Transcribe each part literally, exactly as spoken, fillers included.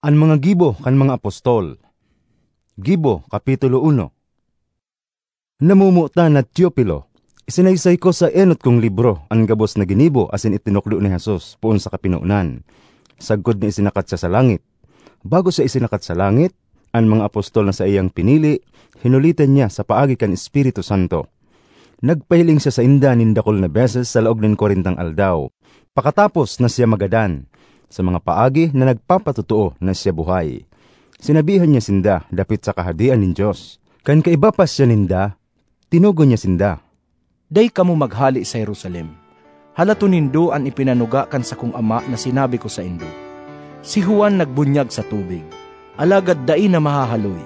An mga gibo kan mga apostol. Gibo, Kapitulo uno. Namomotan na Teofilo, isinaysay ko sa enot kong libro an gabos na ginibo asin itinukdo ni Jesus poon sa kapinonan, sagkod na isinakat siya sa langit. Bago siya isinakat sa langit, an mga apostol na saiyang pinili, hinulitan niya sa paagi kan Espiritu Santo. Nagpahiling siya sainda nin dakul na beses sa laog nin kwarentang aldaw, pakatapos na siya magadan, sa mga paagi na nagpapatotoo na siya buhay. Sinabihan niya sinda dapit sa Kahadean nin Dios. Kan kaiba pa siya ninda, tinugon niya sinda, "Dai kamo maghale sa Jerusalem. Halaton nindo an ipinanuga kan sakong Ama na sinabi ko saindo. Si Juan nagbunyag sa tubig, alagad dai na mahahaloy,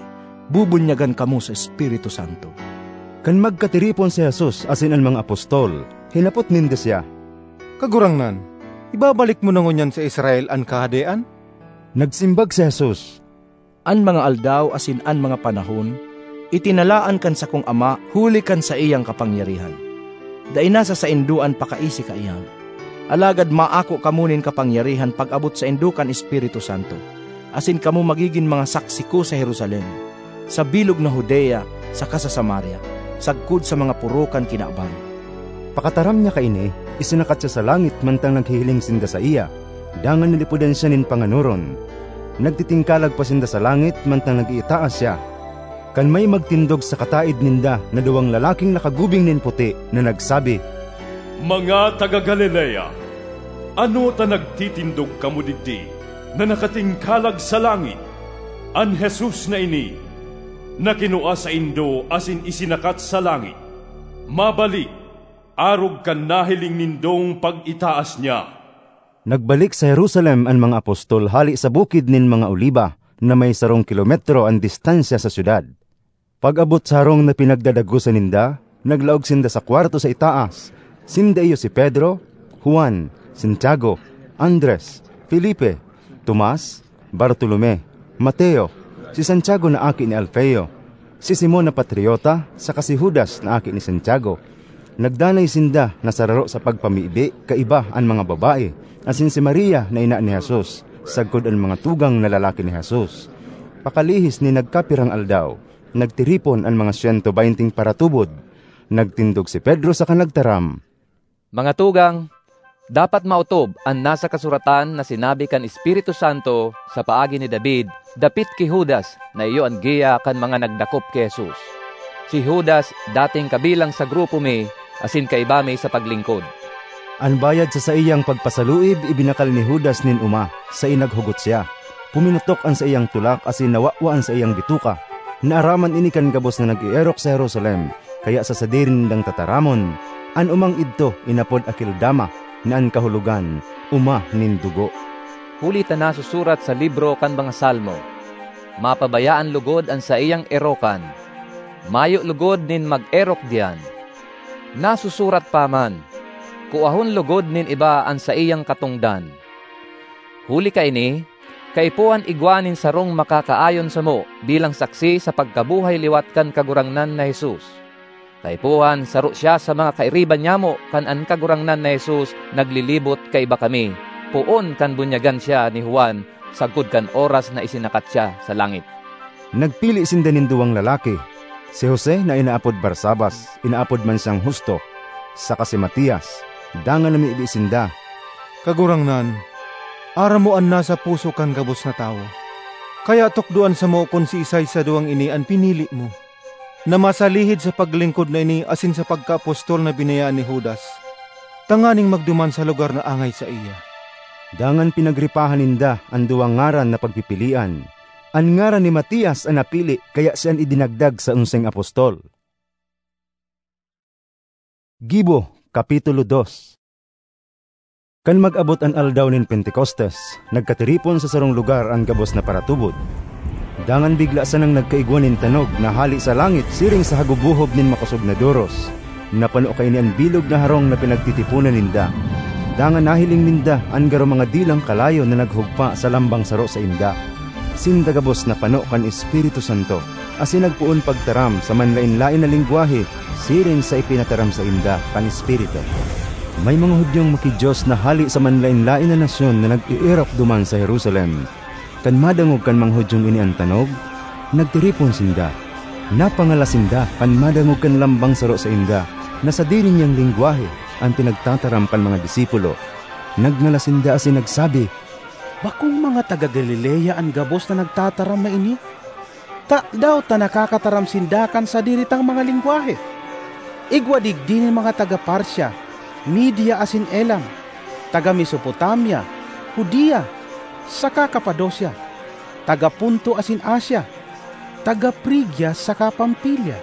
bubunyagan kamo sa Espiritu Santo." Kan magkatiripon si Jesus asin an mga apostol, hinapot ninda siya, "Kagurangnan, ibabalik mo na ngunyan sa Israel an Kahadean?" Nagsimbag si Jesus, "An mga aldaw asin an mga panahon, itinalaan kan sakong Ama huli kan saiyang kapangyarihan. Dai na sa saindo an pakaisi kaiyan. Alagad maako kamo nin kapangyarihan pag-abot saindo kan Espiritu Santo, asin kamo magigin mga saksi ko sa Jerusalem, sa bilog na Judea, saka sa Samaria, sagkod sa mga poro kan kinaban." Pakataram niya kaini, isinakat siya sa langit mantang naghihiling sinda saiya, dangan nalipodan siya nin panganoron. Nagtitingkalag pa sinda sa langit mantang nag-iitaas siya, kan may magtindog sa kataed ninda na duwang lalaking nakagubing nin puti na nagsabi, "Mga taga Galilea, ano ta nagtitindog kamo digdi na nakatingkalag sa langit? An Jesus na ini, na kinua saindo asin isinakat sa langit, mabalik, arog kan nahiling nindong pag-itaas niya." Nagbalik sa Jerusalem an mga apostol hale sa Bukid nin mga Oliba, na may sarong kilometro an distansya sa syudad. Pag-abot sa harong na pinagdadagosan ninda, naglaog sinda sa kwarto sa itaas. Sinda iyo si Pedro, Juan, Santiago, Andres, Felipe, Tomas, Bartolome, Mateo, si Santiago na aki ni Alfeo, si Simon na Patriota, saka si Judas na aki ni Santiago. Nagdanay sinda na sararo sa pagpamibi kaiba an mga babae, asin si Maria na ina ni Jesus, sagkod an mga tugang na lalaki ni Jesus. Pakalihis nin nagkapirang aldaw, nagtiripon an mga siyento beynteng paratubod. Nagtindog si Pedro saka nagtaram, "Mga tugang, dapat maotob an nasa kasuratan na sinabi kan Espiritu Santo sa paagi ni David dapit ki Judas na iyo an giya kan mga nagdakop ki Jesus. Si Judas dating kabilang sa grupo mi asin kaiba mi sa paglingkod." An bayad sa saiyang pagpasaluib ibinakal ni Judas nin oma, sain naghugot siya. Puminutok an saiyang tulak asin nawawa an saiyang bituka. Naaraman ini kan gabos na nag-eerok sa Jerusalem, kaya sa sadiri nindang tataramon, an omang idto inapod Akeldama, na an kahulogan, "Oma nin dugo." Huli ta nasusurat sa libro kan mga Salmo, "Mapabayaan logod an saiyang erokan. Mayo logod nin mag-erok diyan." Nasusurat pa man, "Kuahon logod nin iba an saiyang katongdan." Huli kaini, kaipuhan igwa nin sarong makakaayon samo bilang saksi sa pagkabuhay liwat kan Kagurangnan na Jesus. Kaipuhan saro siya sa mga kairiba nyamo kan an Kagurangnan na Jesus naglilibot kaiba kami, poon kan bunyagan siya ni Juan sagkod kan oras na isinakat siya sa langit. Nagpili sinda nin duwang lalaki, si Jose na inaapod Barsabas, inaapod man siyang Justo, saka si Matias. Dangan namibi sinda, "Kagurangnan, aram mo an nasa puso kan gabos na tawo. Kaya tukdoan samo kun siisay sa duwang ini an pinili mo, na masalihid sa paglingkod na ini asin sa pagkaapostol na binayaan ni Judas, tanganing magduman sa lugar na angay saiya." Dangan pinagripahan ninda an duwang ngaran na pagpipilian. An ngaran ni Matias an napili, kaya siya an idinagdag sa onseng apostol. Gibo, Kapitulo dos. Kan mag-abot an aldaw nin Pentecostes, nagkatiripon sa sarong lugar an gabos na paratubod. Dangan bigla sanang nagkaigwa nin tanog na hale sa langit siring sa hagubohob nin makosog na doros. Napano kaini an bilog na harong na pinagtitiponan ninda. Dangan nahiling ninda an garo mga dilang kalayo na naghugpa sa lambang saro sainda. Sinda gabos napano kan Espiritu Santo, asin nagpoon pagtaram sa manlaen-laen na lengwahe siring sa ipinataram sainda kan Espiritu. May mga Judiong maki-Dios na hale sa manlaen-laen na nasyon na nag-eerok duman sa Jerusalem. Kan madangog kan mga Judiong ini an tanog, nagtiripon sinda. Napangalas sinda kan madangog kan lambang saro sainda na sadiri niyang lengwahe an pinagtataram kan mga disipulo. Nagngalas sinda asin nagsabi, "Bakong mga taga Galilea an gabos na nagtataram na ini? Tadaw ta nakakataram sinda kan sadiri tang mga lengwahe? Igwa digdi nin mga taga Partia, Media asin Elam, taga Mesopotamia, Judea, saka Capadocia, taga Ponto asin Asia, taga Frigia saka Pamfilia,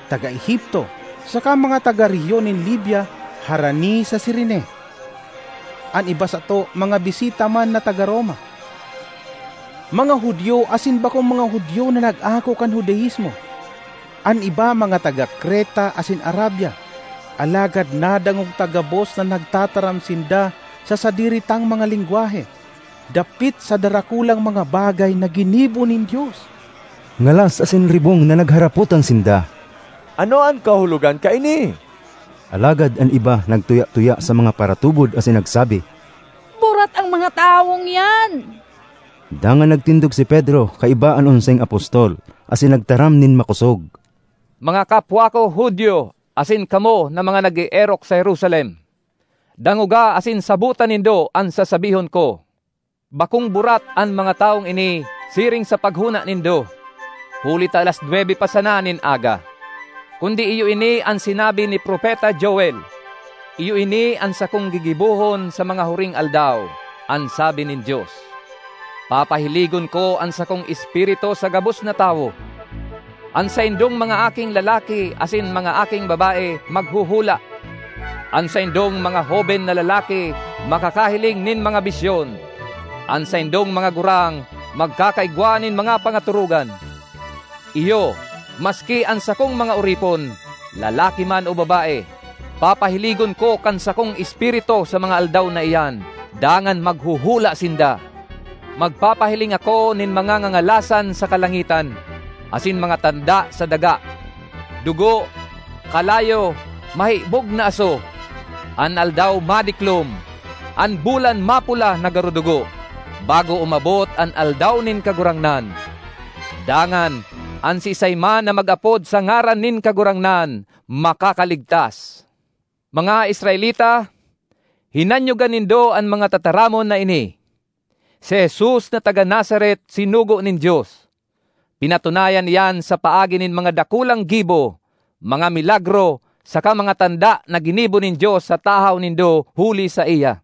taga Egipto, saka mga taga rehiyon nin Libya harani sa Cirene. An iba sato, mga bisita man na taga Roma. Mga Judio asin bakong mga Judio na nag-ako kan Judaismo. An iba, mga taga Creta asin Arabia. Alagad nadangog ta gabos na nagtataram sinda sa sadiri tang mga lengwahe, dapit sa darakulang mga bagay na ginibo nin Dios." Ngalas asin ribong na nagharapotan sinda, "Ano an kahulogan kaini?" Alagad an iba nagtuya-tuya sa mga paratubod asin nagsabi, "Burat an mga tawong iyan!" Dangan nagtindog si Pedro kaiba an onseng apostol asin nagtaram nin makosog, "Mga kapwa ko Judio asin kamo na mga nag-eerok sa Jerusalem, dangoga asin sabota nindo an sasabihon ko. Bakong burat an mga tawong ini siring sa paghona nindo, huli ta alas nuebe pa sana nin aga. Kundi iyo ini an sinabi ni Propeta Joel, 'Iyo ini an sakong gigibohon sa mga huring aldaw,' an sabi nin Dios. 'Papahiligon ko an sakong Espiritu sa gabos na tawo. An saindong mga aking lalaki asin mga aking babae maghuhula. An saindong mga hoben na lalaki makakahiling nin mga bisyon. An saindong mga gurang magkakaigwa nin mga pangatorogan. Iyo, maski an sakong mga oripon, lalaki man o babae, papahiligon ko kan sakong Espiritu sa mga aldaw na iyan, dangan maghuhula sinda. Magpapahiling ako nin mga ngangalasan sa kalangitan asin mga tanda sa daga: dugo, kalayo, mahibog na aso. An aldaw madiklom, an bulan mapula na garo dugo, bago umabot an Aldaw nin Kagurangnan. Dangan, an siisay man na mag-apod sa ngaran nin Kagurangnan, makakaligtas." Mga Israelita, hinanyoga nindo an mga tataramon na ini. Si Jesus na taga Nazaret sinugo nin Dios. Pinatunayan iyan sa paagi nin mga dakulang gibo, mga milagro, saka mga tanda na ginibo nin Dios sa tahaw nindo huli saiya.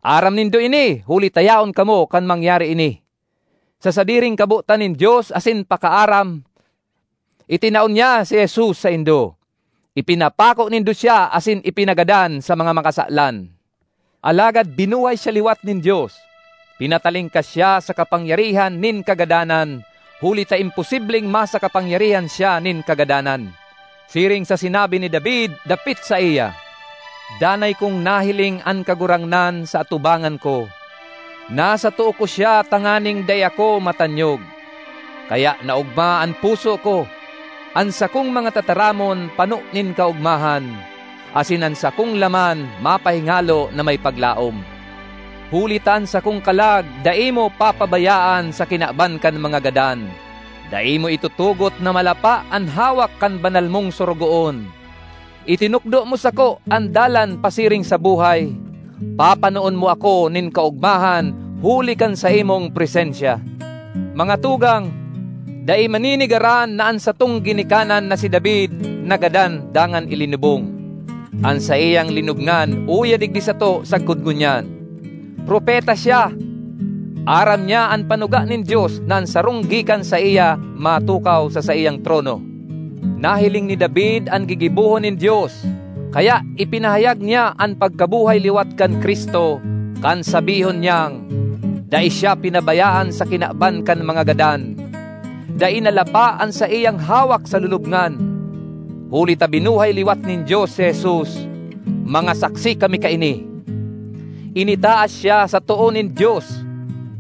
Aram nindo ini, huli ta yaon kamo kan mangyari ini. Sa sadiring kabotan nin Dios asin pakaaram, itinao niya si Jesus saindo. Ipinapako nindo siya asin ipinagadan sa mga makasalan. Alagad binuhay siya liwat nin Dios. Pinatalingkas siya sa kapangyarihan nin kagadanan, huli ta imposibleng masakapangyarihan siya nin kagadanan. Siring sa sinabi ni David dapit saiya, "Danay kong nahiling an Kagurangnan sa atubangan ko. Nasa too ko siya tanganing dai ako matanyog. Kaya naogma an puso ko, an sakong mga tataramon pano nin kaogmahan, asin an sakong laman mapahingalo na may paglaom. Huli ta an sakong kalag dai mo papabayaan sa kinaban kan mga gadan, dai mo itutugot na malapa an hawak kan banal mong sorogoon. Itinukdo mo sako an dalan pasiring sa buhay. Papanoon mo ako nin kaogmahan huli kan saimong presensya." Mga tugang, dai maninigaran na an satong ginikanan na si David nagadan dangan ilinubong. An saiyang linubngan uya digdi sato sagkod ngunyan. Propeta siya. Aram niya an panuga nin Dios na an sarong gikan saiya matukaw sa saiyang trono. Nahiling ni David an gigibohon nin Dios, kaya ipinahayag niya an pagkabuhay liwat kan Cristo kan sabihon niyang, "Dai siya pinabayaan sa kinaban kan mga gadan. Dai nalapa an saiyang hawak sa lulubngan." Huli ta binuhay liwat nin Dios si Jesus, mga saksi kami kaini. Initaas siya sa too nin Dios.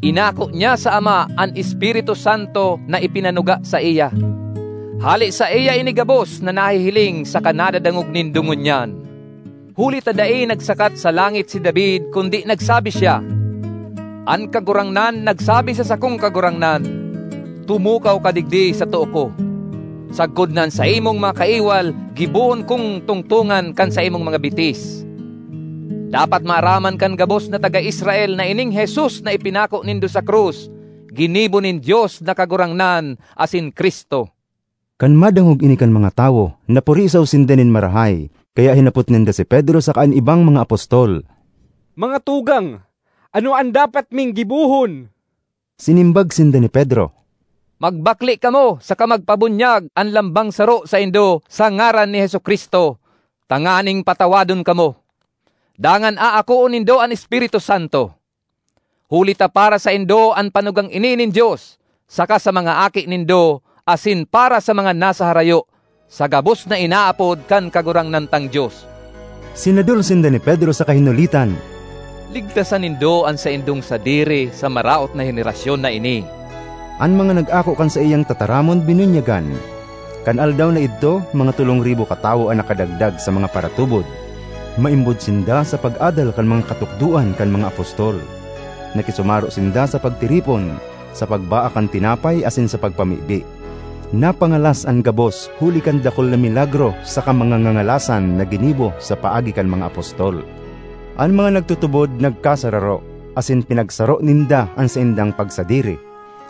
Inako niya sa Ama an Espiritu Santo na ipinanuga saiya. Hale saiya ini gabos na nahihiling saka nadadangog nindo ngunyan. Huli ta dai nagsakat sa langit si David, kundi nagsabi siya, An Kagurangnan nagsabi sa sakong kagurangnan, "Tumukaw ka digdi sa too ko, sagkod na an saimong mga kaiwal gibohon kong tungtongan kan saimong mga bitis." Dapat maaraman kan gabos na taga Israel na ining Jesus na ipinako nindo sa krus, ginibo nin Dios na Kagurangnan asin Cristo. Kan madangog ini kan mga tawo, napurisaw sinda nin marahay, kaya hinapot ninda si Pedro saka an ibang mga apostol, "Mga tugang, ano an dapat ming gibohon?" Sinimbag sinda ni Pedro, "Magbakle kamo saka magpabunyag an lambang saro saindo sa ngaran ni Jesu-Cristo, tanganing patawadon kamo. Dangan aakoon nindo an Espiritu Santo. Huli ta para saindo an panugang ini nin Dios, saka sa mga aki nindo, asin para sa mga nasa harayo, sa gabos na inaapod kan Kagurangnan tang Dios." Sinadol sinda ni Pedro saka hinulitan, "Ligtasan nindo an saindong sadiri sa maraot na henerasyon na ini." An mga nag-ako kan saiyang tataramon binunyagan. Kan aldaw na idto, mga tolong ribo katawo an nakadagdag sa mga paratubod. Maimbod sinda sa pag-adal kan mga katukdoan kan mga apostol. Nakisumaro sinda sa pagtiripon, sa pagbaa kan tinapay asin sa pagpamibi. Napangalas an gabos huli kan dakul na milagro saka mga ngangalasan na ginibo sa paagi kan mga apostol. An mga nagtutubod nagkasararo, asin pinagsaro ninda an saindang pagsadiri.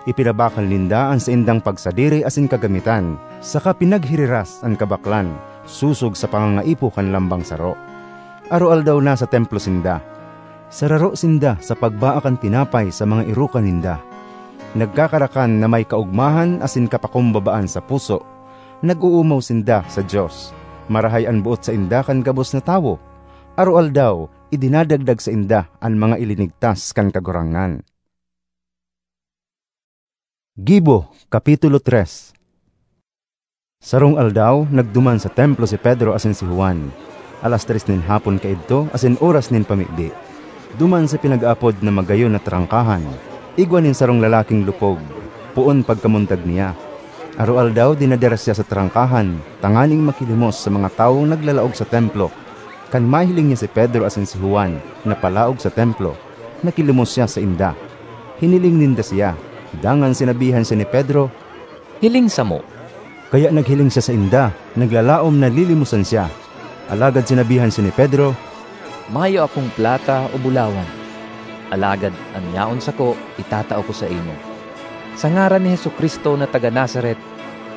Ipinabakal ninda an saindang pagsadiri asin kagamitan, saka pinaghiriras an kabaklan, sosog sa pangangaipo kan lambang saro. Aroaldaw na sa templo sinda. Sararo sinda sa pagbaa kan tinapay sa mga erokan ninda. Nagkakarakan na may kaogmahan asin kapakumbabaan sa puso. Nag-oomaw sinda sa Dios. Marahay an boot sainda kan gabos na tawo. Aroaldaw, idinadagdag sainda an mga ilinigtas kan Kagurangnan. Gibo, Kapitulo tres. Sarong aldaw, nagduman sa templo si Pedro asin si Juan. Alas tres nin hapon kaidto, asin oras nin pamibi. Duman sa pinag-aapod na Magayon na Trangkahan, igwa nin sarong lalaking lupog, poon pagkamundag niya. Aroaldaw, dinadara siya sa trangkahan, tanganing makilimos sa mga tawong naglalaog sa templo. Kan mahiling niya si Pedro asin si Juan na palaog sa templo, nakilimos siya sainda. Hiniling ninda siya, dangan sinabihan siya ni Pedro, "Hiling samo." Kaya naghiling siya sainda, naglalaom na lilimosan siya. Alagad sinabihan siya ni Pedro, "Mayo akong plata o bulawan, alagad an yaon sako itatao ko saimo. Sa ngaran ni Jesu-Cristo na taga Nazaret,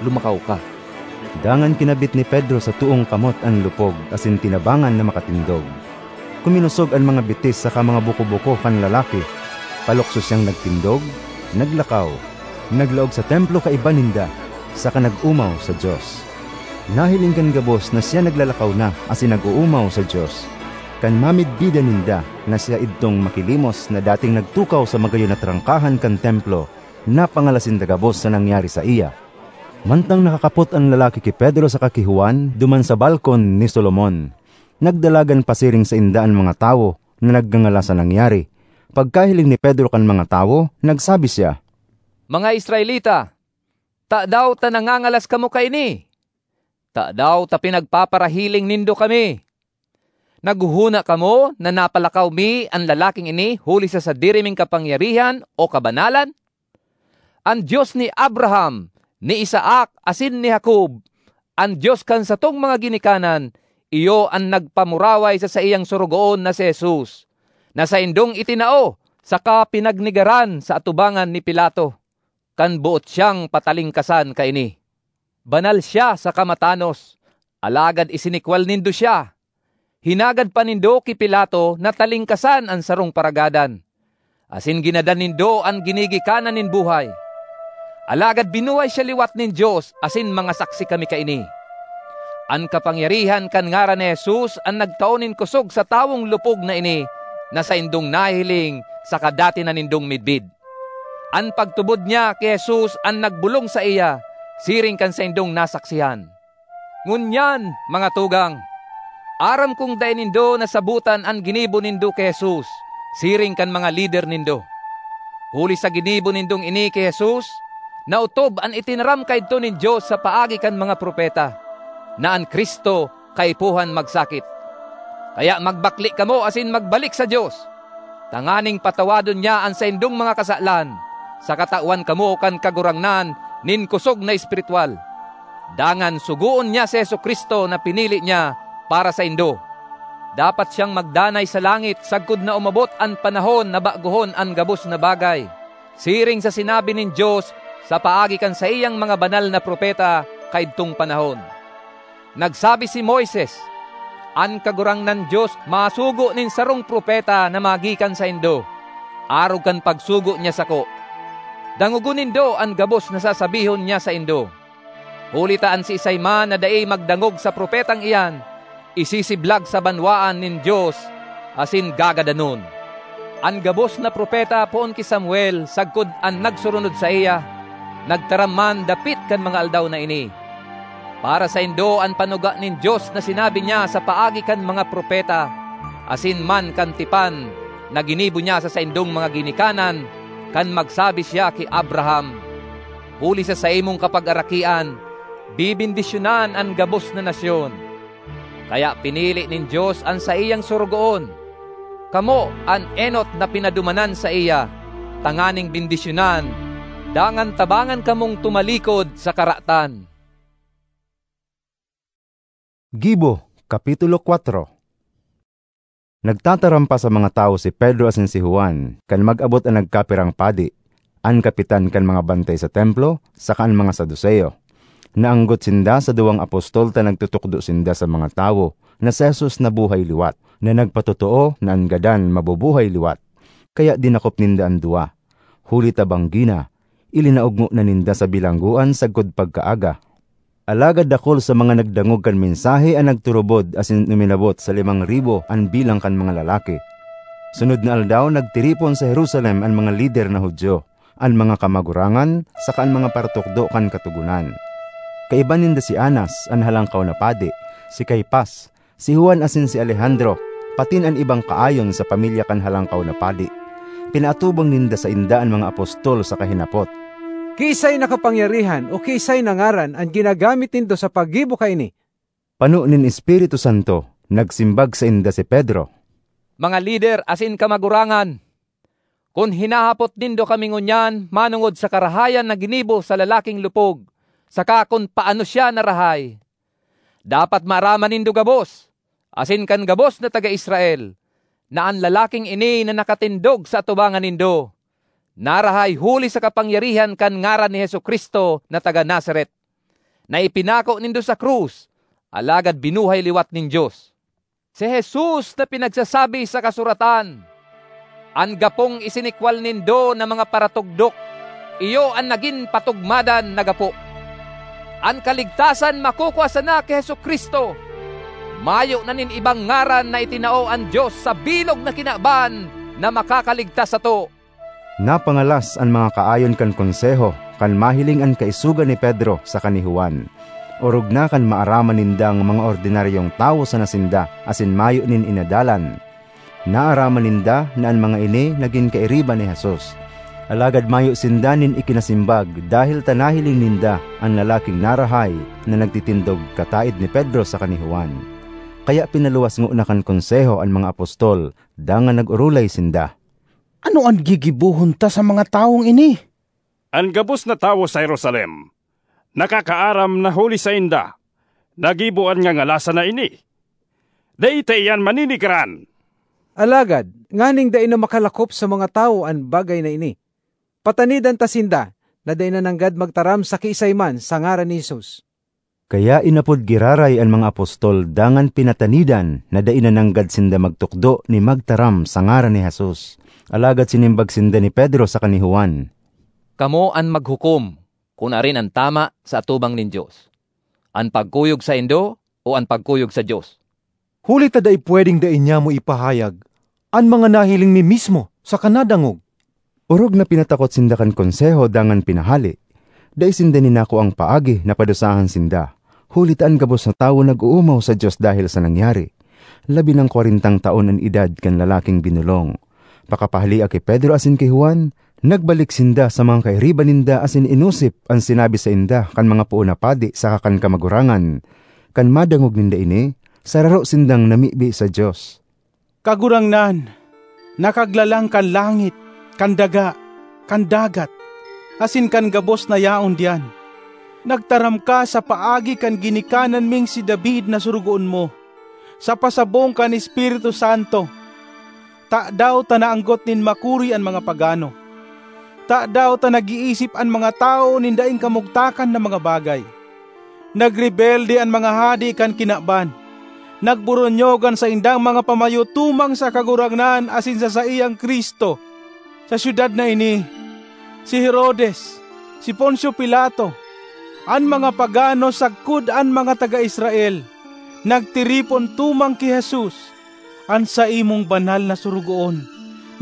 lumakaw ka." Dangan kinabit ni Pedro sa toong kamot an lupog asin tinabangan na makatindog. Kuminosog an mga bitis saka mga buko-buko kan lalaki. Palukso siyang nagtindog, naglakaw, naglaog sa templo kaiba ninda, saka nag-omaw sa Dios. Nahiling kan gabos na siya naglalakaw na asin nag-oomaw sa Dios. Kan mamidbidan ninda na siya idtong makilimos na dating nagtukaw sa magayon na trangkahan kan templo, napangalas sinda gabos sa nangyari saiya. Mantang nakakapot an lalaki ki Pedro saka ki Juan duman sa balkon ni Solomon, nagdalagan pasiring sainda an mga tawo na nagngangalas sa nangyari. Pagkahiling ni Pedro kan mga tawo, nagsabi siya, "Mga Israelita, tadaw ta nangangalas kamo kaini? Tadaw ta pinagpaparahiling nindo kami? Naghohona kamo na napalakaw mi an lalaking ini huli sa sadiri ming kapangyarihan o kabanalan? An Dios ni Abraham, ni Isaac, asin ni Jacob, an Dios kan satong mga ginikanan, iyo an nagpamuraway sa saiyang sorogoon na si Jesus, na saindong itinao saka pinagnegaran sa atubangan ni Pilato, kan boot siyang patalingkasan kaini. Banal siya saka matanos, alagad isinikwal nindo siya. Hinagad pa nindo ki Pilato na talingkasan an sarong paragadan, asin ginadan nindo an ginigikanan nin buhay. Alagad binuhay siya liwat nin Dios, asin mga saksi kami kaini. An kapangyarihan kan ngaran ni Jesus an nagtao nin kosog sa tawong lupog na ini na saindong nahihiling saka dati na nindong midbid. An pagtubod niya ki Jesus an nagbolong saiya, siring kan saindong nasaksihan. Ngunyan, mga tugang, aram kong dai nindo nasabotan an ginibo nindo ki Jesus, siring kan mga lider nindo. Huli sa ginibo nindong ini ki Jesus, naotob an itinaram kaidto nin Dios sa paagi kan mga propeta, na an Cristo kaipuhan magsakit. Kaya magbakle kamo asin magbalik sa Dios. tanganing patawadon niya an saindong mga kasalan, saka tawan kamo kan Kagurangnan nin kosog na espirituwal. Dangan sugoon niya si Jesu-Cristo na pinili niya para saindo. Dapat siyang magdanay sa langit sagkod na umabot an panahon na bagohon an gabos na bagay, siring sa sinabi nin Dios sa paagi kan saiyang mga banal na propeta kaidtong panahon. Nagsabi si Moises, "An Kagurangnan Dios masugo nin sarong propeta na magikan saindo, arog kan pagsugo niya sako. Dangogon nindo an gabos na sasabihon niya saindo. Huli ta an siisay man na dai magdangog sa propetang iyan, isisiblag sa banwaan nin Dios asin gagadanon." An gabos na propeta poon ki Samuel sagkod an nagsurunod saiya, nagtaram man dapit kan mga aldaw na ini. Para saindo an panuga nin Dios na sinabi niya sa paagi kan mga propeta, asin man kan tipan na ginibo niya sa saindong mga ginikanan, kan magsabi siya ki Abraham, "Huli sa saimong kapagarakian, bibendisyonan an gabos na nasyon." Kaya pinili nin Dios an saiyang sorogoon, kamo an enot na pinadumanan saiya, tanganing bendisyonan, dangan tabangan kamong tumalikod sa karatan. Gibo, Kapitulo kwatro. Nagtataram pa sa mga tawo si Pedro asin si Juan kan mag-abot an nagkapirang padi, an kapitan kan mga bantay sa Templo saka an mga Saduceo. Naanggot sinda sa duwang apostol ta nagtutukdo sinda sa mga tawo na si Jesus nabuhay liwat, na nagpatotoo na an gadan mabubuhay liwat. Kaya dinakop ninda an duwa, huli ta banggi na, ilinaog ngona ninda sa bilanggoan sagkod pagkaaga. Alagad dakul sa mga nagdangog kan mensahe an nagturubod asin uminabot sa limang ribo an bilang kan mga lalaki. Sunod na aldaw, nagtiripon sa Jerusalem an mga lider na Judio, an mga kamagurangan, saka an mga paratukdo kan Katogonan. Kaiba ninda si Anas, an Halangkaw na Padi, si Caifas, si Juan asin si Alejandro, patin an ibang kaayon sa pamilya kan Halangkaw na Padi. Pinaatubang ninda sainda an mga apostol saka hinapot, "Kiisay na kapangyarihan o kiisay na ngaran an ginagamit nindo sa paggibo kaini?" Pano nin Espiritu Santo, nagsimbag sainda si Pedro, "Mga lider asin kamagurangan, kun hinahapot nindo kami ngunyan manongod sa karahayan na ginibo sa lalaking lupog, saka kun paano siya narahay, dapat maaraman nindo gabos, asin kan gabos na taga Israel, na an lalaking ini na nakatindog sa atubangan nindo, narahay huli sa kapangyarihan kan ngaran ni Jesu-Cristo na taga Nazaret, na ipinako nindo sa krus, alagad binuhay liwat nin Dios. Si Jesus na pinagsasabi sa kasuratan, an gapong isinikwal nindo na mga paratugdok, iyo an nagin patugmadan na gapo. An kaligtasan makukua sana ki Jesu-Cristo. Mayo na nin ibang ngaran na itinao an Dios sa bilog na kinaban na makakaligtas sato." Napangalas an mga kaayon kan Konseho kan mahiling an kaisogan ni Pedro saka ni Juan. Orog na kan maaraman nindang mga ordinaryong tawo sana sinda asin mayo nin inadalan. Naaraman ninda na an mga ini nagin kairiba ni Jesus. Alagad mayo sinda nin ikinasimbag dahel ta nahiling ninda an lalaking narahay na nagtitindog kataed ni Pedro saka ni Juan. Kaya pinaluwas ngona kan Konseho an mga apostol, dangan nag-orolay sinda, "Ano an gigibohon ta sa mga tawong ini? An gabos na tawo sa Jerusalem nakakaaram na huli sainda nagibo an ngangalasan na ini. Dai ta iyan maninigaran. Alagad, nganing dai na makalakop sa mga tawo an bagay na ini, patanidan ta sinda na dai na nanggad magtaram sa kiisay man sa ngaran ni Jesus." Kaya inapod giraray an mga apostol dangan pinatanidan na dai na nanggad sinda magtukdo ni magtaram sa ngaran ni Jesus. Alagad sinimbag sinda ni Pedro saka ni Juan, "Kamo an maghukom kun arin an tama sa atubang nin Dios, an pagkuyog saindo o an pagkuyog sa Dios." Huli ta dai pwedeng dai niamo ipahayag an mga nahiling mi mismo saka nadangog. Orog na pinatakot sinda kan Konseho dangan pinahale. Dai sinda ninakuang paagi na padusahan sinda, huli ta an gabos na tawo nag-oomaw sa Dios dahel sa nangyari. Labi nang kwarentang taon an edad kan lalaking binolong. Pakapahalea ki Pedro asin ki Juan, nagbalik sinda sa mga kairiba ninda asin inosip an sinabi sainda kan mga poon na padi saka kan kamagurangan. Kan madangog ninda ini, sararo sindang namibi sa Dios, "Kagurangnan, nakaglalang kan langit, kan daga, kan dagat, asin kan gabos na yaon diyan. Nagtaram ka sa paagi kan ginikanan ming si David na sorogoon mo, sa pasabong kan Espiritu Santo. Tadaw ta naanggot nin makuri an mga pagano? Tadaw ta nag-iisip an mga tawo nin daing kamugtakan na mga bagay? Nagrebelde an mga hade kan kinaban. Nagburonyog an saindang mga pamayo tumang sa Kagurangnan asin sa saiyang Cristo. Sa syudad na ini, si Herodes, si Poncio Pilato, an mga pagano sagkod an mga taga Israel, nagtiripon tumang ki Jesus, an saimong banal na sorogoon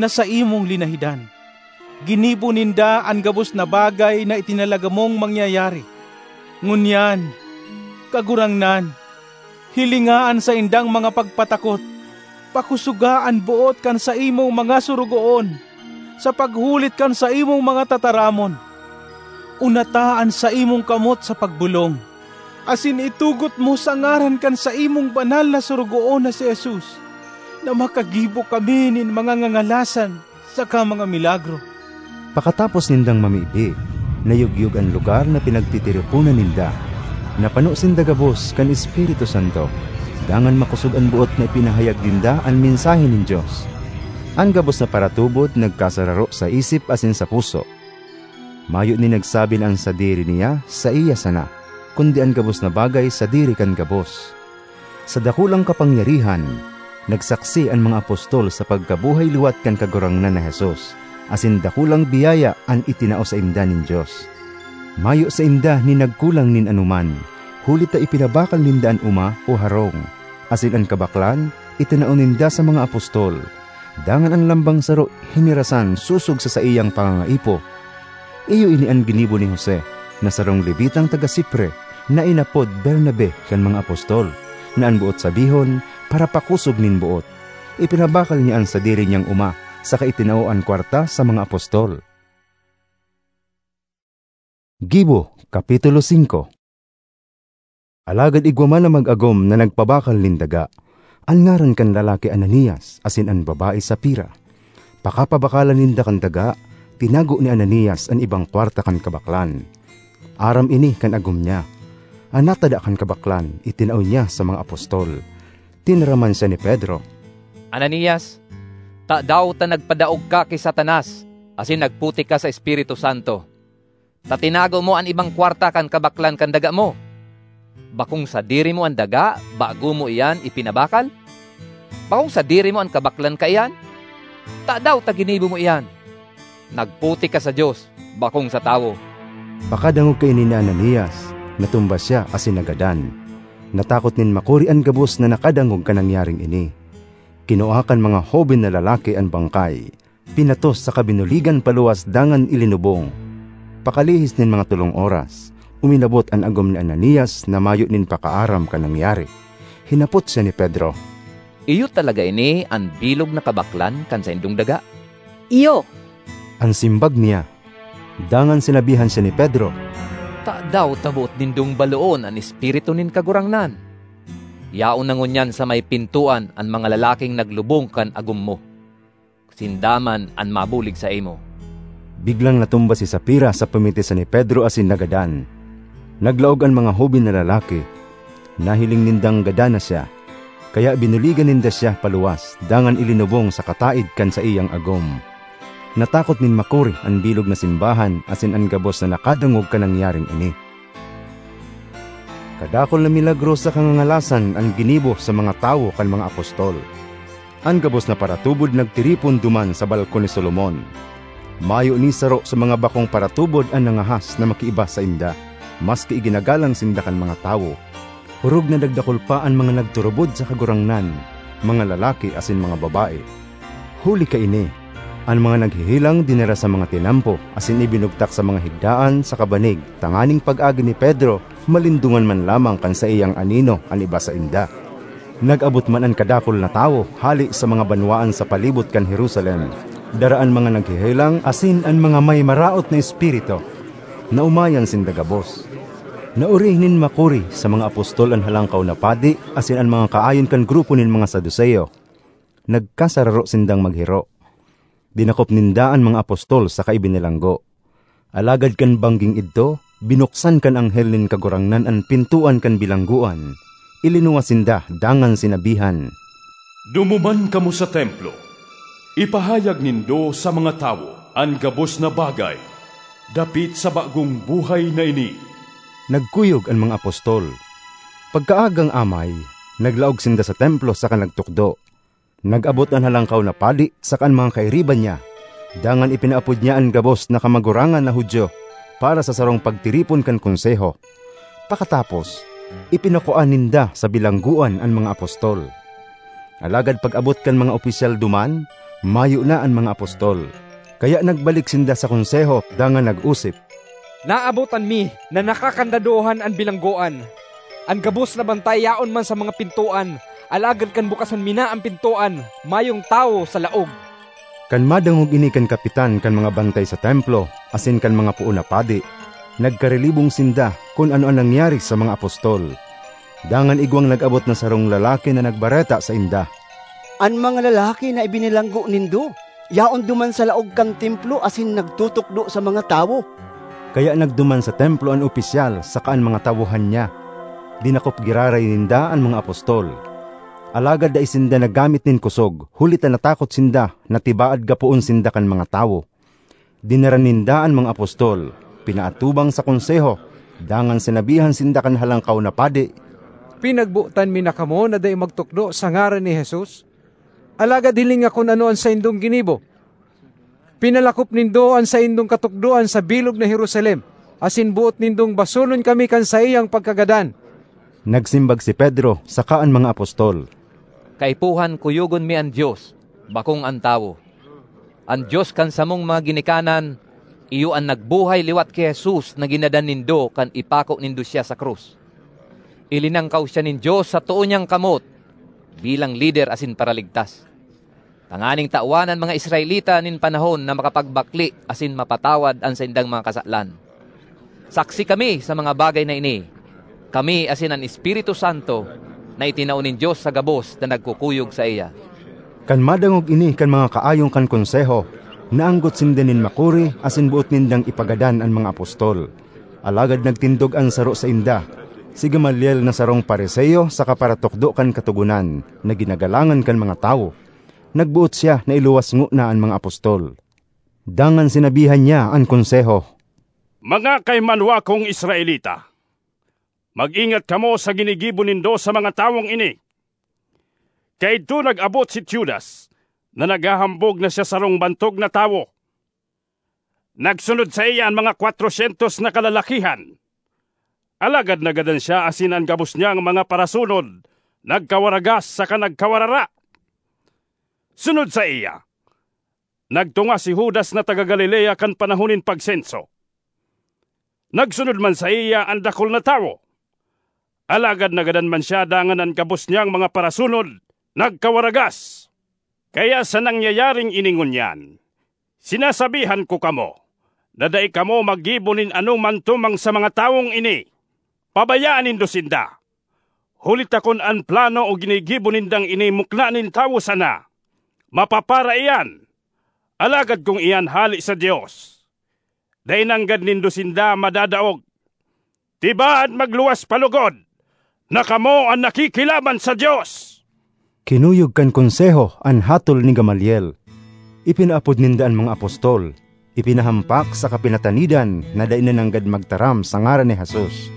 na saimong linahidan. Ginibo ninda an gabos na bagay na itinalaga mong mangyayari. Ngunyan, Kagurangnan, hilinga an saindang mga pagpatakot, pakosoga an boot kan saimong mga sorogoon sa paghulit kan saimong mga tataramon. Unata an saimong kamot sa pagbolong, asin itugot mo sa ngaran kan saimong banal na sorogoon na si Jesus, na makagibo kami nin mga ngangalasan saka mga milagro. Pakatapos nindang mamibi, nayugyog an lugar na pinagtitiriponan ninda. Napano sinda gabos kan Espiritu Santo, dangan makosog an boot na ipinahayag ninda an mensahe nin Dios. An gabos na paratubod nagkasararo sa isip asin sa puso. Mayo nin nagsabi na an sadiri niya saiya sana, kundi an gabos na bagay sadiri kan gabos. Sa dakulang kapangyarihan, nagsaksi an mga apostol sa pagkabuhay liwat kan Kagurangnan na Jesus, asin dakulang biyaya an itinao sainda nin Dios. Mayo sainda nin nagkulang nin anoman, huli ta ipinabakal ninda an oma o harong, asin an kabaklan itinao ninda sa mga apostol. Dangan an lambang saro hinirasan sosog sa saiyang pangangaipo. Iyo ini an ginibo ni Jose, na sarong Levitang taga Cipre, na inapod Bernabe kan mga apostol, na an boot sabihon, parapakosog nin boot. Ipinabakal niya an sadiri niyang oma, saka itinao an kwarta sa mga apostol. Gibo, Kapitulo singko. Alagad igwa man na mag-agom na nagpabakal nin daga. An ngaran kan lalaki Ananias asin an babae Safira. Pakapabakalan ninda kan daga, tinago ni Ananias an ibang kwarta kan kabaklan. Aram ini kan agom niya. An natada kan kabaklan, itinao niya sa mga apostol. Tinaraman siya ni Pedro, "Ananias, tadaw ta nagpadaog ka ki Satanas asin nagputik ka sa Espiritu Santo, ta tinago mo an ibang kwarta kan kabaklan kan daga mo? Bakong sadiri mo an daga bago mo iyan ipinabakal? Bakong sadiri mo an kabaklan kaiyan? Tadaw ta ginibo mo iyan? Nagputik ka sa Dios, bakong sa tawo." Pakadangog kaini ni Ananias, natumba siya asin nagadan. Natakot nin makuri an gabos na nakadangog kan nangyaring ini. Kinua kan mga hoben na lalaki an bangkay, pinatos saka binuligan paluwas dangan ilinubong. Pakalihis nin mga tolong oras, uminabot an agom ni Ananias na mayo nin pakaaram kan nangyari. Hinapot siya ni Pedro, "Iyo talaga ini an bilog na kabaklan kan saindong daga?" "Iyo," an simbag niya. Dangan sinabihan siya ni Pedro, "Tadaw ta boot nindong baloon an Espiritu nin Kagurangnan? Yaon na ngunyan sa may pintoan an mga lalaking naglubong kan agom mo. Sinda man an mabulig saimo." Biglang natumba si Safira sa pamitisan ni Pedro asin nagadan. Naglaog an mga hoben na lalaki. Nahiling nindang gadan na siya, kaya binuligan ninda siya paluwas dangan ilinubong sa kataed kan saiyang agom. Natakot nin makuri an bilog na simbahan asin an gabos na nakadangog kan nangyaring ini. Kadakul na milagro sa kangangalasan an ginibo sa mga tawo kan mga apostol. An gabos na paratubod nagtiripon duman sa balkon ni Solomon. Mayo ni saro sa mga bakong paratubod an nangahas na makiiba sainda, maski iginagalang sinda kan mga tawo. Orog na nagdakul pa an mga nagturubod sa Kagurangnan, mga lalaki asin mga babae. Huli kaini, an mga naghehelang dinara sa mga tinampo asin ibinugtak sa mga higdaan saka banig, tanganing pag-agi ni Pedro, malindongan man lamang kan saiyang anino an iba sainda. Nag-abot man an kadakul na tawo hale sa mga banwaan sa palibot kan Jerusalem. Dara an mga naghehelang asin an mga may maraot na espiritu. Naomayan sinda gabos. Naori nin makuri sa mga apostol an Halangkaw na Padi asin an mga kaayon kan grupo nin mga Saduceo. Nagkasararo sindang maghiro. Dinakop ninda an mga apostol saka ibinilanggo. Alagad kan bangging idto, binuksan kan anghel nin Kagurangnan an pintoan kan bilanggoan. Ilinuwas sinda dangan sinabihan, "Dumuman kamo sa templo. Ipahayag nindo sa mga tawo an gabos na bagay dapit sa bagong buhay na ini." Nagkuyog an mga apostol. Pagkaagang amay, naglaog sinda sa templo saka nagtukdo. Nag-abot an halangkaw na padi saka an mga kairiba niya. Dangan ipinaapod niya an gabos na kamagurangan na Judio para sa sarong pagtiripon kan Konseho. Pakatapos, ipinakua ninda sa bilanggoan an mga apostol. Alagad pag-abot kan mga opisyal duman, mayo na an mga apostol. Kaya nagbalik sinda sa Konseho dangan nag-osip, "Naabotan mi na nakakandadohan an bilanggoan. An gabos na bantay yaon man sa mga pintoan, alagad kan bukasan mi na an pintoan, mayong tawo sa laog." Kan madangog ini kan kapitan kan mga bantay sa templo asin kan mga poon na padi, nagkarilibong sinda kun ano an nangyari sa mga apostol. Dangan igwang nag-abot na sarong lalaki na nagbareta sainda, "An mga lalaki na ibinilanggo nindo, yaon duman sa laog kan templo asin nagtutukdo sa mga tawo." Kaya nagduman sa templo an opisyal saka an mga tawohan niya. Dinakop giraray ninda an mga apostol. Alagad dai sinda naggamit nin kosog, huli ta natakot sinda na tibaad gapoon sinda kan mga tawo. Dinara ninda an mga apostol, pinaatubang sa Konseho, dangan sinabihan sinda kan halangkaw na padi, "Pinagbotan mi na kamo na dai magtukdo sa ngaran ni Jesus. Alagad hilinga kun ano an saindong ginibo. Pinalakop nindo an saindong katukdoan sa bilog na Jerusalem, asin boot nindong basolon kami kan saiyang pagkagadan." Nagsimbag si Pedro saka an mga apostol, "Kaipuhan kuyogon mi an Dios, bakong an tawo. An Dios kan samong mga ginikanan, iyo an nagbuhay liwat ki Jesus na ginadan nindo kan ipako nindo siya sa krus. Ilinangkaw siya nin Dios sa too niyang kamot bilang lider asin paraligtas, tanganing tawan an mga Israelita nin panahon na makapagbakle asin mapatawad an saindang mga kasalan. Saksi kami sa mga bagay na ini, kami asin an Espiritu Santo na itinao nin Dios sa gabos na nagkukuyog saiya." Kan madangog ini kan mga kaayong kan Konseho, naanggot sinda nin makuri asin boot nindang ipagadan an mga apostol. Alagad nagtindog an saro sainda, si Gamaliel na sarong Fariseo saka paratukdo kan Katogonan na ginagalangan kan mga tawo. Nagboot siya na iluwas ngona an mga apostol. Dangan sinabihan niya an Konseho, "Mga kaimanwa kong Israelita, mag-ingat kamo sa ginigibo nindo sa mga tawong ini. Kaidto nag-abot si Teudas, na naghahambog na siya sarong bantog na tawo. Nagsunod saiya an mga kwatrosyentos na kalalakihan. Alagad nagadan siya asin an gabos niyang mga parasunod nagkawaragas saka nagkawarara. Sunod saiya, nagtunga si Judas na taga Galilea kan panahon nin pagsenso. Nagsunod man saiya an dakul na tawo. Alagad nagadan man siya dangan an gabos niyang mga parasunod nagkawaragas. Kaya sa nangyayaring ini ngunyan, sinasabihan ko kamo na dai kamo maggibo nin anoman tumang sa mga tawong ini. Pabayaan nindo sinda. Huli ta kun an plano o ginigibo nindang ini mukna nin tawo sana, mapapara iyan. Alagad kun iyan hale sa Dios, dai nanggad nindo sinda madadaog. Tibaad magluwas pa logod na kamo an nakikilaban sa Dios!" Kinuyog kan Konseho an hatol ni Gamaliel. Ipinaapod ninda an mga apostol, ipinahampak saka pinatanidan na dai na nanggad magtaram sa ngaran ni Jesus.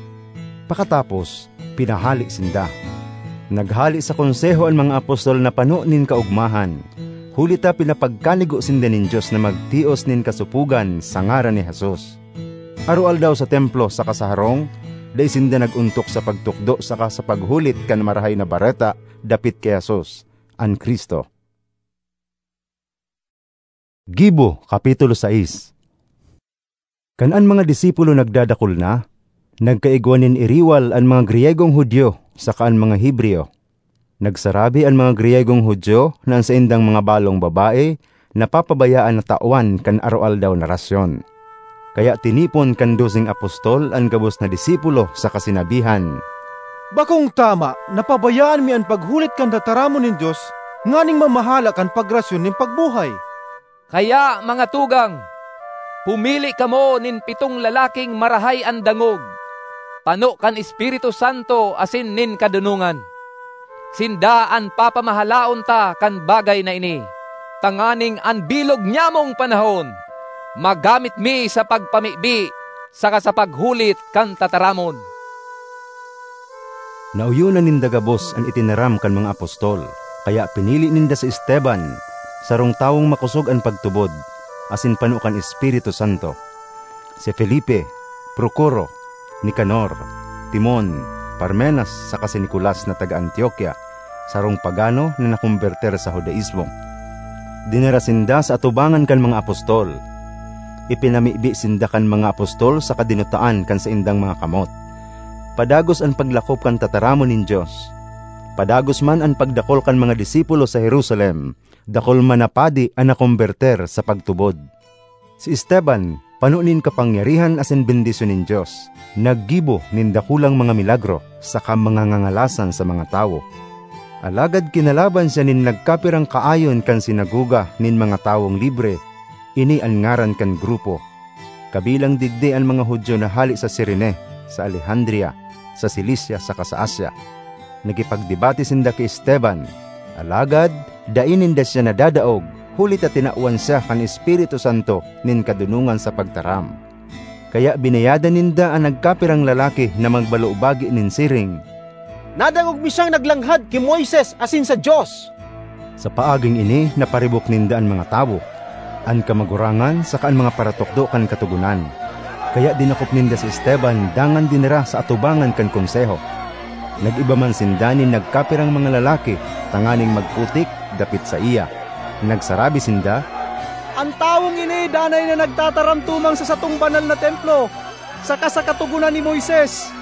Pakatapos, pinahale sinda. Naghale sa Konseho an mga apostol na pano nin kaogmahan, huli ta pinapagkanigo sinda nin Dios na magtios nin kasopogan sa ngaran ni Jesus. Aroaldaw sa templo saka sa harong, dai sinda nag-ontok sa pagtukdo saka sa paghulit kan Marahay na Bareta dapit ki Jesus, an Cristo. Gibo, Kapitulo sais. Kan an mga disipulo nagdadakul na, nagkaigwa nin iriwal an mga Griyegong Judio saka an mga Hebreyo. Nagsarabi an mga Griyegong Judio na an saindang mga balong babae napapabayaan na tawan kan aroaldaw na rasyon. Kaya tinipon kan doseng apostol an gabos na disipulo saka sinabihan, "Bakong tama na pabayaan mi an paghulit kan tataramon nin Dios nganing mamahala kan pagrasyon nin pagbuhay." Kaya, mga tugang, pumili kamo nin pitong lalaking marahay an dangog, pano kan Espiritu Santo asin nin kadonongan. Sinda an papamahalaon ta kan bagay na ini, tanganing an bilog nyamong panahon magamit mi sa pagpamibi saka sa paghulit kan tataramon. Naoyonan ninda gabos an itinaram kan mga apostol, kaya pinili ninda si Esteban, sarong tawong makosog an pagtubod, asin pano kan Espiritu Santo. Si Felipe, Procoro, Nicanor, Timon, Parmenas, saka si Nicolas na taga Antioquia, sarong pagano na nakombertir sa Judaismo. Dinara sinda sa atubangan kan mga apostol. Ipinamibi sinda kan mga apostol saka dinutaan kan saindang mga kamot. Padagos an paglakop kan tataramon nin Dios. Padagos man an pagdakul kan mga disipulo sa Jerusalem, dakul man na padi an nakombertir sa pagtubod. Si Esteban, pano nin kapangyarihan asin bendisyon nin Dios, naggibo nin dakulang mga milagro saka mga ngangalasan sa mga tawo. Alagad kinalaban siya nin nagkapirang kaayon kan sinagoga nin mga tawong libre, ini an ngaran kan grupo. Kabilang digdi an mga Judio na hale sa Cirene, sa Alejandria, sa Cilicia saka sa Asia. Nakipagdebate sinda ki Esteban, alagad dai ninda siya nadadaog, huli ta tinawan siya kan Espiritu Santo nin kadonongan sa pagtaram. Kaya binayadan ninda an nagkapirang lalaki na magbalubagi nin siring, "Nadangog mi siyang naglanghad ki Moises asin sa Dios." Sa paaging ini, naparibok ninda an mga tawo, an kamagurangan saka an mga paratukdo kan Katogonan. Kaya dinakop ninda si Esteban dangan dinara sa atubangan kan Konseho. Nag-iba man sinda nin nagkapirang mga lalaki tanganing magputik dapit saiya. Nagsarabi sinda, "An tawong ini danay na nagtataram tumang sa satong banal na templo, saka sa Katogonan ni Moises.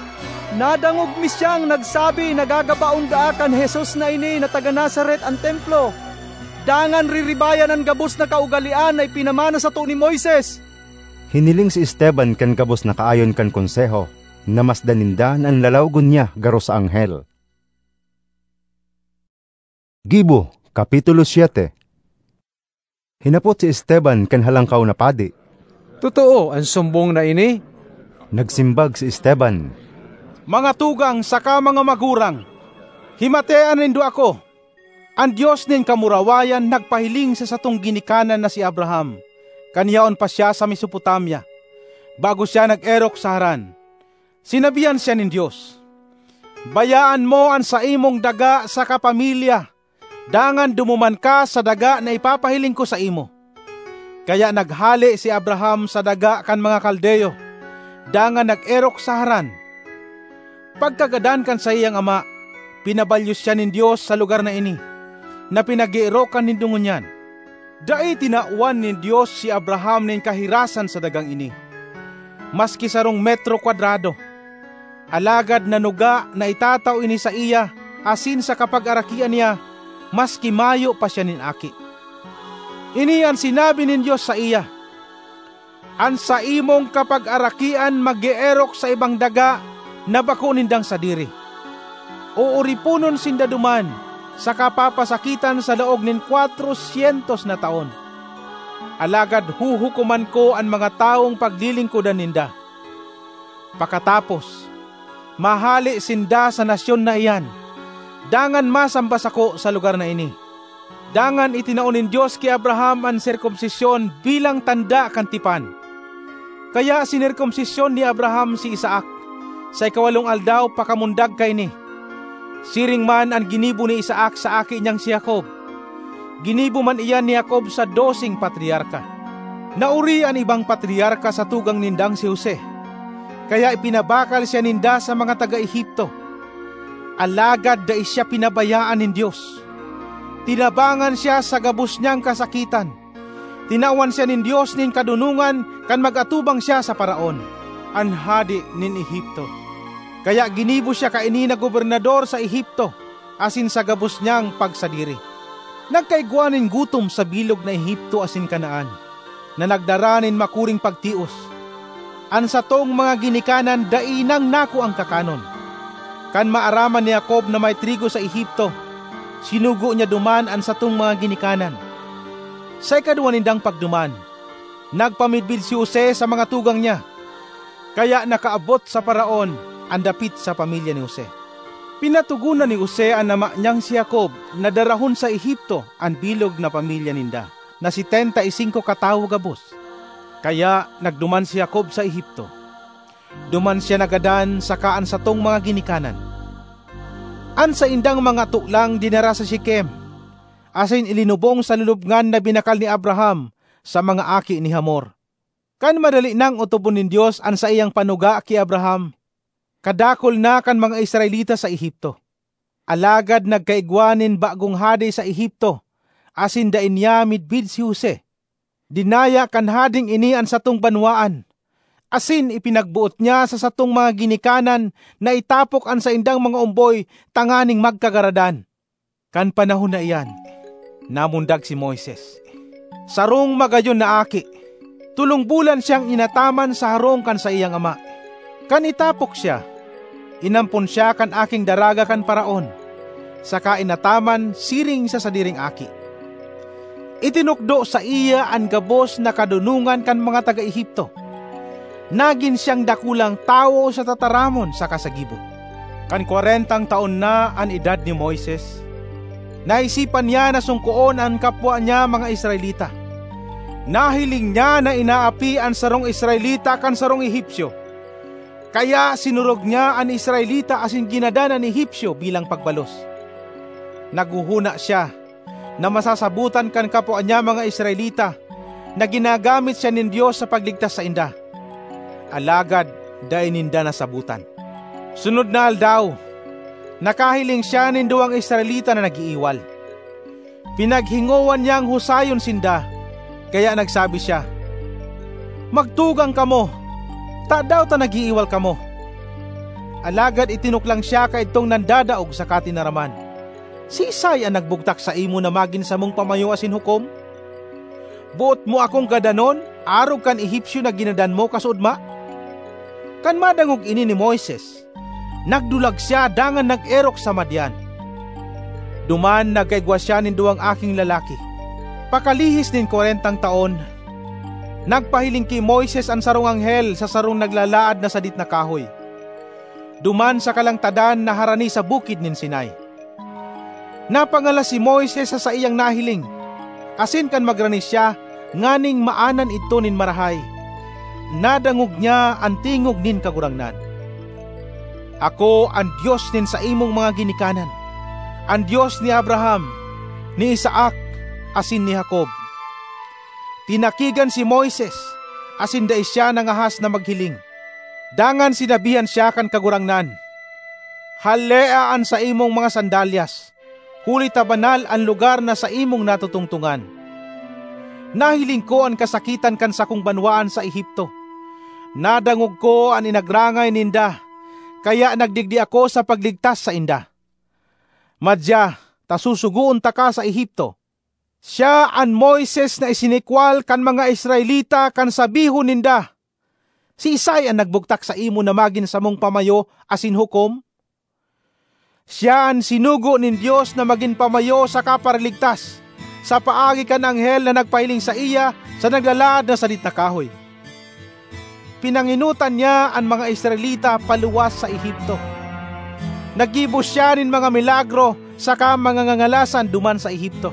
Nadangog mi siyang nagsabi na gagabaon daa kan Jesus na ini na taga Nazaret an templo, dangan riribayan an gabos na kaugalean na ipinamana sato ni Moises." Hiniling si Esteban kan gabos na kaayon kan Konseho, namasdan ninda na an lalawogon niya garo sa anghel. Gibo, Kapitulo siete. Hinapot si Esteban kan Halangkaw na Padi, "Totoo an sumbong na ini?" Nagsimbag si Esteban, "Mga tugang saka mga magurang, himatea nindo ako! An Dios nin kamurawayan nagpahiling sa satong ginikanan na si Abraham, kan yaon pa siya sa Mesopotamia, bago siya nag-erok sa Haran. Sinabihan siya nin Dios, 'Bayaan mo an saimong daga saka pamilya, dangan dumuman ka sa daga na ipapahiling ko saimo.' Kaya naghale si Abraham sa daga kan mga Kaldeo, dangan nag-erok sa Haran. Pagkagadan kan saiyang ama, pinabalyo siya nin Dios sa lugar na ini, na pinag-eerokan nindo ngunyan. Dai tinawan nin Dios si Abraham nin kahirasan sa dagang ini, maski sarong metro kwadrado. Alagad nanuga na itatao ini saiya asin sa kapagarakian niya, maski mayo pa siya nin aki. Ini an sinabi nin Dios saiya, 'An saimong kapagarakian mag-eerok sa ibang daga na bako nindang sadiri. Ooriponon sinda duman saka papasakitan sa laog nin kwatro syentos na taon. Alagad huhukoman ko an mga tawong paglilingkodan ninda. Pakatapos, mahale sinda sa nasyon na iyan, dangan masamba sako sa lugar na ini.' Dangan itinao nin Dios ki Abraham an sirkumsisyon bilang tanda kan tipan. Kaya sinirkumsisyon ni Abraham si Isaac sa ikawalong aldaw pakamundag kaini. Siring man an ginibo ni Isaac sa aki niyang si Jacob. Ginibo man iyan ni Jacob sa doseng patriarka. Naori an ibang patriarka sa tugang nindang si Jose, kaya ipinabakal siya ninda sa mga taga Egipto. Alagad dai siya pinabayaan nin Dios. Tinabangan siya sa gabos niyang kasakitan. Tinawan siya nin Dios nin kadonongan kan mag-atubang siya sa Faraon, an hade nin Egipto. Kaya ginibo siya kaini na gobernador sa Egipto asin sa gabos niyang pagsadiri. Nagkaigwa nin gutom sa bilog na Egipto asin Canaan, na nagdara nin makuring pagtios. An satong mga ginikanan dai nang nakuang kakanon. Kan maaraman ni Jacob na may trigo sa Egipto, sinugo niya duman an satong mga ginikanan. Sa ikaduwa nindang pagduman, nagpamidbid si Jose sa mga tugang niya, kaya nakaabot sa Faraon an dapit sa pamilya ni Jose. Pinatogonan ni Jose an ama niyang si Jacob na darahon sa Egipto an bilog na pamilya ninda, na setenta y singko katawo gabos. Kaya nagduman si Jacob sa Egipto. Duman siya nagadan saka an satong mga ginikanan. An saindang mga tolang dinara sa Shechem, asin ilinubong sa lulubngan na binakal ni Abraham sa mga aki ni Hamor. Kan madali nang otobon nin Dios an saiyang panuga ki Abraham, kadakul na kan mga Israelita sa Egipto. Alagad nagkaigwa nin bagong hade sa Egipto, asin dai niya midbid si Jose. Dinaya kan hadeng ini an satong banwaan, asin ipinagboot niya sa satong mga ginikanan na itapok an saindang mga omboy tanganing magkagaradan. Kan panahon na iyan, namundag si Moises, sarong magayon na aki. Tolong bulan siyang inataman sa harong kan saiyang ama. Kan itapok siya, inampon siya kan aking daraga kan Faraon, saka inataman siring sa sadiring aki. Itinukdo saiya an gabos na kadonongan kan mga taga Egipto. Nagin siyang dakulang tawo sa tataramon saka sa gibo. Kan kwarentang taon na an edad ni Moises, naisipan niya na sungkoon an kapwa niya mga Israelita. Nahiling niya na inaapi an sarong Israelita kan sarong Egipcio. Kaya sinurog niya an Israelita asin ginadan an Egipcio bilang pagbalos. Naghohona siya na masasabotan kan kapwa niya mga Israelita na ginagamit siya nin Dios sa pagligtas sainda. Alagad dai ninda nasabotan. Sunod na aldaw, nakahiling siya nin duwang Israelita na nag-iiwal. Pinaghingowan niyang husayon sinda, kaya nagsabi siya, "Magtugang kamo! Tadaw ta nag-iiwal kamo?" Alagad itinuklang siya kaidtong nandadaog saka tinaraman, "Siisay an nagbugtak saimo na magin samong pamayo asin hukom? Boot mo akong gadanon arog kan Egipcio na ginadan mo kasuodma?" Kan madangog ini ni Moises, nagdulag siya dangan nag-erok sa Madian. Duman nagkaigwa siya nin duwang aking lalaki. Pakalihis nin kwarentang taon, nagpahiling ki Moises an sarong anghel sa sarong naglalaad na sadit na kahoy. Duman sa kalangtadan na harani sa bukid nin Sinai. Napangalas si Moises sa saiyang nahiling, asin kan magrani siya nganing maanan idto nin marahay, nadangog niya an tingog nin Kagurangnan, "Ako an Dios nin saimong mga ginikanan, an Dios ni Abraham, ni Isaac, asin ni Jacob." Tinakigan si Moises, asin dai siya nangahas na maghiling. Dangan sinabihan siya kan Kagurangnan, "Halea an saimong mga sandalyas, huli ta banal an lugar na saimong natutungtongan. Nahiling ko an kasakitan kan sakong banwaan sa Egipto. Nadangog ko an inagrangay ninda, kaya nagdigdi ako sa pagligtas sainda. Madya ta susugoon taka sa Egipto." Siya an Moises na isinikwal kan mga Israelita kan sabihon ninda, "Siisay an nagbugtak saimo na magin samong pamayo asin hukom?" Siya an sinugo nin Dios na magin pamayo saka paraligtas, sa paagi kan anghel na nagpahiling saiya sa naglalaad na sadit na kahoy. Pinangenotan niya an mga Israelita paluwas sa Egipto. Naggibo siya nin mga milagro saka mga ngangalasan duman sa Egipto,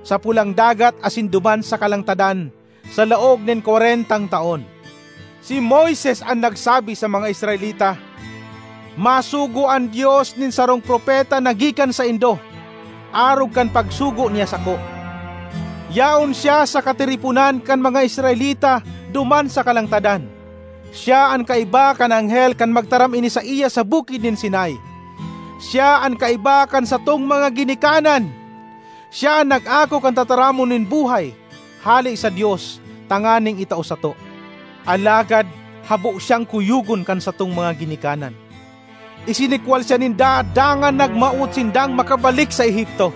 sa Pulang Dagat asin duman sa kalangtadan, sa laog nin kwarentang taon. Si Moises an nagsabi sa mga Israelita, "Masugo an Dios nin sarong propeta na gikan saindo, arog kan pagsugo niya sako. Yaon siya sa katiriponan kan mga Israelita duman sa kalangtadan. Siya an kaiba kan anghel kan magtaram ini saiya sa bukid nin Sinai. Siya an kaiba kan satong mga ginikanan. Siya an nag-ako kan tataramon nin buhay hale sa Dios tanganing itao sato. Alagad habo siyang kuyogon kan satong mga ginikanan. Isinikwal siya ninda dangan nagmawot sindang makabalik sa Egipto.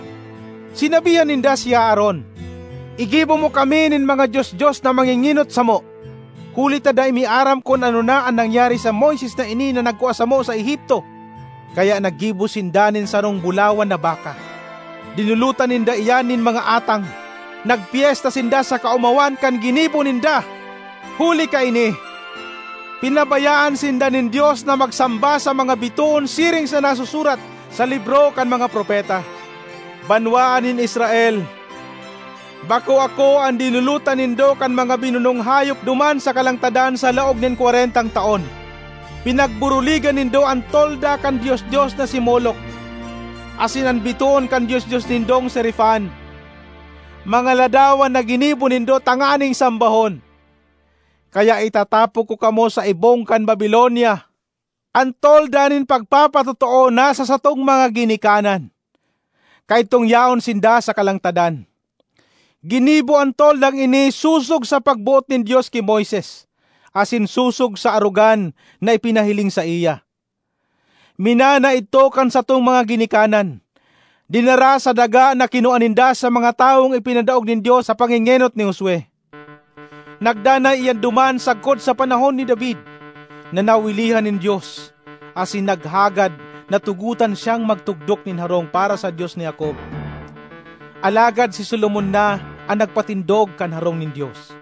Sinabihan ninda si Aaron, 'Igibo mo kami nin mga dios-dios na mangingenot samo.' Huli ta dai mi aram kun ano na an nangyari sa Moises na ini na nagkua samo sa Egipto." Kaya naggibo sinda nin sarong bulawan na baka. Dinulotan ninda iyan nin mga atang. nagpyesta sinda sa kaomawan kan ginibo ninda. Huli kaini, pinabayaan sinda nin Dios na magsamba sa mga bitoon siring sa nasusurat sa libro kan mga propeta. Banwaan nin Israel, bako ako an dinulotan nindo kan mga binunong hayop duman sa kalangtadan sa laog nin kwarentang taon. Pinagburuligan nindo an tolda kan dios-dios na si Moloc, asin an bitoon kan dios-dios nindong si Refan, mga ladawan na ginibo nindo tanganing sambahon. Kaya itatapok ko kamo sa ibong kan Babilonia. An tolda nin pagpapatotoo nasa satong mga ginikanan, kaidtong yaon sinda sa kalangtadan. Ginibo an toldang ini sosog sa pagboot nin Dios ki Moises, asin sosog sa arogan na ipinahiling saiya. Minana idto kan satong mga ginikanan. Dinara sa daga na kinua ninda sa mga tawong ipinadaog nin Dios sa pangengenot ni Josue. Nagdanay iyan duman sagkod sa panahon ni David, na nawilihan nin Dios, asin naghagad na tugotan siyang magtugdok nin harong para sa Dios ni Jacob. Alagad si Solomon na an nagpatindog kan harong nin Dios.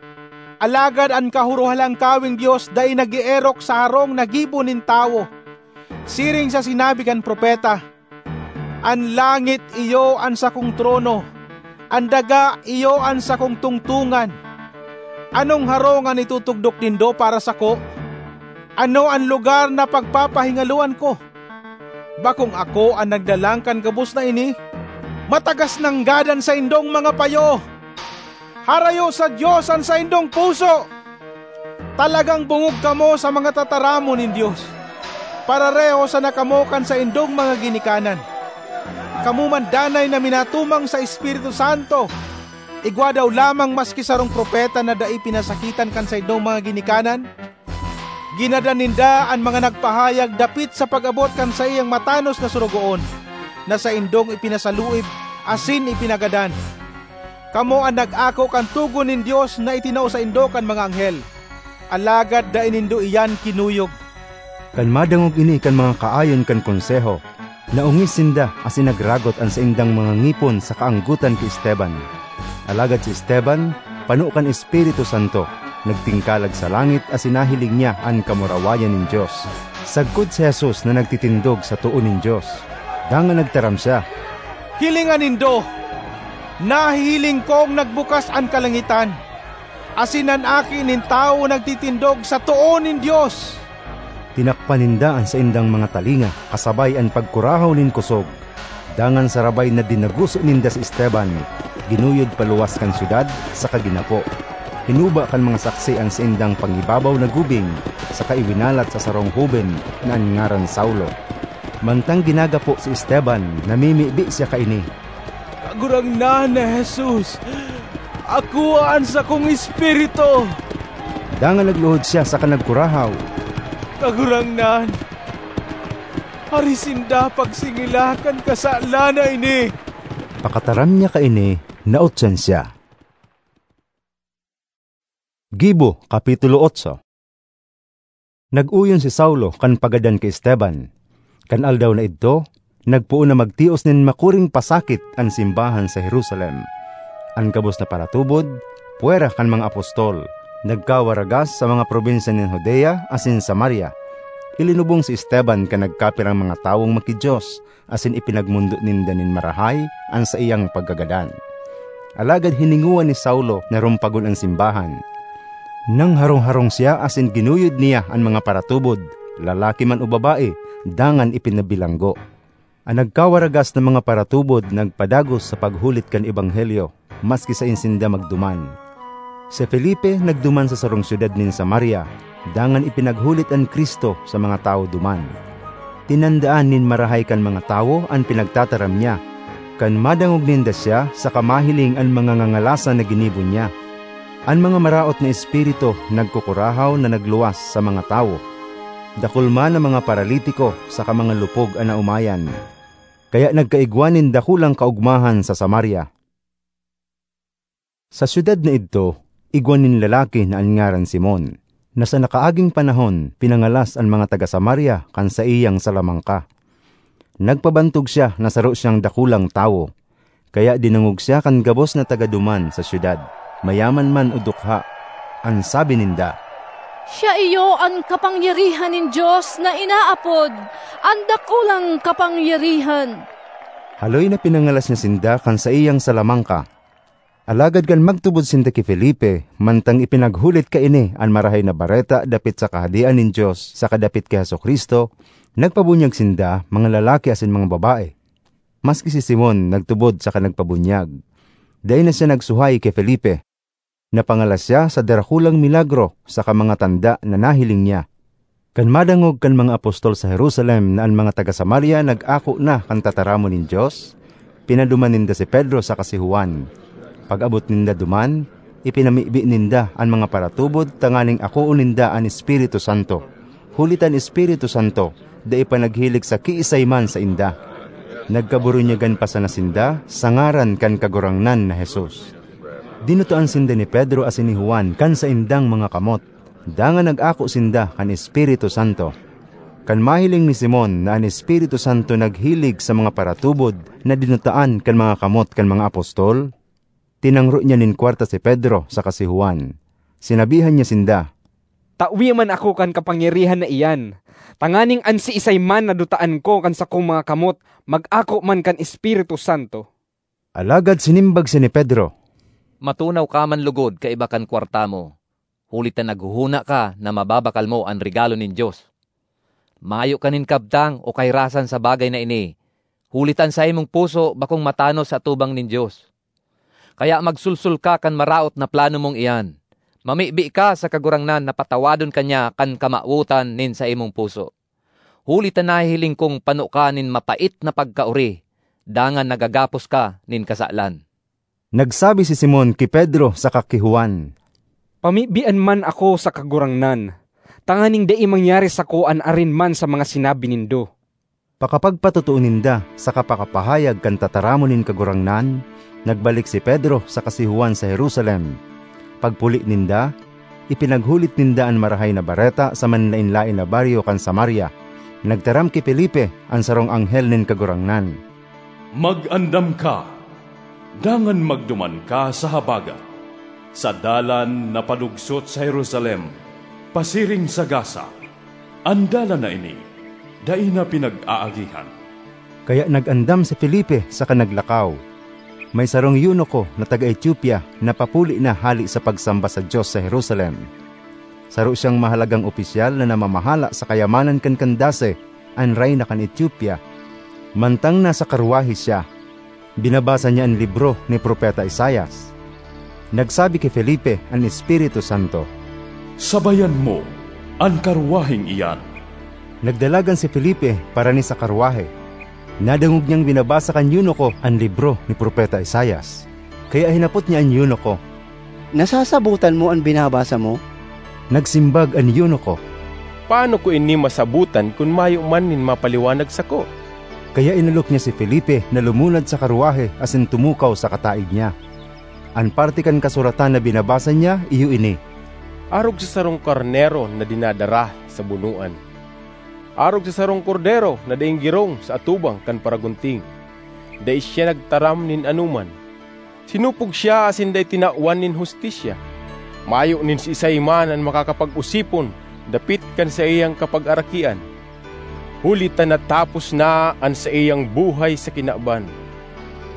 Alagad an Kahorohalangkaweng Dios dai nag-eerok sa harong na gibo nin tawo. Siring sa sinabi kan propeta, "An langit iyo an sakong trono, an daga iyo an sakong tungtongan. Anong harong an itutugdok nindo para sako? Ano an lugar na pagpapahingaloan ko? Bakong ako an naglalang kan gabos na ini? Matagas nanggad an saindong mga payo! Harayo sa Dios an saindong puso! Talagang bongog kamo sa mga tataramon nin Dios. Parareho sana kamo kan saindong mga ginikanan. Kamo man danay na minatumang sa Espiritu Santo, igwa daw lamang maski sarong propeta na dai pinasakitan kan saindong mga ginikanan? Ginadan ninda an mga nagpahayag dapit sa pag-abot kan saiyang matanos na sorogoon, na saindong ipinasaluib asin ipinagadan. Kamo an nag-ako kan togon nin Dios na itinao saindo kan mga anghel, alagad dai nindo iyan kinuyog." Kan madangog ini kan mga kaayon kan Konseho, naongis sinda asin nagragot an saindang mga ngipon sa kaanggotan ki Esteban. Alagad si Esteban, pano kan Espiritu Santo, nagtingkalag sa langit asin nahiling niya an kamurawayan nin Dios, sagkod si Jesus na nagtitindog sa too nin Dios. Dangan nagtaram siya, "Hilinga nindo! Nahihiling kong nagbukas an kalangitan, asin an Aki nin Tawo nagtitindog sa too nin Dios!" Tinakpan ninda an saindang mga talinga kasabay an pagkurahaw nin kosog. Dangan sarabay na dinaguso ninda si Esteban, ginuyod paluwas kan syudad saka ginapo. Hinuba kan mga saksi an saindang pangibabaw na gubing saka iwinalat sa sarong hoben na an ngaran Saulo. Mantang ginagapo si Esteban, namimibi siya kaini, "Kagurangnan na Jesus, akoa an sakong espiritu!" Dangan nagluhod siya saka nagkurahaw, "Kagurangnan, hari sinda pagsingila kan kasalan na ini!" Pakataram niya kaini, nautsan siya. Gibo, Kapitulo otso. Nag-oyon si Saulo kan pagadan ki Esteban. Kan aldaw na idto, nagpoon na magtios nin makuring pasakit an simbahan sa Jerusalem. An gabos na paratubod, pwera kan mga apostol, nagkawaragas sa mga probinsya nin Judea asin Samaria. Ilinubong si Esteban kan nagkapirang mga tawong maki-Dios, asin ipinagmondo ninda nin marahay an saiyang pagkagadan. Alagad hiningowa ni Saulo na rumpagon an simbahan. Nangharong-harong siya asin ginuyod niya an mga paratubod, lalaki man o babae, dangan ipinabilanggo. An nagkawaragas na mga paratubod nagpadagos sa paghulit kan ebanghelyo, maski saen sinda magduman. Si Felipe nagduman sa sarong syudad nin Samaria, dangan ipinaghulit an Cristo sa mga tawo duman. Tinandaan nin marahay kan mga tawo an pinagtataram niya, kan madangog ninda siya saka mahiling an mga ngangalasan na ginibo niya. An mga maraot na espiritu nagkukurahaw na nagluwas sa mga tawo. Dakul man an mga paralitiko saka mga lupog an naomayan. Kaya nagkaigwa nin dakulang kaogmahan sa Samaria. Sa syudad na idto, igwa nin lalaki na an ngaran Simon, na sa nakaaging panahon pinangalas an mga taga Samaria kan saiyang salamangka. Nagpabantog siya na saro siyang dakulang tawo. Kaya dinangog siya kan gabos na taga duman sa syudad, mayaman man o dukha. An sabi ninda, "Siya iyo an kapangyarihan nin Dios na inaapod an dakulang kapangyarihan." Haloy na pinangalas niya sinda kan saiyang salamangka. Alagad kan magtubod sinda ki Felipe, mantang ipinaghulit kaini an Marahay na Bareta dapit sa Kahadean nin Dios saka dapit ki Jesu-Cristo, nagpabunyag sinda, mga lalaki asin mga babae. Maski si Simon nagtubod saka nagpabunyag. Dai na siya nagsuhay ki Felipe. Napangalas siya sa darakulang milagro saka mga tanda na nahiling niya. Kan madangog kan mga apostol sa Jerusalem na an mga taga Samaria nag-ako na kan tataramon nin Dios, pinaduman ninda si Pedro saka si Juan. Pag-abot ninda duman, ipinamibi ninda an mga paratubod tanganing akoon ninda an Espiritu Santo, huli ta an Espiritu Santo dai pa naghilig sa kiisay man sainda. Nagkaburunyagan pa sana sinda sa ngaran kan Kagurangnan na Jesus. Dinutaan sinda ni Pedro asin ni Juan kan saindang mga kamot, dangan nag-ako sinda kan Espiritu Santo. Kan mahiling ni Simon na an Espiritu Santo naghilig sa mga paratubod na dinutaan kan mga kamot kan mga apostol, tinangro niya nin kwarta si Pedro saka si Juan. Sinabihan niya sinda, "Tawe man ako kan kapangyarihan na iyan, tanganing an siisay man na dutaan ko kan sakong mga kamot mag-ako man kan Espiritu Santo." Alagad sinimbag siya ni Pedro, "Matunaw ka man logod kaiba kan kwarta mo, huli ta naghohona ka na mababakal mo an regalo nin Dios. Mayo ka nin kabtang o kahirasan sa bagay na ini, huli ta an saimong puso bakong matanos sa atubang nin Dios. Kaya magsulsol ka kan maraot na plano mong iyan. Mamibi ka sa Kagurangnan na patawadon ka niya kan kamawotan nin saimong puso. Huli ta nahihiling kong pano ka nin mapait na pagkaori, dangan nagagapos ka nin kasalan." Nagsabi si Simon ki Pedro saka ki Juan, "Pamibian man ako sa Kagurangnan, tanganing dai mangyari sako an arin man sa mga sinabi nindo." Pakapagpatotoo ninda saka pakapahayag kan tataramon nin Kagurangnan, nagbalik si Pedro saka si Juan sa Jerusalem. Pagpuli ninda, ipinaghulit ninda an Marahay na Bareta sa manlaen-laen na baryo kan Samaria. Nagtaram ki Felipe an sarong anghel nin Kagurangnan, "Mag-andam ka, dangan magduman ka sa habagat, sa dalan na padugsot sa Jerusalem, pasiring sa Gaza. An dalan na ini, dai na pinag-aagihan." Kaya nag-andam si Felipe saka naglakaw. May sarong eunuko na taga Etiopia na papuli na hale sa pagsamba sa Dios sa Jerusalem. Saro siyang mahalagang opisyal na namamahala sa kayamanan kan Candace, an reyna kan Etiopia. Mantang nasa karwahe siya, binabasa niya an libro ni Propeta Isaias. Nagsabi ki Felipe an Espiritu Santo, "Sabayan mo an karwaheng iyan." Nagdalagan si Felipe parani sa karwahe. Nadangog niyang binabasa kan eunuko an libro ni Propeta Isaias. Kaya hinapot niya an eunuko, "Nasasabotan mo an binabasa mo?" Nagsimbag an eunuko, "Paano ko ini masabotan kun mayo man nin mapaliwanag sako?" Kaya inolok niya si Felipe na lumunad sa karwahe asin tumukaw sa kataig niya. An parte kan kasuratan na binabasa niya iyo ini, "Arog sa sarong karnero na dinadara sa bunoan, arog sa sarong kordero na daing girong sa atubang kan paragunting. Dai siya nagtaram nin anoman. Sinupog siya asin dai tinawan nin hustisya. Mayo nin siisay man an makakapag-osipon dapit kan saiyang kapagarakian, huli ta natapos na an saiyang buhay sa kinaban."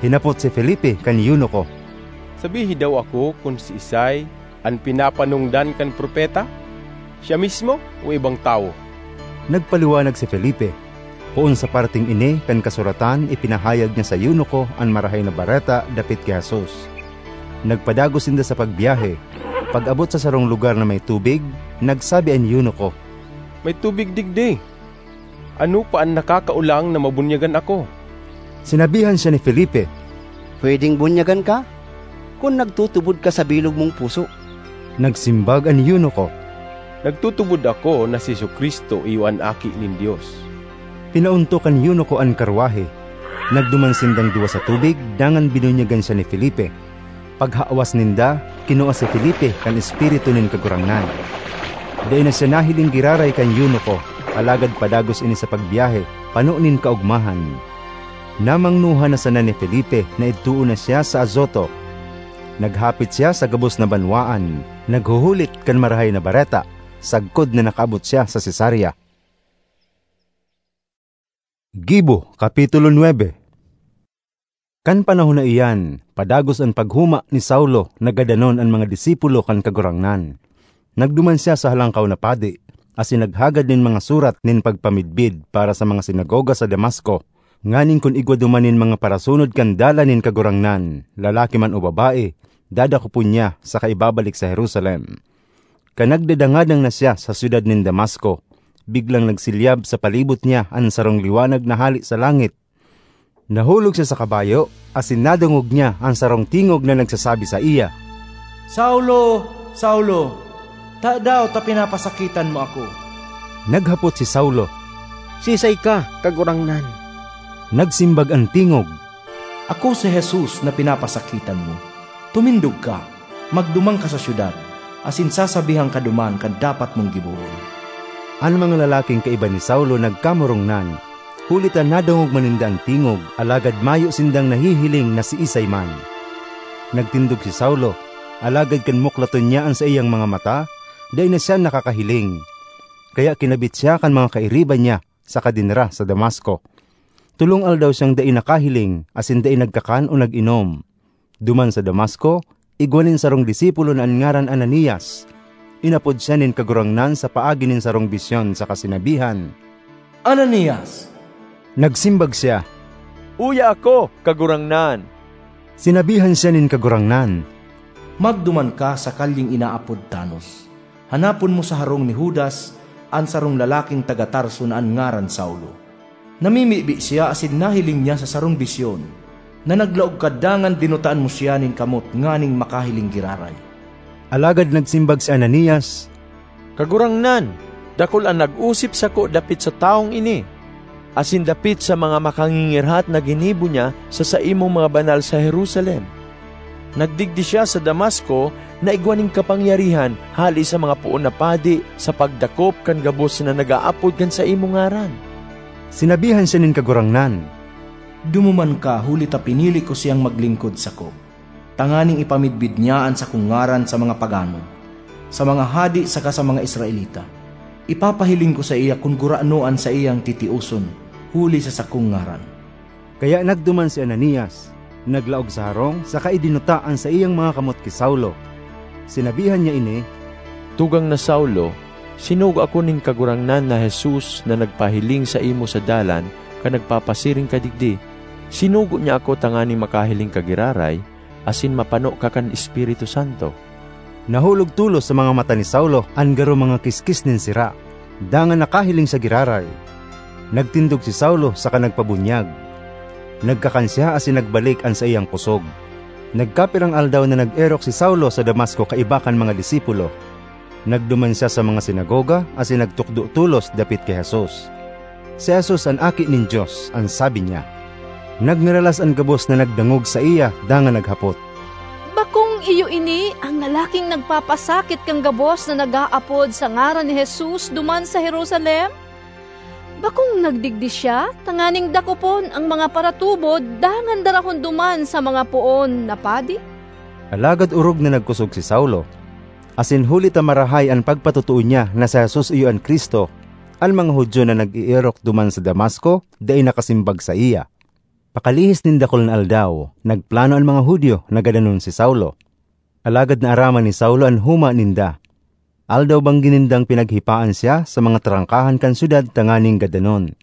Hinapot si Felipe kan eunuko, "Sabihi daw ako kun siisay an pinapanongdan kan propeta? Siya mismo o ibang tawo?" Nagpaliwanag si Felipe. Poon sa parteng ini kan kasuratan, ipinahayag niya sa eunuko an Marahay na Bareta dapit ki Jesus. Nagpadagos sinda sa pagbiyahe. Pag-abot sa sarong lugar na may tubig, nagsabi an eunuko, "May tubig digdi. Ano pa an nakakaolang na mabunyagan ako?" Sinabihan siya ni Felipe, "Pwedeng bunyagan ka kun nagtutubod ka sa bilog mong puso." Nagsimbag an eunuko, "Nagtutubod ako na si Jesu-Cristo iyo an Aki nin Dios." Pinaontok kan eunuko an karwahe. Nagduman sindang duwa sa tubig, dangan binunyagan siya ni Felipe. Paghawas ninda, kinua si Felipe kan Espiritu nin Kagurangnan. Dai na siya nahiling giraray kan eunuko, alagad padagos ini sa pagbiyahe, pano nin kaogmahan. Namangnohan na sana ni Felipe na idtoon na siya sa Azoto. Naghapit siya sa gabos na banwaan, naghuhulit kan Marahay na Bareta, sagkod na nakaabot siya sa Cesarea. Gibo, Kapitulo nuebe. Kan panahon na iyan, padagos an paghuma ni Saulo na gadanon an mga disipulo kan Kagurangnan. Nagduman siya sa Halangkaw na Padi, asin naghagad nin mga surat nin pagpamidbid para sa mga sinagoga sa Damasco, nganing kun igwa duman nin mga parasunod kan dalan nin Kagurangnan, lalaki man o babae, dadakopon niya saka ibabalik sa Jerusalem. Kan nagdadangadang na siya sa syudad nin Damasco, biglang nagsilyab sa palibot niya an sarong liwanag na hale sa langit. Nahulog siya sa kabayo, asin nadangog niya an sarong tingog na nagsasabi saiya, "Saulo, Saulo, tadaw ta pinapasakitan mo ako?" Naghapot si Saulo, "Siisay ka, Kagurangnan?" Nagsimbag an tingog, "Ako si Jesus na pinapasakitan mo. Tumindog ka, magduman ka sa syudad, asin sasabihan ka duman kan dapat mong gibohon." An mga lalaking kaiba ni Saulo nagkamurongnan, huli ta nadangog man ninda an tingog, alagad mayo sindang nahihiling na siisay man. Nagtindog si Saulo, alagad kan muklaton niya an saiyang mga mata, dai na siya nakakahiling. Kaya kinabit siya kan mga kairiba niya saka dinara sa Damasco. Tolong aldaw siyang dai nakahiling asin dai nagkakan o nag-inom. Duman sa Damasco, igwa nin sarong disipulo na an ngaran Ananias. Inapod siya nin Kagurangnan sa paagi nin sarong bisyon saka sinabihan, "Ananias!" Nagsimbag siya, "Uya ako, Kagurangnan." Sinabihan siya nin Kagurangnan, "Magduman ka sa kalyeng inaapod Tanos. Hanapon mo sa harong ni Judas, an sarong lalaking taga Tarso na an ngaran Saulo. Namimibi siya asin nahiling niya sa sarong bisyon na naglaog ka dangan dinutaan mo siya nin kamot nganing makahiling giraray." Alagad nagsimbag si Ananias, "Kagurangnan, dakul an nag-osip sako dapit sa tawong ini, asin dapit sa mga makangingirhat na ginibo niya sa saimong mga banal sa Jerusalem. Nagdigdi siya sa Damasco na igwa nin kapangyarihan hale sa mga poon na padi sa pagdakop kan gabos na nag-aapod kan saimong ngaran." Sinabihan siya nin Kagurangnan, "Dumuman ka huli ta pinili ko siyang maglingkod sako, tanganing ipamidbid niya an sakong ngaran sa mga pagano, sa mga hadi saka sa mga Israelita. Ipapahiling ko saiya kun gurano an saiyang titioson huli sa sakong ngaran." Kaya nagduman si Ananias, naglaog sa harong saka idinuta an saiyang mga kamot ki Saulo. Sinabihan niya ini, "Tugang na Saulo, sinugo ako nin Kagurangnan na Jesus na nagpahiling saimo sa dalan kan nagpapasiring ka digdi. Sinugo niya ako tanganing makahiling ka giraray asin mapano ka kan Espiritu Santo." Nahulog tolos sa mga mata ni Saulo an garo mga kiskis nin sira, dangan nakahiling siya giraray. Nagtindog si Saulo saka nagpabunyag. Nagkakan siya asin nagbalik an saiyang kusog. Nagkapirang aldaw na nag-erok si Saulo sa Damasco kaiba kan mga disipulo. Nagduman siya sa mga sinagoga asin nagtukdo tolos dapit ki Jesus. Si Jesus an Aki nin Dios, an sabi niya. Nagngaralas an gabos na nagdangog saiya dangan naghapot, "Bakong iyo ini an lalaking nagpapasakit kan gabos na nag-aapod sa ngaran ni Jesus duman sa Jerusalem? Bakong nagdigdi siya tanganing dakopon an mga paratubod dangan darahon duman sa mga poon na padi?" Alagad orog na nagkosog si Saulo, asin huli ta marahay an pagpatotoo niya na si Jesus iyo an Cristo, an mga Judio na nag-eerok duman sa Damasco dai nakasimbag saiya. Pakalihis nin dakul na aldaw, nagplano an mga Judio na gadanon si Saulo. Alagad naaraman ni Saulo an huma ninda. Aldaw-banggi nindang pinaghipaan siya sa mga trangkahan kan syudad tanganing gadanon.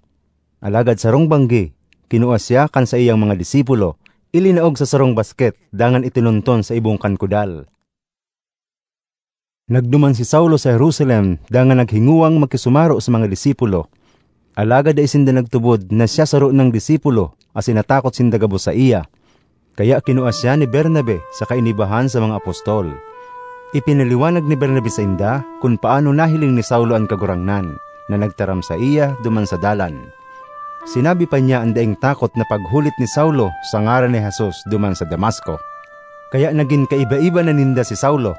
Alagad sarong banggi, kinua siya kan saiyang mga disipulo, ilinaog sa sarong basket dangan itinunton sa ibong kan kudal. Nagduman si Saulo sa Jerusalem dangan naghingowang makisumaro sa mga disipulo. Alagad dai sinda nagtubod na siya saro nang disipulo asin natakot sinda gabos saiya. Kaya kinua siya ni Bernabe saka inibahan sa mga apostol. Ipinaliwanag ni Bernabe sainda kun paano nahiling ni Saulo an Kagurangnan na nagtaram saiya duman sa dalan. Sinabi pa niya an daing takot na paghulit ni Saulo sa ngaran ni Jesus duman sa Damasco. Kaya nagin kaiba-iba na ninda si Saulo.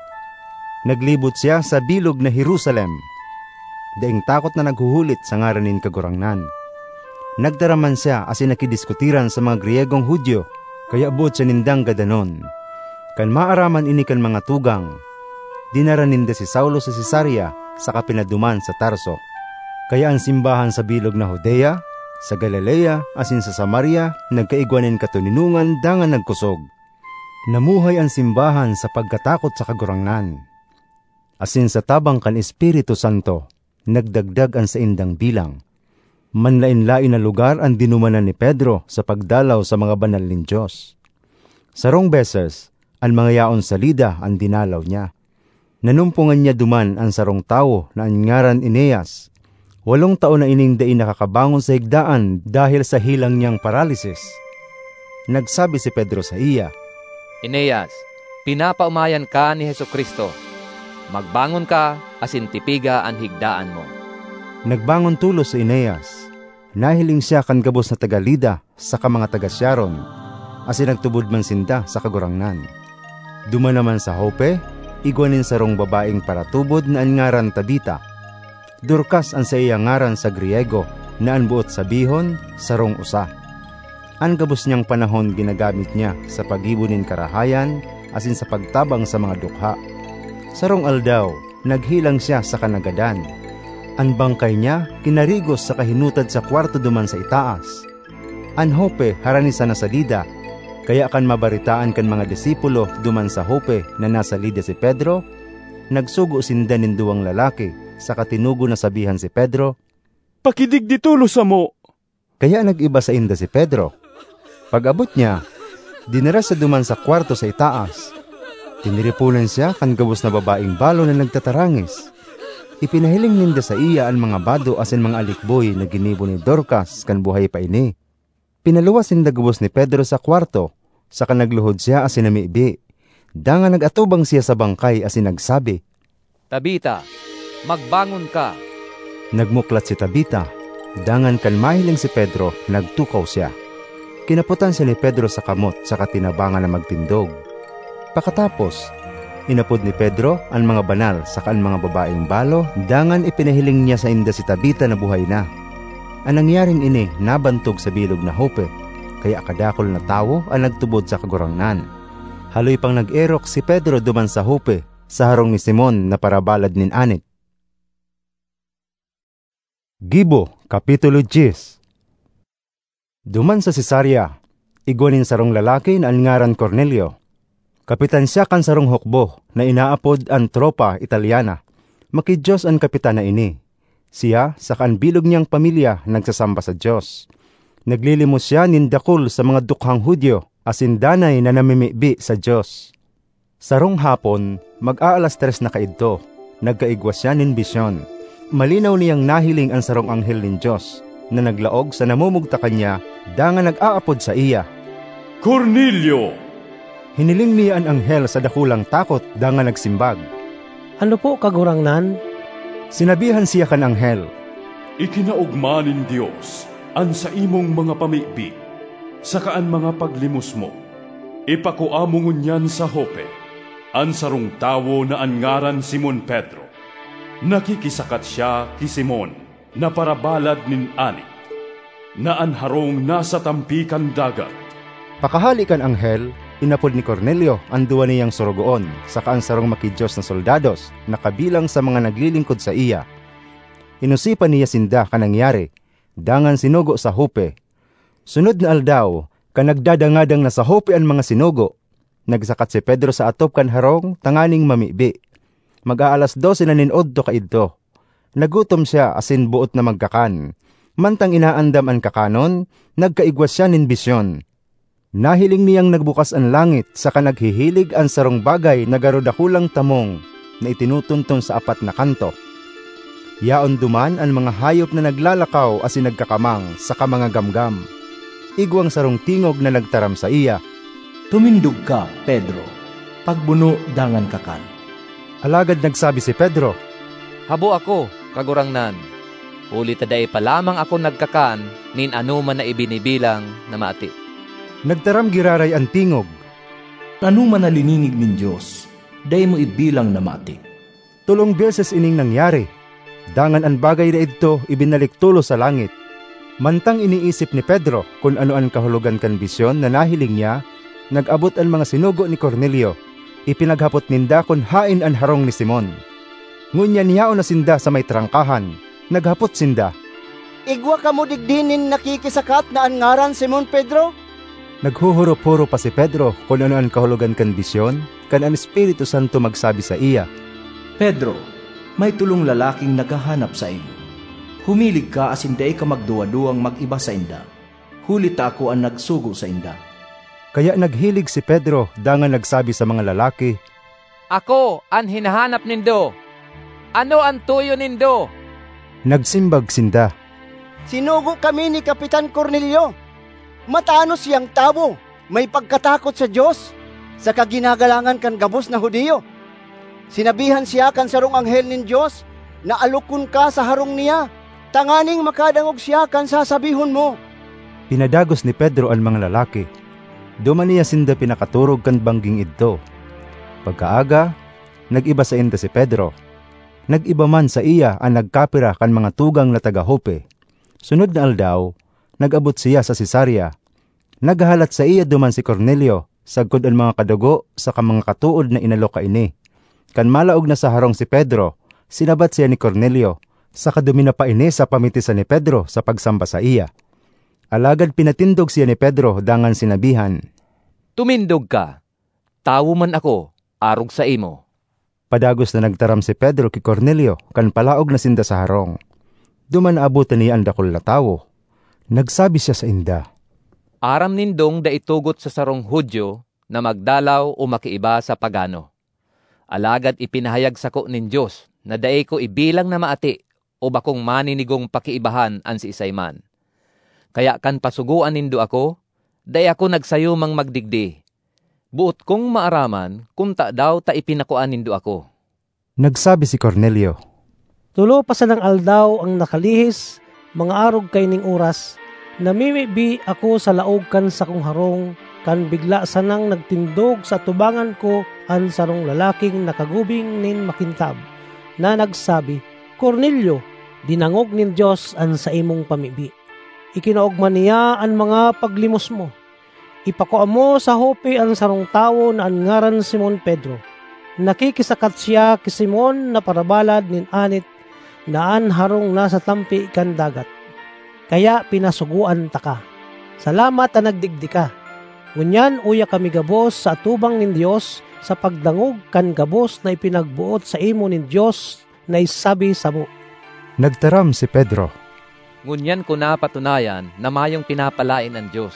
Naglibot siya sa bilog na Jerusalem, daing takot na naghuhulit sa ngaran nin Kagurangnan. Nagtaram man siya asin nakidiskutiran sa mga Griyegong Judio, kaya boot siya nindang gadanon. Kan maaraman ini kan mga tugang, dinara ninda si Saulo sa Cesarea saka pinaduman sa Tarso. Kaya an simbahan sa bilog na Judea, sa Galilea, asin sa Samaria nagkaigwa nin katoninongan dangan nagkosog. Namuhay an simbahan sa pagkatakot sa Kagurangnan, asin sa tabang kan Espiritu Santo, nagdagdag an saindang bilang. Manlaen-laen na lugar an dinumanan ni Pedro sa pagdalaw sa mga banal nin Dios. Sarong beses, an mga yaon sa Lida an dinalaw niya. Nanumpongan niya duman an sarong tawo na an ngaran Eneas. Walong taon na ining dai nakakabangon sa higdaan dahel sa helang niyang paralisis. Nagsabi si Pedro saiya, "Eneas, pinapaomayan ka ni Jesu-Cristo. Magbangon ka asin tipiga an higdaan mo." Nagbangon tolos si Eneas. Nahiling siya kan gabos na taga Lida saka mga taga Sharon, asin nagtubod man sinda sa Kagurangnan. Duman naman sa Jope, igwa nin sarong babaeng paratubod na an ngaran Tabita. Dorcas an saiyang ngaran sa Griego, na an boot sabihon, "Sarong usa." An gabos niyang panahon ginagamit niya sa paggibo nin karahayan asin sa pagtabang sa mga dukha. Sarong aldaw, naghelang siya saka nagadan. An bangkay niya kinarigos saka hinutad sa kwarto duman sa itaas. An Jope harani sana sa Lida, kaya kan mabaretaan kan mga disipulo duman sa Jope na nasa Lida si Pedro, nagsugo sinda nin duwang lalaki saka tinugon na sabihan si Pedro, "Pakidigdi tolos samo." Kaya nag-iba sainda si Pedro. Pag-abot niya, dinara siya duman sa kwarto sa itaas. Tiniriponan siya kan gabos na babaeng balo na nagtatarangis. Ipinahiling ninda saiya an mga bado asin mga alikboy na ginibo ni Dorcas kan buhay pa ini. Pinaluwas sinda gabos ni Pedro sa kwarto, saka nagluhod siya asin namibi. Dangan nag-atubang siya sa bangkay asin nagsabi, "Tabita, magbangon ka!" Nagmuklat si Tabita, dangan kan mahiling si Pedro, nagtukaw siya. Kinapotan siya ni Pedro sa kamot saka tinabangan na magtindog. Pakatapos, inapod ni Pedro an mga banal saka an mga babaeng balo, dangan ipinahiling niya sainda si Tabita na buhay na. An nangyaring ini nabantog sa bilog na Jope, kaya kadakul na tawo an nagtubod sa Kagurangnan. Haloy pang nag-erok si Pedro duman sa Jope, sa harong ni Simon na parabalad nin anit. Gibo, Kapitulo diyes. Duman sa Cesarea, igwa nin sarong lalaki na an ngaran Cornelio. Kapitan siya kan sarong hukbo na inaapod an Tropa Italiana. Maki-Dios an kapitan na ini. Siya saka an bilog niyang pamilya nagsasamba sa Dios. Naglilimos siya nin dakul sa mga dukhang Judio asin danay na namimibi sa Dios. Sarong hapon, mag-aalas tres na kaidto, nagkaigwa siya nin bisyon. Malinaw niyang nahiling an sarong anghel nin Dios na naglaog sa namumugtakan niya dangan nag-aapod saiya, "Cornelio!" Hiniling niya an anghel sa dakulang takot dangan nagsimbag, "Ano po, Kagurangnan?" Sinabihan siya kan anghel, "Ikinaogma nin Dios an saimong mga pamibi saka an mga paglimos mo. Ipakua mo ngunyan sa Jope an sarong tawo na an ngaran Simon Pedro. Nakikisakat siya ki Simon na parabalad nin anit, na an harong nasa tampi kan dagat." Pakahale kan anghel, inapod ni Cornelio an duwa niyang sorogoon saka an sarong maki-Dios na soldados na kabilang sa mga naglilingkod saiya. Inosipan niya sinda kan nangyari, dangan sinugo sa Jope. Sunod na aldaw, kan nagdadangadang na sa Jope an mga sinugo, nagsakat si Pedro sa atop kan harong tanganing mamibi. Mag-aalas dose na nin odto kaidto. Nagutom siya asin boot na magkakan. Mantang inaandam an kakanon, nagkaigwa siya nin bisyon. Nahiling niyang nagbukas an langit saka naghihilig an sarong bagay na garo dakulang tamong na itinutunton sa apat na kanto. Yaon duman an mga hayop na naglalakaw asin nagkakamang saka mga gamgam. Igwang sarong tingog na nagtaram saiya, "Tumindog ka, Pedro. Pagbuno dangan kakan." Alagad nagsabi si Pedro, "Habo ako, Kagurangnan, huli ta dai pa lamang ako nagkakan nin anoman na ibinibilang na mati." Nagtaram giraray an tingog, "Anoman na lininig nin Dios, dai mo ibilang na mati." Tolong beses ining nangyari, dangan an bagay na idto ibinalik tolos sa langit. Mantang iniisip ni Pedro kun ano an kahulogan kan bisyon na nahiling niya, nag-abot an mga sinugo ni Cornelio. Ipinaghapot ninda kun haen an harong ni Simon. Ngunyan yaon na sinda sa may trangkahan. Naghapot sinda, "Igwa kamo digdi nin nakikisakat na an ngaran Simon Pedro?" Naghuhurop-hurop pa si Pedro kun ano an kahulogan kan bisyon, kan an Espiritu Santo magsabi saiya, "Pedro, may tolong lalaking naghahanap saimo. Humilig ka asin dai ka magduwa-duwang mag-iba sainda, huli ta ako an nagsugo sainda." Kaya naghilig si Pedro dangan nagsabi sa mga lalaki, "Ako an hinahanap nindo. Ano an tuyo nindo?" Nagsimbag sinda, "Sinugo kami ni Kapitan Cornelio. Matanos siyang tawo, may pagkatakot sa Dios, saka ginagalangan kan gabos na Judio. Sinabihan siya kan sarong anghel nin Dios na alokon ka sa harong niya, tanganing makadangog siya kan sasabihon mo." Pinadagos ni Pedro an mga lalaki. Duman niya sinda pinakaturog kan bangging idto. Pagkaaga, nag-iba sainda si Pedro. Nag-iba man saiya an nagkapira kan mga tugang na taga Jope. Sunod na aldaw, nag-abot siya sa Cesarea. Naghahalat saiya duman si Cornelio, sagkod an mga kadugo saka mga katood na inalok kaini. Kan malaog na sa harong si Pedro, sinabat siya ni Cornelio, saka duminapa ini sa pamitisan ni Pedro sa pagsamba saiya. Alagad pinatindog siya ni Pedro dangan sinabihan, "Tumindog ka! Tawo man ako, arog saimo." Padagos na nagtaram si Pedro ki Cornelio kan palaog na sinda sa harong. Duman naabotan niya an dakul na tawo. Nagsabi siya sainda, "Aram nindong dai tugot sa sarong Judio na magdalaw o makiiba sa pagano. Alagad ipinahayag sako nin Dios na dai ko ibilang na maati o bakong maninigong pakiibahan an siisay man. Kaya kan pasugoan nindo ako, dai ako nagsayumang magdigdi. Boot kong maaraman kun tadaw ta ipinakua nindo ako." Nagsabi si Cornelio, "Tolo pa sanang aldaw ang nakalihis, mga arog kaining oras, namimibi ako sa laog kan sakong harong, kan bigla sanang nagtindog sa atubangan ko an sarong lalaking nakagubing nin makintab, na nagsabi, 'Cornelio, dinangog nin Dios an saimong pamibi. Ikinaogma niya an mga paglimos mo. Ipakua mo sa Jope an sarong tawo na an ngaran Simon Pedro. Nakikisakat siya ki Simon na parabalad nin anit na an harong nasa tampi kan dagat. Kaya pinasugoan taka. Salamat ta nagdigdi ka. Ngunyan uya kami gabos sa atubang nin Dios sa pagdangog kan gabos na ipinagboot saimo nin Dios na isabi samo." Nagtaram si Pedro, "Ngunyan ko napatunayan na mayong pinapalaen an Dios,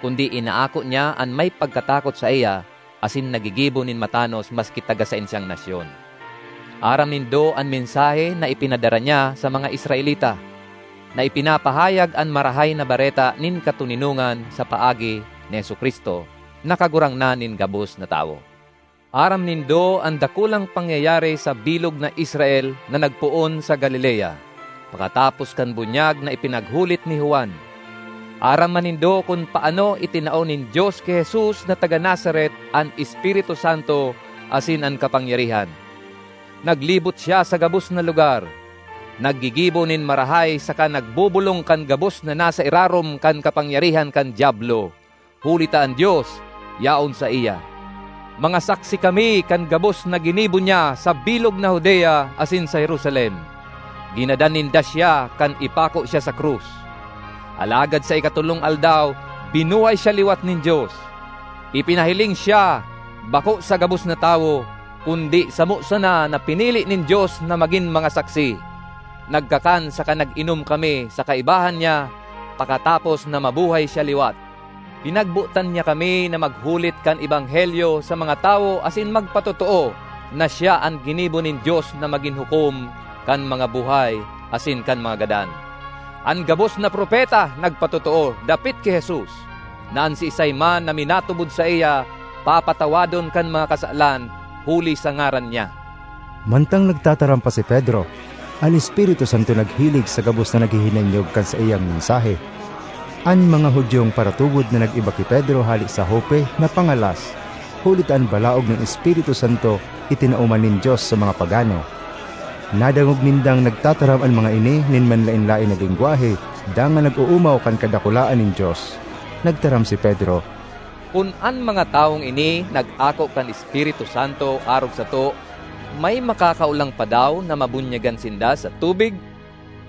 kundi inaako niya an may pagkatakot saiya asin naggigibo nin matanos maski taga saen siyang nasyon. Aram nindo an mensahe na ipinadara niya sa mga Israelita, na ipinapahayag an Marahay na Bareta nin katoninongan sa paagi ni Jesu-Cristo na Kagurangnan nin gabos na tawo. Aram nindo an dakulang pangyayari sa bilog na Israel na nagpoon sa Galilea, pakatapos kan bunyag na ipinaghulit ni Juan. Aram man nindo kun paano itinao nin Dios ki Jesus na taga Nazaret an Espiritu Santo asin an kapangyarihan. Naglibot siya sa gabos na lugar, naggigibo nin marahay saka nagbobolong kan gabos na nasa irarom kan kapangyarihan kan Diablo, huli ta an Dios yaon saiya. Mga saksi kami kan gabos na ginibo niya sa bilog na Judea asin sa Jerusalem. Ginadan ninda siya kan ipako siya sa krus. Alagad sa ikatolong aldaw, binuhay siya liwat nin Dios. Ipinahiling siya, bako sa gabos na tawo, kundi samo sana na pinili nin Dios na magin mga saksi. Nagkakan saka nag-inom kami sa kaibahan niya, pakatapos na mabuhay siya liwat. Pinagbotan niya kami na maghulit kan ebanghelyo sa mga tawo asin magpatotoo na siya an ginibo nin Dios na magin hukom kan mga buhay asin kan mga gadan. An gabos na propeta nagpatotoo dapit ki Jesus, na an siisay man na minatubod saiya, papatawadon kan mga kasalan huli sa ngaran niya." Mantang nagtataram pa si Pedro, an Espiritu Santo naghilig sa gabos na naghihinanyog kan saiyang mensahe. An mga Judiong paratubod na nag-iba ki Pedro hale sa Jope napangalas, huli ta an balaog nin Espiritu Santo itinao man nin Dios sa mga pagano. Nadangog nindang nagtataram an mga ini nin manlaen-laen na lengwahe, dangan nag-oomaw kan kadakulaan nin Dios. Nagtaram si Pedro, "Kun an mga tawong ini nag-ako kan Espiritu Santo arog sato, may makakaolang pa daw na mabunyagan sinda sa tubig?"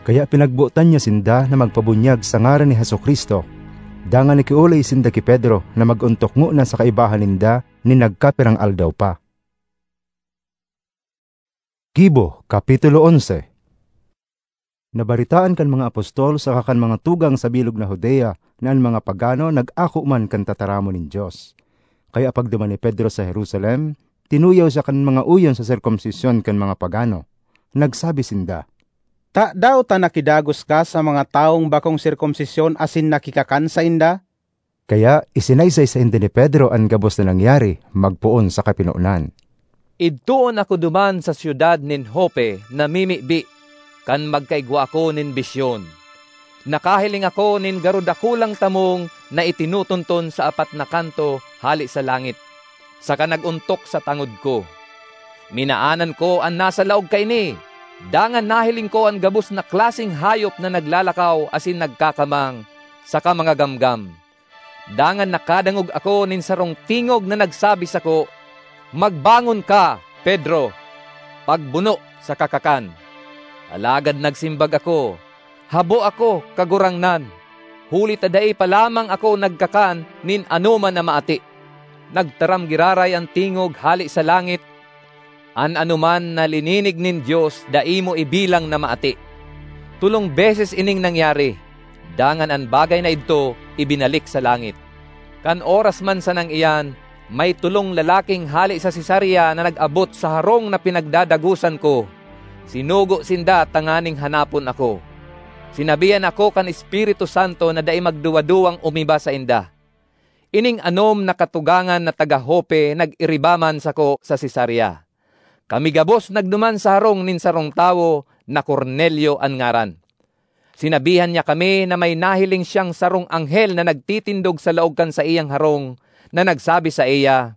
Kaya pinagbotan niya sinda na magpabunyag sa ngaran ni Jesu-Cristo. Dangan nakiolay sinda ki Pedro na mag-ontok ngona sa kaibahan ninda nin nagkapirang aldaw pa. Gibo, Kapitulo onse. Nabaritaan kan mga apostol saka kan mga tugang sa bilog na Judea na an mga pagano nag-ako man kan tataramon nin Dios. Kaya pagduman ni Pedro sa Jerusalem, tinuyaw siya kan mga uyon sa sirkumsisyon kan mga pagano. Nagsabi sinda, "Tadaw ta nakidagos ka sa mga tawong bakong sirkumsisyon asin nakikakan sainda?" Kaya isinaysay sainda ni Pedro an gabos na nangyari magpoon sa kapinonan. "Idtoon ako duman sa syudad nin Jope na mimibi, kan magkaigwa ako nin bisyon. Nakahiling ako nin garo dakulang tamong na itinutunton sa apat na kanto hale sa langit, saka nag-ontok sa tangod ko. Minaanan ko an nasa laog kaini, dangan nahiling ko an gabos na klaseng hayop na naglalakaw asin nagkakamang, saka mga gamgam. Dangan nakadangog ako nin sarong tingog na nagsabi sako, 'Magbangon ka, Pedro! Pagbuno saka kakan!' Alagad nagsimbag ako, 'Habo ako, Kagurangnan, huli ta dai pa lamang ako nagkakan nin anoman na maati.' Nagtaram giraray an tingog hale sa langit, 'An anoman na lininig nin Dios dai mo ibilang na maati.' Tolong beses ining nangyari, dangan an bagay na idto ibinalik sa langit. Kan oras man sanang iyan, may tolong lalaking hale sa Cesarea na nag-abot sa harong na pinagdadagosan ko. Sinugo sinda tanganing hanapon ako. Sinabihan ako kan Espiritu Santo na dai magduwa-duwang umiba sainda. Ining anom na katugangan na taga Jope nag-iriba man sako sa Cesarea. Kami gabos nagduman sa harong nin sarong tawo na Cornelio an ngaran. Sinabihan niya kami na may nahiling siyang sarong anghel na nagtitindog sa laog kan saiyang harong, na nagsabi saiya,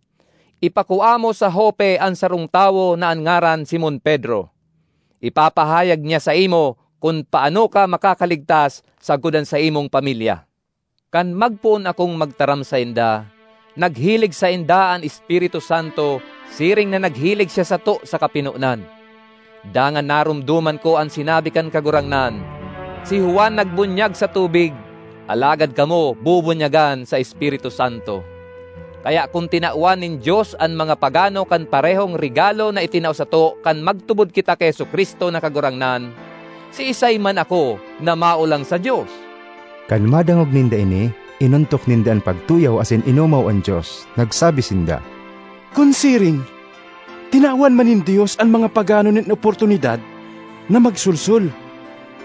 'Ipakua mo sa Jope an sarong tawo na an ngaran Simon Pedro. Ipapahayag niya saimo kun paano ka makakaligtas sagkod an saimong pamilya.' Kan magpoon akong magtaram sainda, naghilig sainda an Espiritu Santo siring na naghilig siya sato sa kapinonan. Dangan naromdoman ko an sinabi kan Kagurangnan, 'Si Juan nagbunyag sa tubig, alagad kamo bubunyagan sa Espiritu Santo.' Kaya kun tinawan nin Dios an mga pagano kan parehong regalo na itinao sato kan magtubod kita ki Jesu-Cristo na Kagurangnan, siisay man ako na maolang sa Dios?" Kan madangog ninda ini, inontok ninda an pagtuyaw asin inomaw an Dios. Nagsabi sinda, "Kun siring, tinawan man nin Dios an mga pagano nin oportunidad na magsolsol,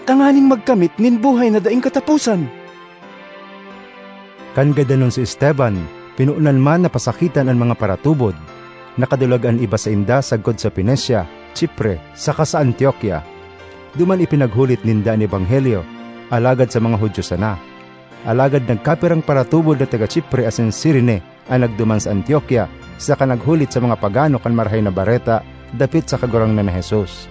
tanganing magkamit nin buhay na daing kataposan." Kan gadanon si Esteban, pinonan man na pasakitan an mga paratubod. Nakadulag an iba sainda sagkod sa Fenicia, Chipre, saka sa Antioquia. Duman ipinaghulit ninda an ebanghelyo, alagad sa mga Judio sana. Alagad nagkapirang paratubod na taga Chipre asin Cirene an nagduman sa Antioquia, saka naghulit sa mga pagano kan Marahay na Bareta dapit sa Kagurangnan na Jesus.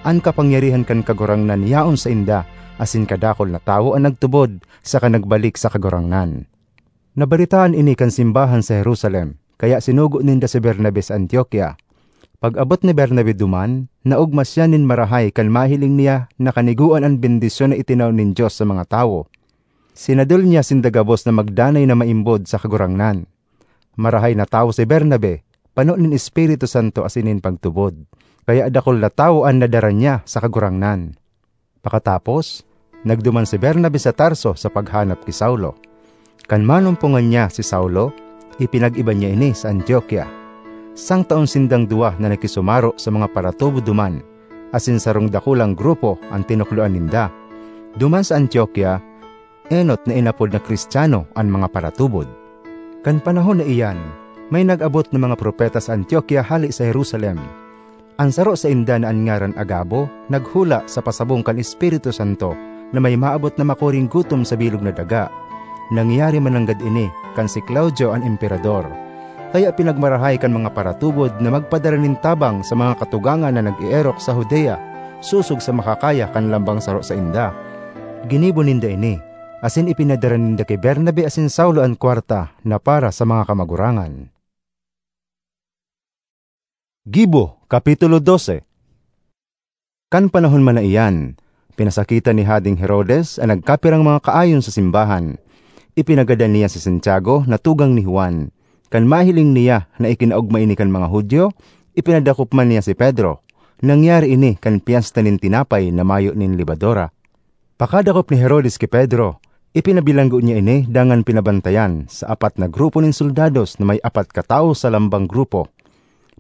An kapangyarihan kan Kagurangnan yaon sainda, asin kadakul na tawo an nagtubod saka nagbalik sa Kagurangnan. Nabaretaan ini kan simbahan sa Jerusalem, kaya sinugo ninda si Bernabe sa Antioquia. Pag-abot ni Bernabe duman, naogma siya nin marahay kan mahiling niya na kanigoan an bendisyon na itinao nin Dios sa mga tawo. Sinadol niya sinda gabos na magdanay na maimbod sa Kagurangnan. Marahay na tawo si Bernabe, pano nin Espiritu Santo asin nin pagtubod, kaya dakul na tawo an nadara niya sa Kagurangnan. Pakatapos, nagduman si Bernabe sa Tarso sa paghanap ki Saulo. Kan manumpongan niya si Saulo, ipinag-iba niya ini sa Antioquia. Sangtaon sindang duwa na nakisumaro sa mga paratubod duman, asin sarong dakulang grupo an tinukdoan ninda. Duman sa Antioquia, enot na inapod na Cristiano an mga paratubod. Kan panahon na iyan, may nag-abot na mga propeta sa Antioquia hale sa Jerusalem. An saro sainda na an ngaran Agabo naghula sa pasabong kan Espiritu Santo na may maabot na makuring gutom sa bilog na daga. Nangyari man nanggad ini kan si Claudio an emperador. Kaya pinagmarahay kan mga paratubod na magpadara nin tabang sa mga katugangan na nag-eerok sa Judea, sosog sa makakaya kan lambang saro sainda. Ginibo ninda ini, asin ipinadara ninda ki Bernabe asin Saulo an kwarta na para sa mga kamagurangan. Gibo, Kapitulo dose. Kan panahon man na iyan, pinasakitan ni Hadeng Herodes an nagkapirang mga kaayon sa simbahan. Ipinagadan niya si Santiago na tugang ni Juan. Kan mahiling niya na ikinaogma ini kan mga Judio, ipinadakop man niya si Pedro. Nangyari ini kan Pyesta nin Tinapay na Mayo nin Lebadura. Pakadakop ni Herodes ki Pedro, ipinabilanggo niya ini dangan pinabantayan sa apat na grupo nin soldados na may apat ka tawo sa lambang grupo.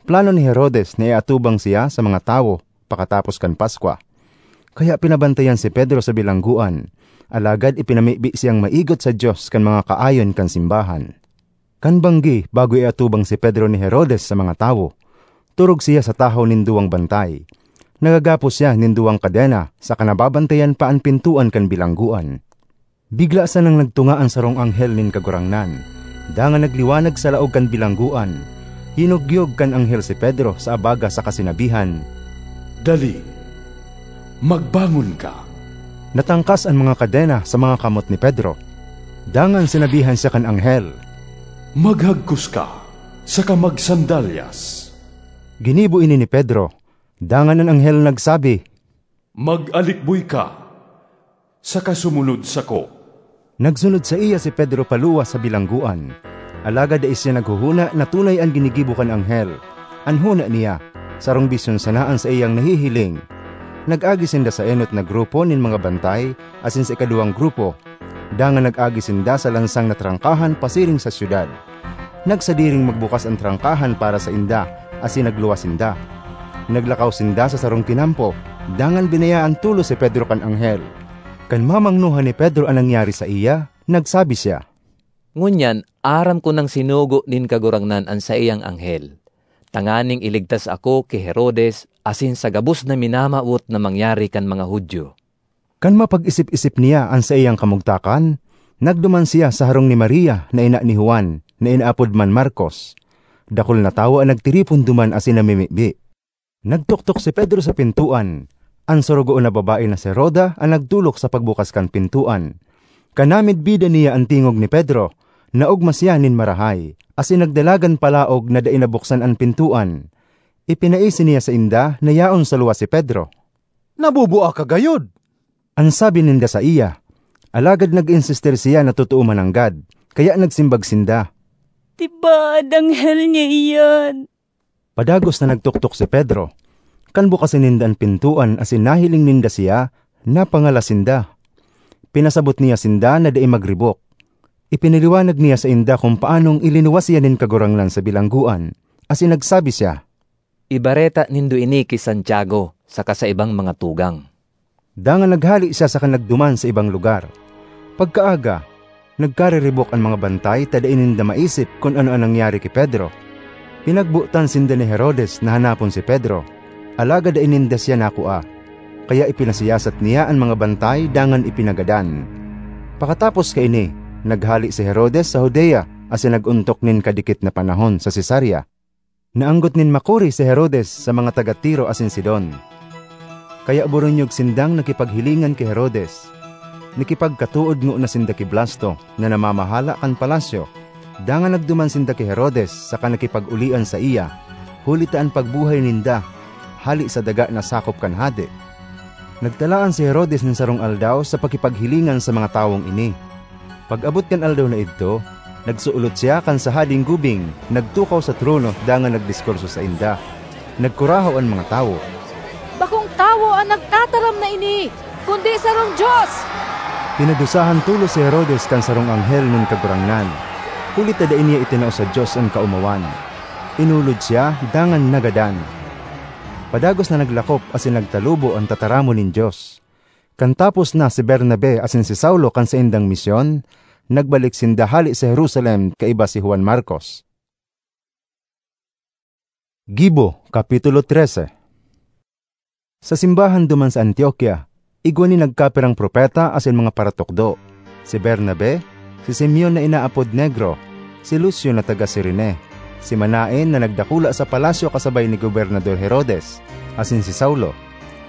Plano ni Herodes na iatubang siya sa mga tawo pakatapos kan Paskwa. Kaya pinabantayan si Pedro sa bilanggoan, alagad ipinamibi siyang maigot sa Dios kan mga kaayon kan simbahan. Kan banggi, bago iatubang si Pedro ni Herodes sa mga tawo, turog siya sa tahaw nin duwang bantay. Nagagapos siya nin duwang kadena saka nababantayan pa an pintoan kan bilanggoan. Bigla sanang nagtunga an sarong anghel nin Kagurangnan, dangan nagliwanag sa laog kan bilanggoan. Hinugyog kan anghel si Pedro sa abaga saka sinabihan, "Dali, magbangon ka." Natangkas an mga kadena sa mga kamot ni Pedro. Dangan sinabihan siya kan anghel, "Maghagkos ka, saka magsandalyas." Ginibo ini ni Pedro. Dangan an anghel nagsabi, "Mag-alikboy ka, saka sumunod sako." Nagsunod saiya si Pedro paluwas sa bilanggoan. Alagad dai siya naghohona na tunay an ginigibo kan anghel. An hona niya, sarong bisyon sana an saiyang nahihiling. Nag-agi sinda sa enot na grupo nin mga bantay asin sa ikaduwang grupo, dangan nag-agi sinda sa lansang na trangkahan pasiring sa syudad. Nagsadiring magbukas an trangkahan para sainda, asin nagluwas sinda. Naglakaw sinda sa sarong tinampo, dangan binayaan tolos si Pedro kan anghel. Kan mamangnohan ni Pedro an nangyari saiya, nagsabi siya, "Ngunyan, aram ko nang sinugo nin Kagurangnan an saiyang anghel, tanganing iligtas ako ki Herodes asin sa gabos na minamawot na mangyari kan mga Judio." Kan mapag-isip-isip niya an saiyang kamugtakan, nagduman siya sa harong ni Maria na ina ni Juan, na inaapod man Marcos. Dakul na tawo an nagtiripon duman asin namimibi. Nagtuktok si Pedro sa pintoan. An sorogoon na babae na si Roda an nagtulok sa pagbukas kan pintoan. Kan namidbidan niya an tingog ni Pedro, naogma siya nin marahay, asin nagdalagan palaog na dai nabuksan an pintoan. Ipinaisi niya sainda na yaon sa luwas si Pedro. "Nabubua ka gayod," an sabi ninda saiya. Alagad nag-insistir siya na totoo man nanggad, kaya nagsimbag sinda, "Tibaad anghel niya iyan." Padagos na nagtuktok si Pedro. Kan bukasan ninda an pintoan asin nahiling ninda siya, napangalas sinda. Pinasabot niya sinda na dai magribok. Ipinaliwanag niya sainda kung paanong ilinuwas siya nin Kagurangnan sa bilanggoan, asin nagsabi siya, "Ibareta nindo ini ki Santiago saka sa ibang mga tugang." Dangan naghale siya saka nagduman sa ibang lugar. Pagkaaga, nagkariribok an mga bantay ta dai ninda maisip kun ano an nangyari ki Pedro. Pinagbotan sinda ni Herodes na hanapon si Pedro, alagad dai ninda siya nakua. Kaya ipinasiyasat niya an mga bantay dangan ipinagadan. Pakatapos kaini, naghale si Herodes sa Judea asin nag-ontok nin kadikit na panahon sa Cesarea. Naanggot nin makuri si Herodes sa mga taga Tiro asin Sidon. Kaya boronyog sindang nakipaghilingan ki Herodes. Nakipagkatood ngona sinda ki Blasto na namamahala kan palasyo, dangan nagduman sinda ki Herodes saka nakipag-olian saiya, huli ta an pagbuhay ninda hale sa daga na sakop kan hade. Nagtalaan si Herodes nin sarong aldaw sa pakipaghilingan sa mga tawong ini. Pag-abot kan aldaw na idto, nagsuolot siya kan sa hadeng gubing, nagtukaw sa trono dangan nagdiskurso sainda. Nagkurahaw an mga tawo, "Bakong tawo an nagtataram na ini, kundi sarong Dios!" Pinadusahan tolos si Herodes kan sarong anghel nin Kagurangnan, huli ta dai niya itinao sa Dios an kaomawan. Inulod siya dangan nagadan. Padagos na naglakop asin nagtalubo an tataramon nin Dios. Kan tapos na si Bernabe asin si Saulo kan saindang misyon, nagbalik sinda hale sa Jerusalem kaiba si Juan Marcos. Gibo, Kapitulo trese. Sa simbahan duman sa Antioquia, igwa nin nagkapirang propeta asin mga paratukdo, si Bernabe, si Simeon na inaapod Negro, si Lucio na taga Cirene, si Manaen na nagdakula sa palasyo kasabay ni Gobernador Herodes, asin si Saulo.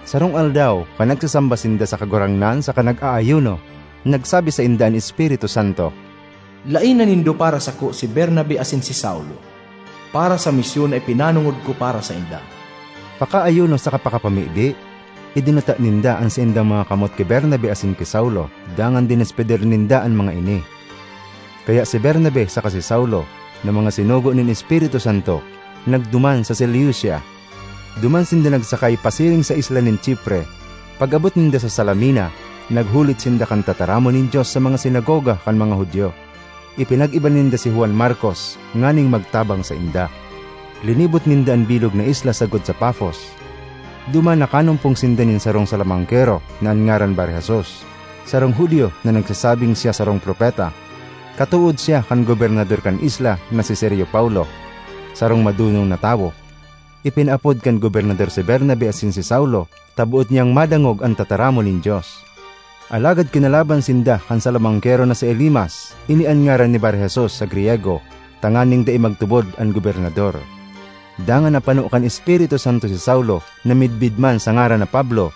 Sarong aldaw, kan nagsasamba sinda sa Kagurangnan saka nag-aayuno, nagsabi sainda an Espiritu Santo, "Laena nindo para sako si Bernabe asin si Saulo, para sa misyon na ipinanongod ko para sainda." Pakaayuno saka pakapamibi, idinuta ninda an saindang mga kamot ki Bernabe asin ki Saulo, dangan dinespedir ninda an mga ini. Kaya si Bernabe saka si Saulo, na mga sinugo nin Espiritu Santo, nagduman sa Seleucia. Duman sinda nagsakay pasiring sa isla nin Chipre. Pag-abot ninda sa Salamina, naghulit sinda kan tataramon nin Dios sa mga sinagoga kan mga Judio. Ipinag-iba ninda si Juan Marcos nganing magtabang sainda. Linibot ninda an bilog na isla sagkod sa Pafos. Duman nakanumpong sinda nin sarong Salamangkero na an ngaran Bar-Jesus, sarong Judio na nagsasabing siya sarong propeta. Katood siya kan gobernador kan isla na si Sergio Paulo, sarong madonong na tawo. Ipinaapod kan gobernador si Bernabe asin si Saulo ta boot niyang madangog an tataramon nin Dios. Alagad kinalaban sinda kan Salamangkero na si Elimas, ini an ngaran ni Bar-Jesus sa Griego, tanganing dai magtubod an gobernador. Dangan napano kan Espiritu Santo si Saulo na midbid man sa ngaran na Pablo.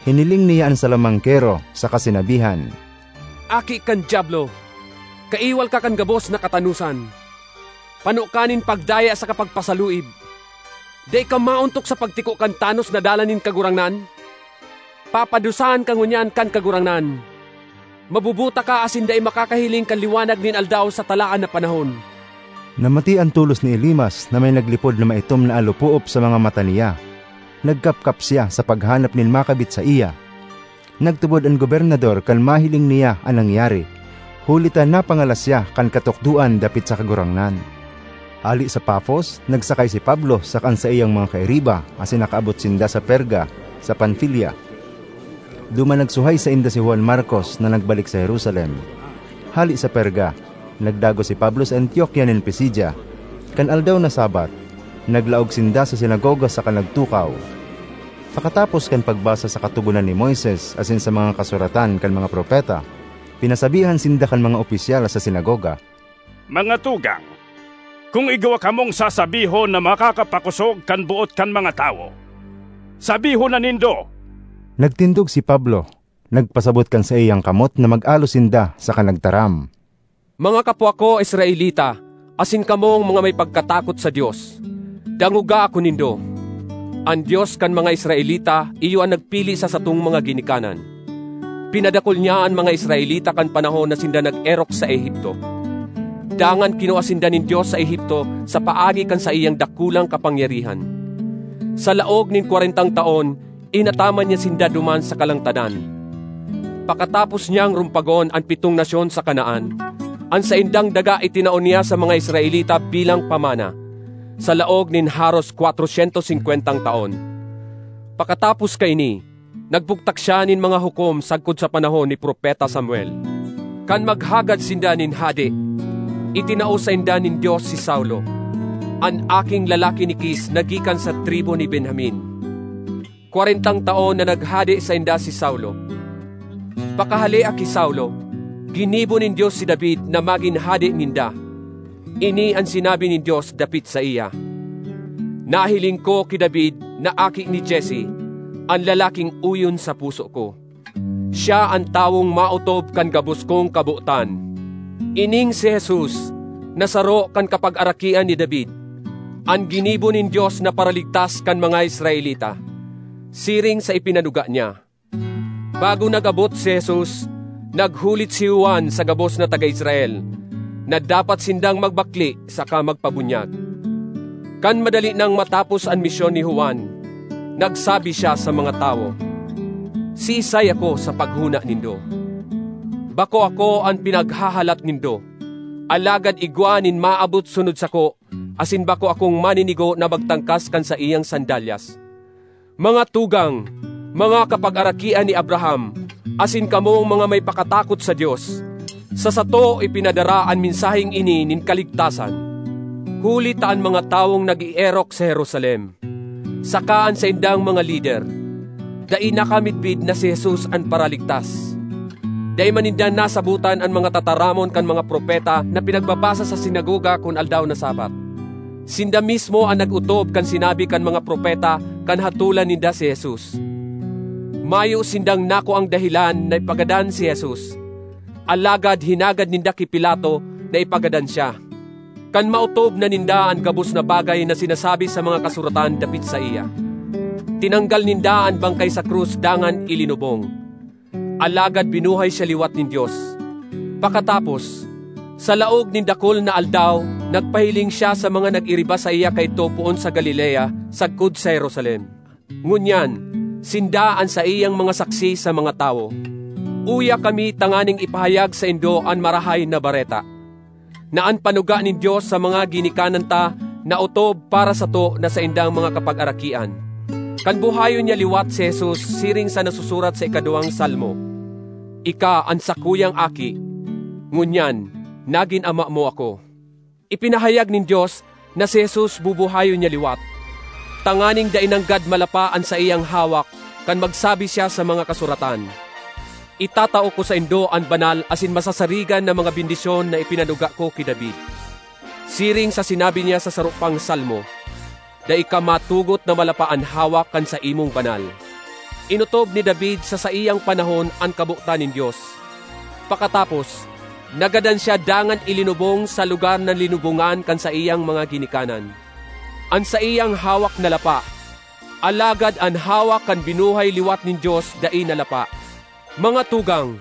Hiniling niya an Salamangkero saka sinabihan, "Aki kan Diablo! Kaiwal ka kan gabos na katanosan! Pano ka nin pagdaya saka pagpasaluib! Dai ka maontok sa pagtiko kan tanos na dala nin Kagurangnan? Papadusahan ka ngunyan kan Kagurangnan! Mabubuta ka asin dai makakahiling kan liwanag nin aldaw sa talaan na panahon." Namati an tolos ni Elimas na may naglipod na maitom na alopoop sa mga mata niya. Nagkapkap siya sa paghanap nin makabit saiya. Nagtubod an gobernador kan mahiling niya an nangyari, huli ta napangalas siya kan katukdoan dapit sa Kagurangnan. Hale sa Pafos, nagsakay si Pablo saka an saiyang mga kairiba asin nakaabot sinda sa Perga, sa Panfilia. Duman nagsuhay sainda si Juan Marcos na nagbalik sa Jerusalem. Hale sa Perga, nagdagos si Pablo sa Antiokia nin Pisidia. Kan aldaw na Sabat, naglaog sinda sa sinagoga saka nagtukaw. Pakatapos kan pagbasa sa Katogonan ni Moises asin sa mga kasuratan kan mga propeta, pinasabihan sinda kan mga opisyal sa sinagoga, "Mga tugang, kun igwa kamong sasabihon na makakapakosog kan boot kan mga tawo, sabihon na nindo." Nagtindog si Pablo, nagpasabot kan saiyang kamot na mag-alo sinda saka nagtaram, "Mga kapwa ko Israelita, asin kamong mga may pagkatakot sa Dios, dangoga ako nindo. An Dios kan mga Israelita iyo an nagpili sa satong mga ginikanan. Pinadakul niya an mga Israelita kan panahon na sinda nag-erok sa Egipto. Dangan kinua sinda nin Dios sa Egipto sa paagi kan saiyang dakulang kapangyarihan. Sa laog nin kwarentang taon, inataman niya sinda duman sa kalangtadan. Pakatapos niyang rumpagon an pitong nasyon sa Canaan, an saindang daga itinao niya sa mga Israelita bilang pamana, sa laog nin haros kwatrosyentos singkwentang taon. Pakatapos kaini, nagbugtak siya nin mga hukom sagkod sa panahon ni Propeta Samuel. Kan maghagad sinda nin hade, itinao sainda nin Dios si Saulo, an aking lalaki ni Kis na gikan sa tribu ni Benjamin. Kwarentang taon na naghade sainda si Saulo. Pakahalea ki Saulo, ginibo nin Dios si David na magin hade ninda. Ini an sinabi nin Dios dapit saiya, 'Nahiling ko ki David na aki ni Jesse, an lalaking oyon sa puso ko. Siya an tawong maotob kan gabos kong kabotan.' Ining si Jesus, na saro kan kapagarakian ni David, an ginibo nin Dios na Paraligtas kan mga Israelita, siring sa ipinanuga niya. Bago nag-abot si Jesus, naghulit si Juan sa gabos na taga Israel na dapat sindang magbakle saka magpabunyag. Kan madali nang matapos an misyon ni Juan, nagsabi siya sa mga tawo, "Siisay ako sa paghona nindo? Bako ako an pinaghahalat nindo, alagad igwa nin maabot sunod sako, asin bako akong maninigo na magtangkas kan saiyang sandalyas. Mga tugang, mga kapagarakian ni Abraham, asin kamong mga may pakatakot sa Dios, sa sato ipinadara an mensaheng ini nin kaligtasan. Huli ta an mga tawong nag-eerok sa Jerusalem, saka an saindang mga lider, dai nakamidbid na si Jesus an Paraligtas. Dai man ninda nasabotan an mga tataramon kan mga propeta na pinagbabasa sa sinagoga kun aldaw na Sabat. Sinda mismo an nag-otob kan sinabi kan mga propeta kan hatolan ninda si Jesus. Mayo sindang nakuang dahelan na ipagadan si Jesus, alagad hinagad ninda ki Pilato na ipagadan siya. Kan maotob na ninda an gabos na bagay na sinasabi sa mga kasuratan dapit saiya, tinanggal ninda an bangkay sa krus dangan ilinubong. Alagad binuhay siya liwat nin Dios. Pakatapos, sa laog nin dakul na aldaw, nagpahiling siya sa mga nag-iriba saiya kaidto poon sa Galilea, sagkod sa Jerusalem. Ngunyan, sinda an saiyang mga saksi sa mga tawo. Uya kami tanganing ipahayag saindo an Marahay na Bareta, na an panuga nin Dios sa mga ginikanan ta naotob para sato na saindang mga kapagarakian. Kan buhayon niya liwat si Jesus siring sa nasusurat sa ikaduwang Salmo, "Ika an sakuyang aki, ngunyan, nagin ama mo ako." Ipinahayag nin Dios na si Jesus bubuhayon niya liwat, tanganing dai nanggad malapa an saiyang hawak kan magsabi siya sa mga kasuratan, "Itatao ko saindo an banal asin masasarigan na mga bendisyon na ipinanuga ko ki David." Siring sa sinabi niya sa saro pang Salmo, "Dai ka matugot na malapa an hawak kan saimong banal." Inotob ni David sa saiyang panahon an kabotan nin Dios. Pakatapos, nagadan siya dangan ilinubong sa lugar na linubongan kan saiyang mga ginikanan. An saiyang hawak nalapa, alagad an hawak kan binuhay liwat nin Dios dai nalapa. Mga tugang,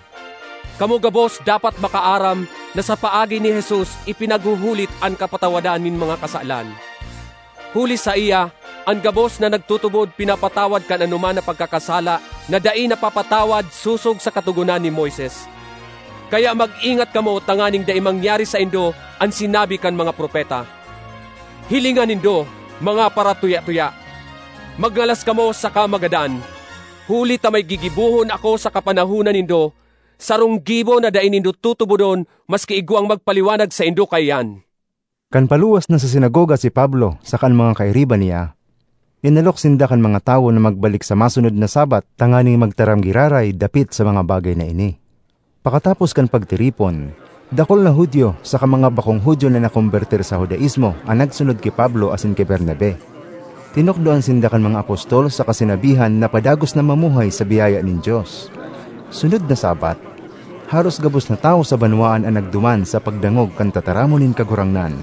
kamo gabos dapat makaaram na sa paagi ni Jesus ipinaghuhulit an kapatawadan nin mga kasalan. Huli saiya, an gabos na nagtutubod pinapatawad kan anoman na pagkakasala na dai napapatawad sosog sa Katogonan ni Moises. Kaya mag-ingat kamo tanganing dai mangyari saindo an sinabi kan mga propeta. Hilinga nindo, mga paratuya-tuya! Magngalas kamo saka magadan, huli ta may gigibohon ako sa kapanahonan nindo, sarong gibo na dai nindo tutubodon maski igwang magpaliwanag saindo kaiyan. Kan paluwas na sa sinagoga si Pablo saka an mga kairiba niya, inalok sinda kan mga tawo na magbalik sa masunod na Sabbath tanganing magtaram giraray dapit sa mga bagay na ini. Pakatapos kan pagtiripon, dakul na Judio saka mga bakong Judio na nakombertir sa Judaismo an nagsunod ki Pablo asin ki Bernabe. Tinukdoan sinda kan mga apostol saka sinabihan na padagos na mamuhay sa biyaya nin Dios. Sunod na Sabbath, haros gabos na tawo sa banwaan an nagduman sa pagdangog kan tataramon nin Kagurangnan.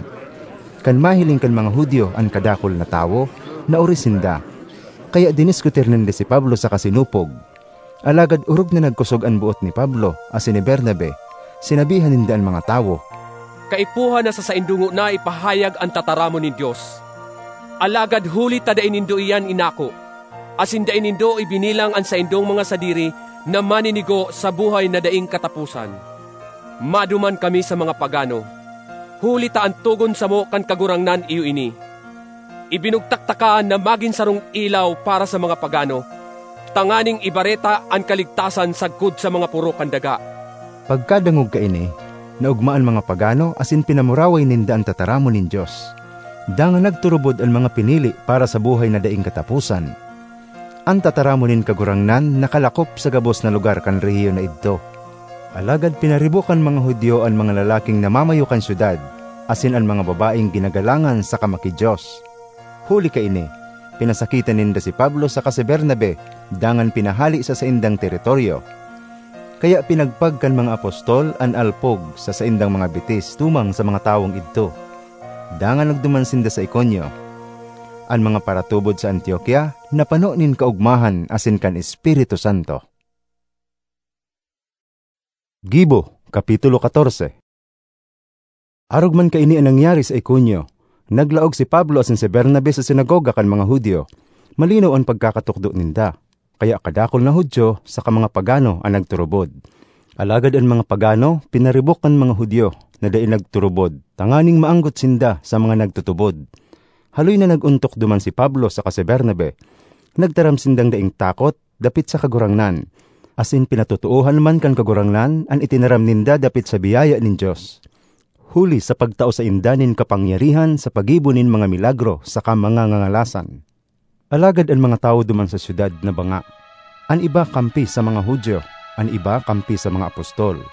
Kan mahiling kan mga Judio an kadakul na tawo, naori sinda. Kaya diniskutir ninda si Pablo saka sinupog. Alagad orog na nagkosog an boot ni Pablo asin ni Bernabe, sinabihan ninda an mga tawo, "Kaipuhan na sa saindo ngona ipahayag an tataramon nin Dios. Alagad huli ta dai nindo iyan inako, asin dai nindo ibinilang an saindong mga sadiri na maninigo sa buhay na daing kataposan, maduman kami sa mga pagano, huli ta an togon samo kan Kagurangnan iyo ini. Ibinugtak taka na magin sarong ilaw para sa mga pagano, tanganing ibareta an kaligtasan sagkod sa mga poro kan daga." Pagkadangog kaini, naogma an mga pagano asin pinamuraway ninda an tataramon nin Dios. Dangan nagturubod an mga pinili para sa buhay na daing kataposan. An tataramon nin Kagurangnan nakalakop sa gabos na lugar kan rehiyon na idto. Alagad pinaribok kan mga Judio an mga lalaking namamayo kan syudad, asin an mga babaeng ginagalangan saka maki-Dios. Huli kaini, pinasakitan ninda si Pablo saka si Bernabe, dangan pinahale sa saindang teritoryo. Kaya pinagpag kan mga apostol an alpog sa saindang mga bitis tumang sa mga tawong idto. Dangan nagduman sinda sa Iconio. An mga paratubod sa Antiokia napano nin kaogmahan asin kan Espiritu Santo. Gibo, Kapitulo katorse. Arog man kaini an nangyari sa Iconio, naglaog si Pablo asin si Bernabe sa sinagoga kan mga Judio. Malinaw an pagkakatukdo ninda, kaya kadakul na Judio saka mga pagano an nagturubod. Alagad an mga pagano pinaribok kan mga Judio na dai nagturubod, tanganing maanggot sinda sa mga nagtutubod. Haloy na nag-ontok duman si Pablo saka si Bernabe. Nagtaram sindang daing takot dapit sa Kagurangnan, asin pinatotoohan man kan Kagurangnan an itinaram ninda dapit sa biyaya nin Dios, huli sa pagtao sainda nin kapangyarihan sa paggibo nin mga milagro saka mga ngangalasan. Alagad an mga tawo duman sa syudad nabanga. An iba kampi sa mga Judio, an iba kampi sa mga apostol.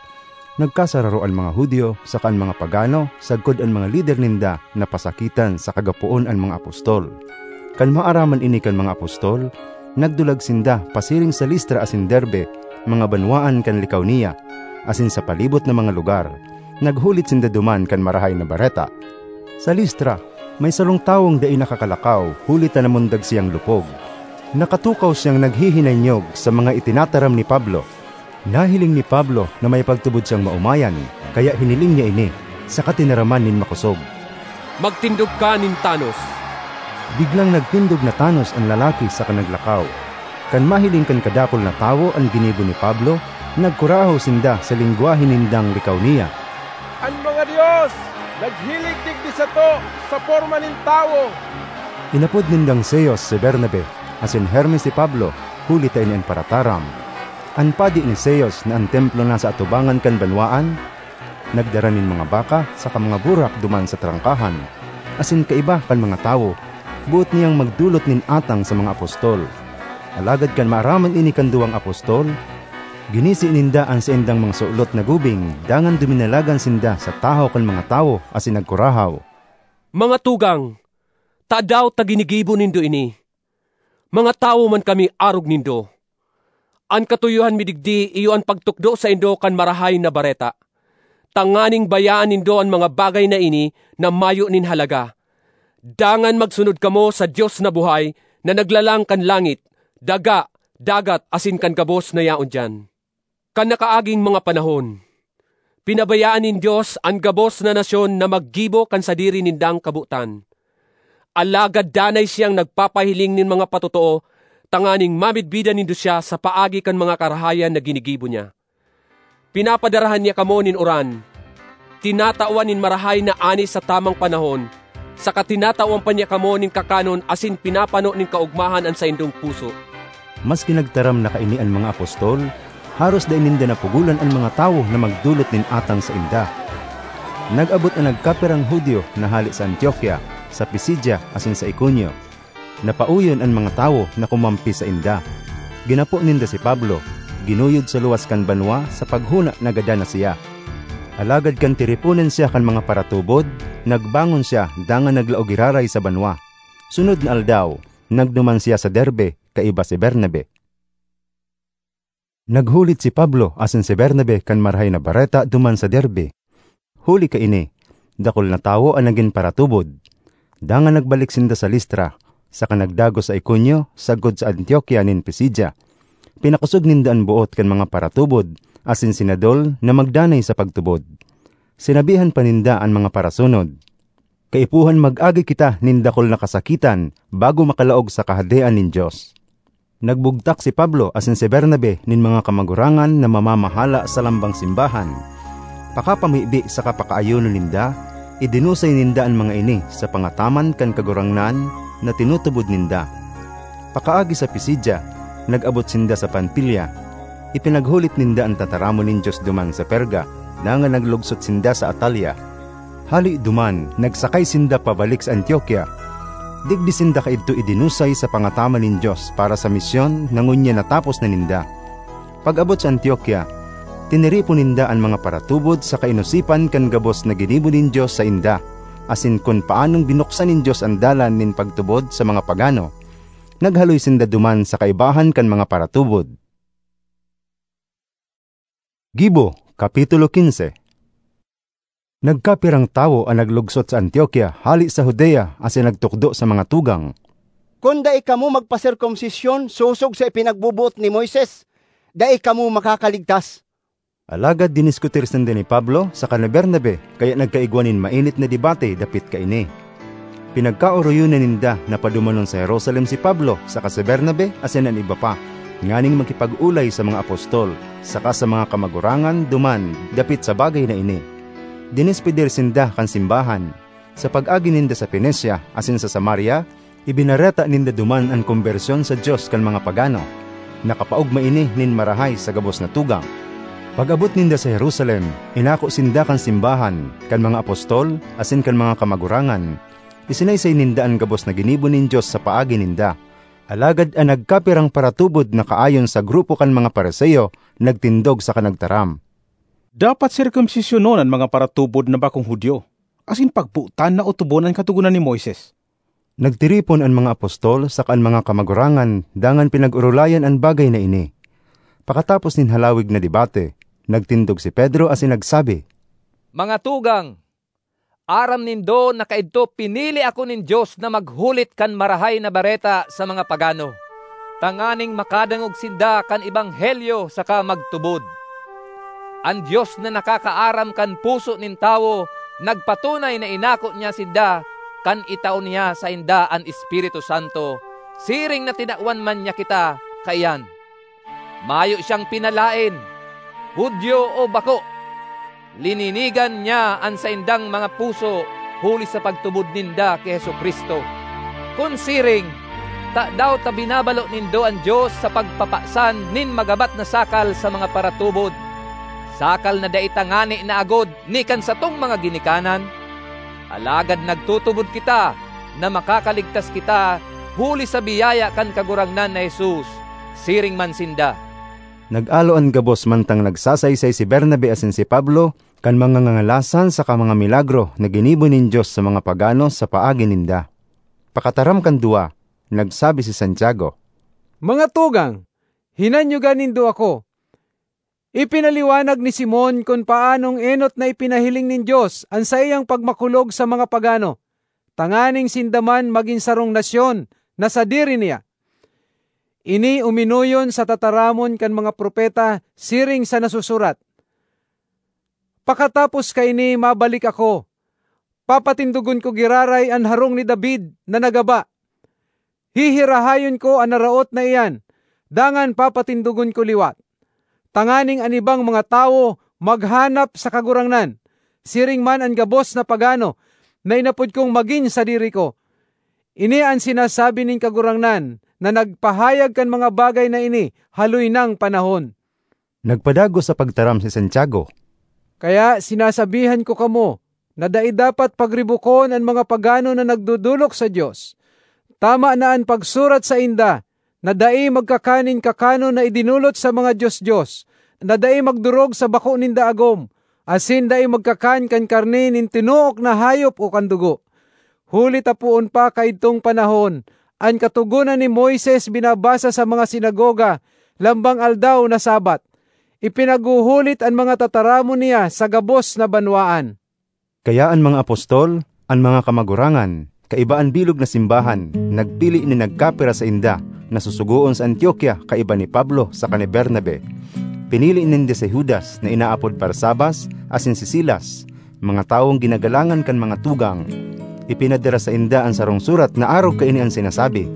Nagkasararo an mga Judio saka an mga pagano sagkod an mga lider ninda napasakitan sa kagapoon an mga apostol. Kan maaraman ini kan mga apostol, Nagdulag sinda pasiring sa Listra asin Derbe, mga banwaan kan Licaonia, asin sa palibot na mga lugar. Naghulit sinda duman kan Marahay na Bareta. Sa Listra, may sarong tawong dai nakakalakaw huli ta namundag siyang lupog. Nakatukaw siyang naghihinanyog sa mga itinataram ni Pablo. Nahiling ni Pablo na may pagtubod siyang maomayan, kaya hiniling niya ini, saka tinaraman nin makosog. "Magtindog ka nin tanos!" Biglang nagtindog na tanos an lalaki saka naglakaw. Kan mahiling kan kadakul na tawo an ginibo ni Pablo, nagkurahaw sinda sa lengwahe nindang Licaonia, "An mga dios naghilig digdi sato sa porma nin tawo!" Inapod nindang Zeus si Bernabe, asin Hermes si Pablo, huli ta ini an parataram. An padi ni Zeus na an templo nasa atubangan kan banwaan, nagdara nin mga baka saka mga burak duman sa trangkahan, asin kaiba kan mga tawo, boot niyang magdolot nin atang sa mga apostol. Alagad kan maaraman ini kan duwang apostol, ginisi ninda an saindang mga sulot na gubing, dangan duminalagan sinda sa tahaw kan mga tawo asin nagkurahaw, "Mga tugang, tadaw ta ginigibo nindo ini? Mga tawo man kami arog nindo. An katuyohan mi digdi iyo an pagtukdo saindo kan Marahay na Bareta, tanganing bayaan nindo an mga bagay na ini na mayo nin halaga. Dangan magsunod kamo sa Dios na buhay, na naglalang kan langit, daga, dagat, asin kan gabos na yaon diyan. Kan nakaaging mga panahon, pinabayaan nin Dios an gabos na nasyon na maggibo kan sadiri nindang kabotan. Alagad danay siyang nagpapahiling nin mga patotoo tanganing mamidbidan nindo siya sa paagi kan mga karahayan na ginigibo niya. Pinapadarahan niya kamo nin uran, tinatawan nin marahay na ani sa tamang panahon, saka tinatawan pa niya kamo nin kakanon asin pinapano nin kaogmahan an saindong puso." Maski nagtaram na kaini an mga apostol, haros dai ninda napugolan an mga tawo na magdolot nin atang sainda. Nag-abot an nagkapirang Judio na hale sa Antioquia, sa Pisidia, asin sa Iconio. Napaoyon an mga tawo na kumampi sainda. Ginapo ninda si Pablo, ginuyod sa luwas kan banwa sa paghona na gadan na siya. Alagad kan tiriponan siya kan mga paratubod, nagbangon siya dangan naglaog giraray sa banwa. Sunod na aldaw, nagduman siya sa Derbe, kaiba si Bernabe. Naghulit si Pablo asin si Bernabe kan Marahay na Bareta duman sa Derbe. Huli kaini, dakul na tawo an nagin paratubod. Dangan nagbalik sinda sa Listra, saka nagdagos sa Iconio sagkod sa Antioquia nin Pisidia. Pinakosog ninda an boot kan mga paratubod asin sinadol na magdanay sa pagtubod. Sinabihan pa ninda an mga parasunod, "Kaipuhan mag-agi kita nin dakul na kasakitan bago makalaog sa Kahadean nin Dios." Nagbugtak si Pablo asin si Bernabe nin mga kamagurangan na mamamahala sa lambang simbahan. Pakapamibi saka pakaayonon ninda, idinusay ninda an mga ini sa pangataman kan Kagurangnan na tinutubod ninda. Pakaagi sa Pisidia, nag-abot sinda sa Panfilia. Ipinaghulit ninda an tataramon nin Dios duman sa Perga, dangan naglugsot sinda sa Atalia. Hale duman, nagsakay sinda pabalik sa Antioquia. Digdi sinda kaidto idinusay sa pangataman nin Dios para sa misyon na ngunyan natapos na ninda. Pag-abot sa Antioquia, tiniripon ninda an mga paratubod sa kainosipan kan gabos na ginibo nin Dios sainda, asin kun paanong binuksan nin Dios an dalan nin pagtubod sa mga pagano. Naghaloy sinda duman sa kaibahan kan mga paratubod. Gibo, Kapitulo quince. Nagkapirang tawo an naglugsot sa Antioquia hale sa Judea asin nagtukdo sa mga tugang, "Kun dai kamo magpaserkomsisyon sosog sa ipinagboboot ni Moises, dai kamo makakaligtas." Alagad diniskutir sinda ni Pablo saka ni Bernabe, kaya nagkaigwa nin mainit na debate dapit kaini. Pinagkaoroyon na ninda na padumanon sa Jerusalem si Pablo saka si Bernabe asin an iba pa, nganing makipag-olay sa mga apostol saka sa mga kamagurangan duman dapit sa bagay na ini. Dinispedir sinda kan simbahan. Sa pag-agi ninda sa Fenicia asin sa Samaria, ibinareta ninda duman an kombersyon sa Dios kan mga pagano. Nakapaogma ini nin marahay sa gabos na tugang. Pag-abot ninda sa Jerusalem, inako sinda kan simbahan, kan mga apostol, asin kan mga kamagurangan. Isinaysay ninda an gabos na ginibo nin Dios sa paagi ninda. Alagad an nagkapirang paratubod na kaayon sa grupo kan mga Fariseo nagtindog saka nagtaram, "Dapat serkomsisyonon an mga paratubod na bakong Judio, asin pagbotan na otobon an Katogonan ni Moises. Nagtiripon an mga apostol saka an mga kamagurangan dangan pinag-orolayan an bagay na ini. Pakatapos nin halawig na debate, nagtindog si Pedro asin nagsabi, "Mga tugang, aram nindo na kaidto pinili ako nin Dios na maghulit kan Marahay na Bareta sa mga pagano, tanganing makadangog sinda kan ebanghelyo saka magtubod. An Dios na nakakaaram kan puso nin tawo nagpatunay na inako niya sinda kan itao niya sainda an Espiritu Santo, siring na tinawan man niya kita kaiyan. Mayo siyang pinalaen, Judio o bako. Lininigan niya an saindang mga puso huli sa pagtubod ninda ki Jesu-Cristo. Kun siring, tadaw ta binabalo nindo an Dios sa pagpapasan nin magabat na sakal sa mga paratubod, sakal na dai tangani na agod ni kan satong mga ginikanan? Alagad nagtutubod kita na makakaligtas kita huli sa biyaya kan Kagurangnan na Jesus, siring man sinda." Nag-alo an gabos mantang nagsasaysay si Bernabe asin si Pablo kan mga ngangalasan saka mga milagro na ginibo nin Dios sa mga pagano sa paagi ninda. Pakataram kan duwa, nagsabi si Santiago, "Mga tugang, hinanyoga nindo ako. Ipinaliwanag ni Simon kun paanong enot na ipinahiling nin Dios an saiyang pagmakulog sa mga pagano, tanganing sinda man magin sarong nasyon na sadiri niya. Ini uminoyon sa tataramon kan mga propeta siring sa nasusurat, 'Pakatapos kaini mabalik ako, papatindogon ko giraray an harong ni David na nagaba. Hihirahayon ko an naraot na iyan, dangan papatindogon ko liwat, tanganing an ibang mga tawo maghanap sa Kagurangnan, siring man an gabos na pagano na inapod kong magin sadiri ko.' Ini an sinasabi nin Kagurangnan na nagpahayag kan mga bagay na ini haloy nang panahon." Nagpadagos sa pagtaram si Santiago, "Kaya sinasabihan ko kamo na dai dapat pagribukon an mga pagano na nagdodolok sa Dios. Tama na an pagsurat sainda na dai magkakan nin kakanon na idinolot sa mga dios-dios, na dai magdorog sa bako ninda agom, asin dai magkakan kan karne nin tinook na hayop o kan dugo. Huli ta poon pa kaidtong panahon, an Katogonan ni Moises binabasa sa mga sinagoga lambang aldaw na Sabbath. Ipinaghuhulit an mga tataramon niya sa gabos na banwaan." Kaya an mga apostol, an mga kamagurangan, kaiba an bilog na simbahan, nagpili nin nagkapira sainda na susugoon sa Antiokia kaiba ni Pablo saka ni Bernabe. Pinili ninda si Judas na inaapod Barsabas asin si Silas, mga tawong ginagalangan kan mga tugang. Ipinadara sainda an sarong surat na arog kaini an sinasabi,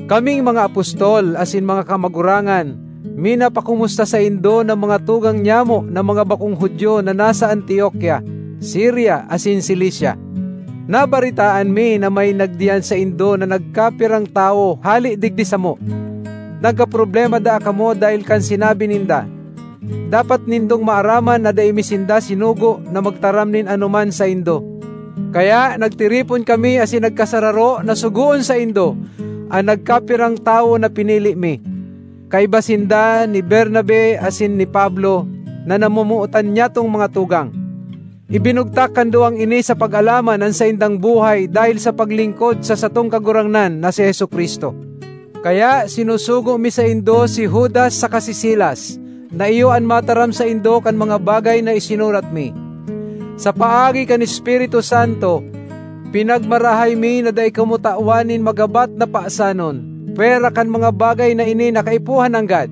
"Kaming mga apostol asin mga kamagurangan, minapakumusta saindo na mga tugang nyamo na mga bakong Judio na nasa Antiokia, Siria asin Cilicia. Nabaretaan mi na may nagdiyan saindo na nagkapirang tawo hale digdi samo. Nagkaproblema daa kamo dahel kan sinabi ninda. Dapat nindong maaraman na dai mi sinda sinugo na magtaram nin anoman saindo. Kaya nagtiripon kami asin nagkasararo na sugoon saindo an nagkapirang tawo na pinili mi, kaiba sinda ni Bernabe asin ni Pablo, na namomotan nyatong mga tugang. Ibinugtak kan duwang ini sa pag-alaman an saindang buhay dahel sa paglingkod sa satong Kagurangnan na si Jesu-Cristo. Kaya sinusugo mi saindo si Judas saka si Silas, na iyo an mataram saindo kan mga bagay na isinurat mi. Sa paagi kan Espiritu Santo, pinagmarahay mi na dai kamo tawan nin magabat na pasanon, pwera kan mga bagay na ini na kaipuhan nanggad.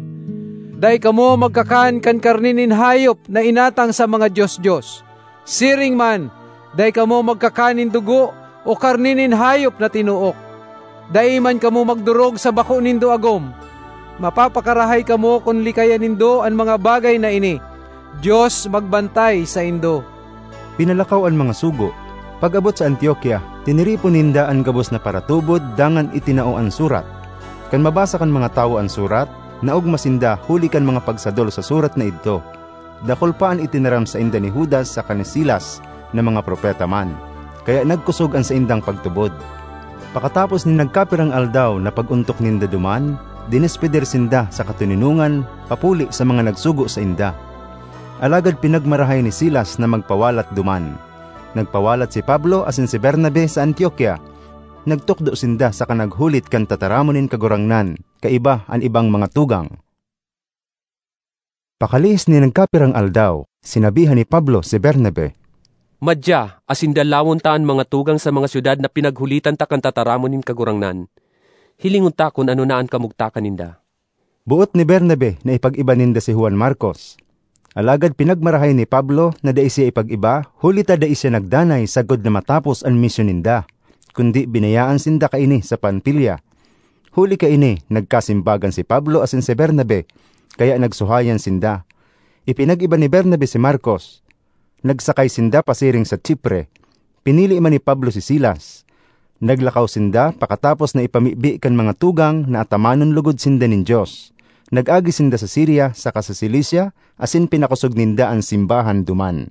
Dai kamo magkakan kan karne nin hayop na inatang sa mga dios-dios. Siring man, dai kamo magkakan nin dugo o karne nin hayop na tinook. Dai man kamo magdorog sa bako nindo agom. Mapapakarahay kamo kun likayan nindo an mga bagay na ini. Dios magbantay saindo." Pinalakaw an mga sugo. Pag-abot sa Antiokia, tiniripon ninda an gabos na paratubod dangan itinao an surat. Kan mabasa kan mga tawo an surat, naogma sinda huli kan mga pagsadol sa surat na idto. Dakul pa an itinaram sainda ni Judas saka ni Silas na mga propeta man, kaya nagkosog an saindang pagtubod. Pakatapos nin nagkapirang aldaw na pag-ontok ninda duman, dinespedir sinda sa katoninongan papuli sa mga nagsugo sainda. Alagad pinagmarahay ni Silas na magpawalat duman. Nagpawalat si Pablo asin si Bernabe sa Antiokia. nagtukdo sinda saka naghulit kan tataramon nin Kagurangnan kaiba an ibang mga tugang. Pakalihis nin nagkapirang aldaw, sinabihan ni Pablo si Bernabe, "Madya, asin dalawon ta an mga tugang sa mga syudad na pinaghulitan ta kan tataramon nin Kagurangnan. Hilingon ta kun ano na an kamugtakan ninda." Boot ni Bernabe na ipag-iba ninda si Juan Marcos. Alagad pinagmarahay ni Pablo na dai siya ipag-iba, huli ta dai siya nagdanay sagkod na matapos an misyon ninda, kundi binayaan sinda kaini sa Panfilia. Huli kaini, nagkasimbagan si Pablo asin si Bernabe, kaya nagsuhayan sinda. Ipinag-iba ni Bernabe si Marcos. Nagsakay sinda pasiring sa Chipre. Pinili man ni Pablo si Silas. Naglakaw sinda pakatapos na ipamibi kan mga tugang na atamanon logod sinda nin Dios. Nag-agi sinda sa Siria saka sa Cilicia, asin pinakosog ninda an simbahan duman.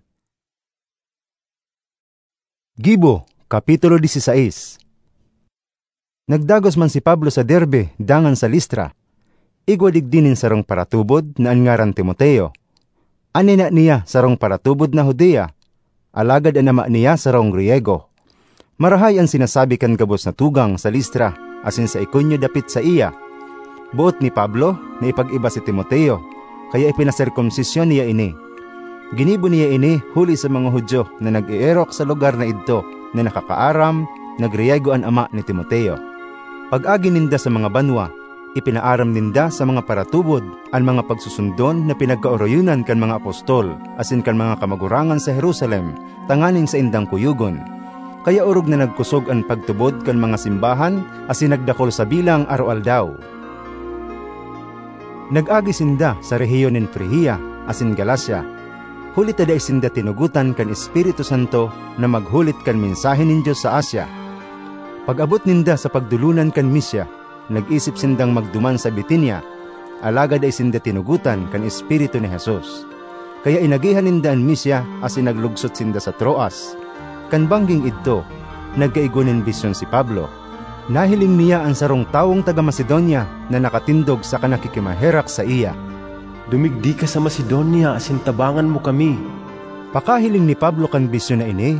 Gibo, Kapitulo dieciséis. Nagdagos man si Pablo sa Derbe dangan sa Listra. Igwa digdi nin sarong paratubod na an ngaran Timoteo. An ina niya sarong paratubod na Judia, alagad an ama niya sarong Griego. Marahay an sinasabi kan gabos na tugang sa Listra asin sa Iconio dapit saiya. Boot ni Pablo na ipag-iba si Timoteo, kaya ipinaserkomsisyon niya ini. Ginibo niya ini huli sa mga Judio na nag-eerok sa lugar na idto na nakakaaram na Griego an ama ni Timoteo. Pag-agi ninda sa mga banwa, ipinaaram ninda sa mga paratubod an mga pagsusundon na pinagkaoroyonan kan mga apostol asin kan mga kamagurangan sa Jerusalem tanganing saindang kuyogon. Kaya orog na nagkosog an pagtubod kan mga simbahan asin nagdakol sa bilang aroaldaw. Nag-agi sinda sa rehiyon nin Frigia asin Galacia, huli ta dai sinda tinugotan kan Espiritu Santo na maghulit kan mensahe nin Dios sa Asia. Pag-abot ninda sa pagdolonan kan Misia, nag-isip sindang magduman sa Bitinia, alagad dai sinda tinugotan kan Espiritu ni Jesus. Kaya inagihan ninda an Misia asin naglugsot sinda sa Troas. Kan bangging idto, nagkaigwa nin bisyon si Pablo. Nahiling niya an sarong tawong taga Macedonia na nakatindog saka nakikimaherak saiya, "Dumigdi ka sa Macedonia asin tabangan mo kami." Pakahiling ni Pablo kan bisyon na ini,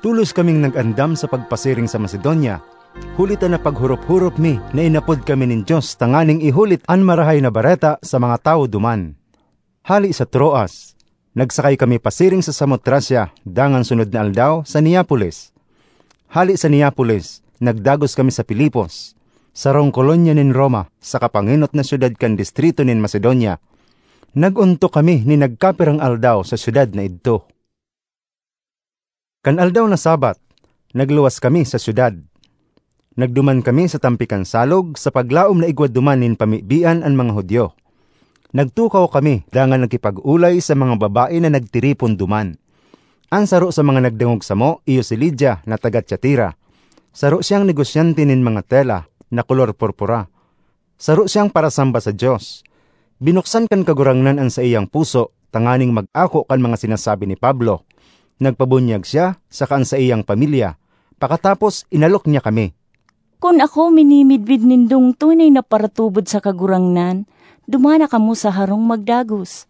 tolos kaming nag-andam sa pagpasiring sa Macedonia, huli ta napaghurop-hurop mi na inapod kami nin Dios tanganing ihulit an Marahay na Bareta sa mga tawo duman. Hale sa Troas, nagsakay kami pasiring sa Samotracia dangan sunod na aldaw sa Neapolis. Hale sa Neapolis, nagdagos kami sa Filipos, sarong kolonya nin Roma, sa kapangenot na syudad kan distrito nin Macedonia. Nag-ontok kami nin nagkapirang aldaw sa syudad na idto. Kan aldaw na Sabat, nagluwas kami sa syudad. Nagduman kami sa tampi kan salog sa paglaom na igwa duman nin pamibian an mga Judio. Nagtukaw kami dangan nagkipag-olay sa mga babae na nagtiripon duman. An saro sa mga nagdangog samo iyo si Lydia na taga Tiatira. Saro siyang negosyante nin mga tela na kolor purpura. Saro siyang parasamba sa Dios. Binuksan kan Kagurangnan an saiyang puso tanganing mag-ako kan mga sinasabi ni Pablo. Nagpabunyag siya saka an saiyang pamilya. Pakatapos, inalok niya kami. "Kun ako minimidbid nindong tunay na paratubod sa Kagurangnan, dumana kamo sa harong magdagos."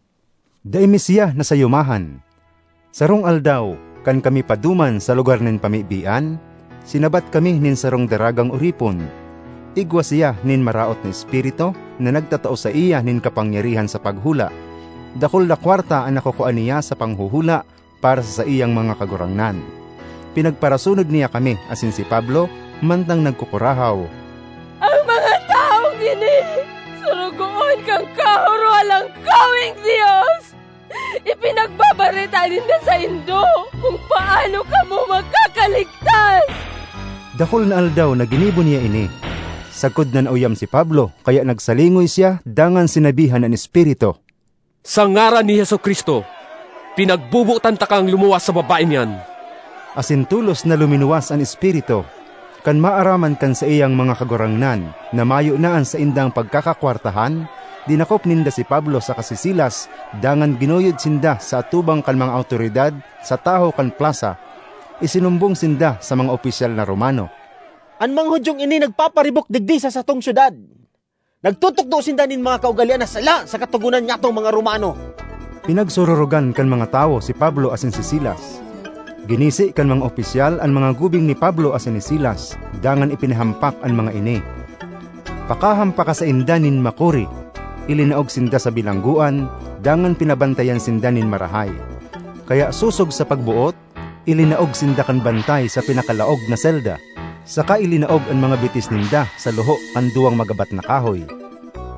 Dai mi siya nasayumahan. Sarong aldaw, kan kami pa duman sa lugar nin pamibian, sinabat kami nin sarong daragang oripon. Igwa siya nin maraot na espiritu na nagtatao saiya nin kapangyarihan sa paghula. Dakul na kwarta an nakukua niya sa panghuhula para sa saiyang mga kagurangnan. Pinagparasunod niya kami asin si Pablo mantang nagkukurahaw, "Ang mga tawong ini, sorogoon kan kahorohalangkaweng Dios! Ipinagbabareta ninda saindo kung paano kamo makakaligtas!" Dakul na aldaw na ginibo niya ini. Sagkod na nauyam si Pablo, kaya nagsalingoy siya dangan sinabihan an espiritu, "Sa ngaran ni Jesu-Cristo, pinagbobotan takang lumuwas sa babaeng iyan!" Asin tolos na luminuwas an espiritu. Kan maaraman kan saiyang mga kagurangnan na mayo na an saindang pagkakakwartahan, dinakop ninda si Pablo saka si Silas, dangan ginuyod sinda sa atubang kan mga awtoridad sa tahaw kan plasa. Isinumbong sinda sa mga opisyal na Romano, "An mga Judiong ini nagpaparibok digdi sa satong syudad. Nagtutukdo sinda nin mga kaugalean na sala sa Katogonan nyatong mga Romano." Pinagsururugan kan mga tawo si Pablo asin si Silas. Ginisi kan mga opisyal an mga gubing ni Pablo asin ni Silas, dangan ipinahampak an mga ini. Pakahampaka sainda nin makuri, ilinaog sinda sa bilanggoan, dangan pinabantayan sinda nin marahay. Kaya sosog sa pagboot, ilinaog sinda kan bantay sa pinakalaog na selda, saka ilinaog an mga bitis ninda sa luho kan duwang magabat na kahoy.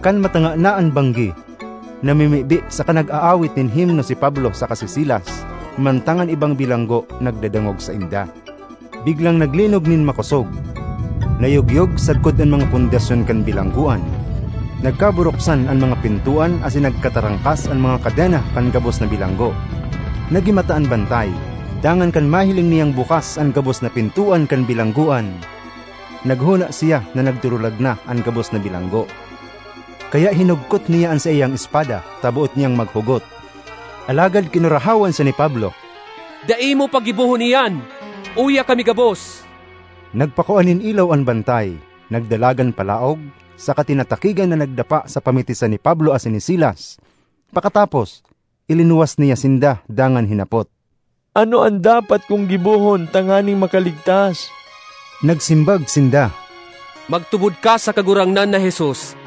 Kan matanga na an banggi, namimibi saka nag-aawit nin himno si Pablo saka si Silas, mantang an ibang bilanggo nagdadangog sainda. Biglang naglinog nin makosog. Nayugyog sagkod an mga pundasyon kan bilanggoan. Nagkaburuksan an mga pintoan asin nagkatarangkas an mga kadena kan gabos na bilanggo. Nagimata an bantay, dangan kan mahiling niyang bukas an gabos na pintoan kan bilanggoan, naghona siya na nagdurulag na an gabos na bilanggo. Kaya hinugkot niya an saiyang espada ta boot niyang maghugot. Alagad kinurahawan siya ni Pablo. "Dai mo pagibohon iyan! Uya kami gabos!" Nagpakua nin ilaw an bantay, nagdalagan palaog, saka tinatakigan na nagdapa sa pamitisan ni Pablo asin ni Silas. Pakatapos, ilinuwas niya sinda dangan hinapot, "Ano an dapat kong gibohon tanganing makaligtas?" Nagsimbag sinda, "Magtubod ka sa Kagurangnan na Jesus,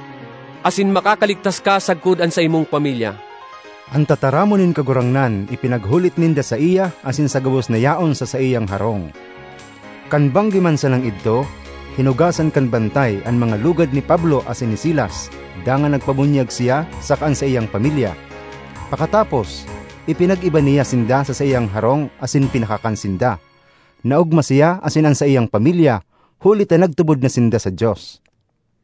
asin makakaligtas ka sagkod an saimong pamilya." An tataramon nin Kagurangnan ipinaghulit ninda saiya asin sa gabos na yaon sa saiyang harong. Kan banggi man sanang idto, hinugasan kan bantay an mga lugad ni Pablo asin ni Silas, dangan nagpabunyag siya saka an saiyang pamilya. Pakatapos, ipinag-iba niya sinda sa saiyang harong asin pinakakan sinda. Naogma siya asin an saiyang pamilya, huli ta nagtubod na sinda sa Dios.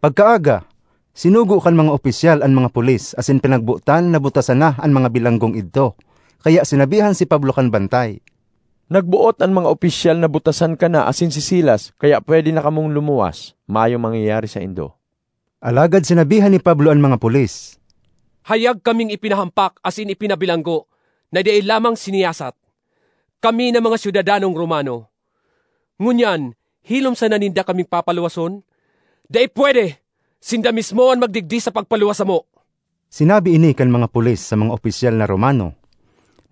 Pagkaaga, sinugo kan mga opisyal an mga pulis asin pinagbotan na butasan na an mga bilanggong idto. Kaya sinabihan si Pablo kan bantay, "Nagboot an mga opisyal na butasan ka na asin si Silas, kaya pwede na kamong lumuwas. Mayong mangyayari saindo." Alagad sinabihan ni Pablo an mga pulis, "Hayag kaming ipinahampak asin ipinabilanggo na dai lamang siniyasat. Kami na mga syudadanong Romano. Ngunyan, hilom sana ninda kaming papaluwason? Dai pwede! Sinda mismo an magdigdi sa pagpaluwas samo." Sinabi ini kan mga pulis sa mga opisyal na Romano.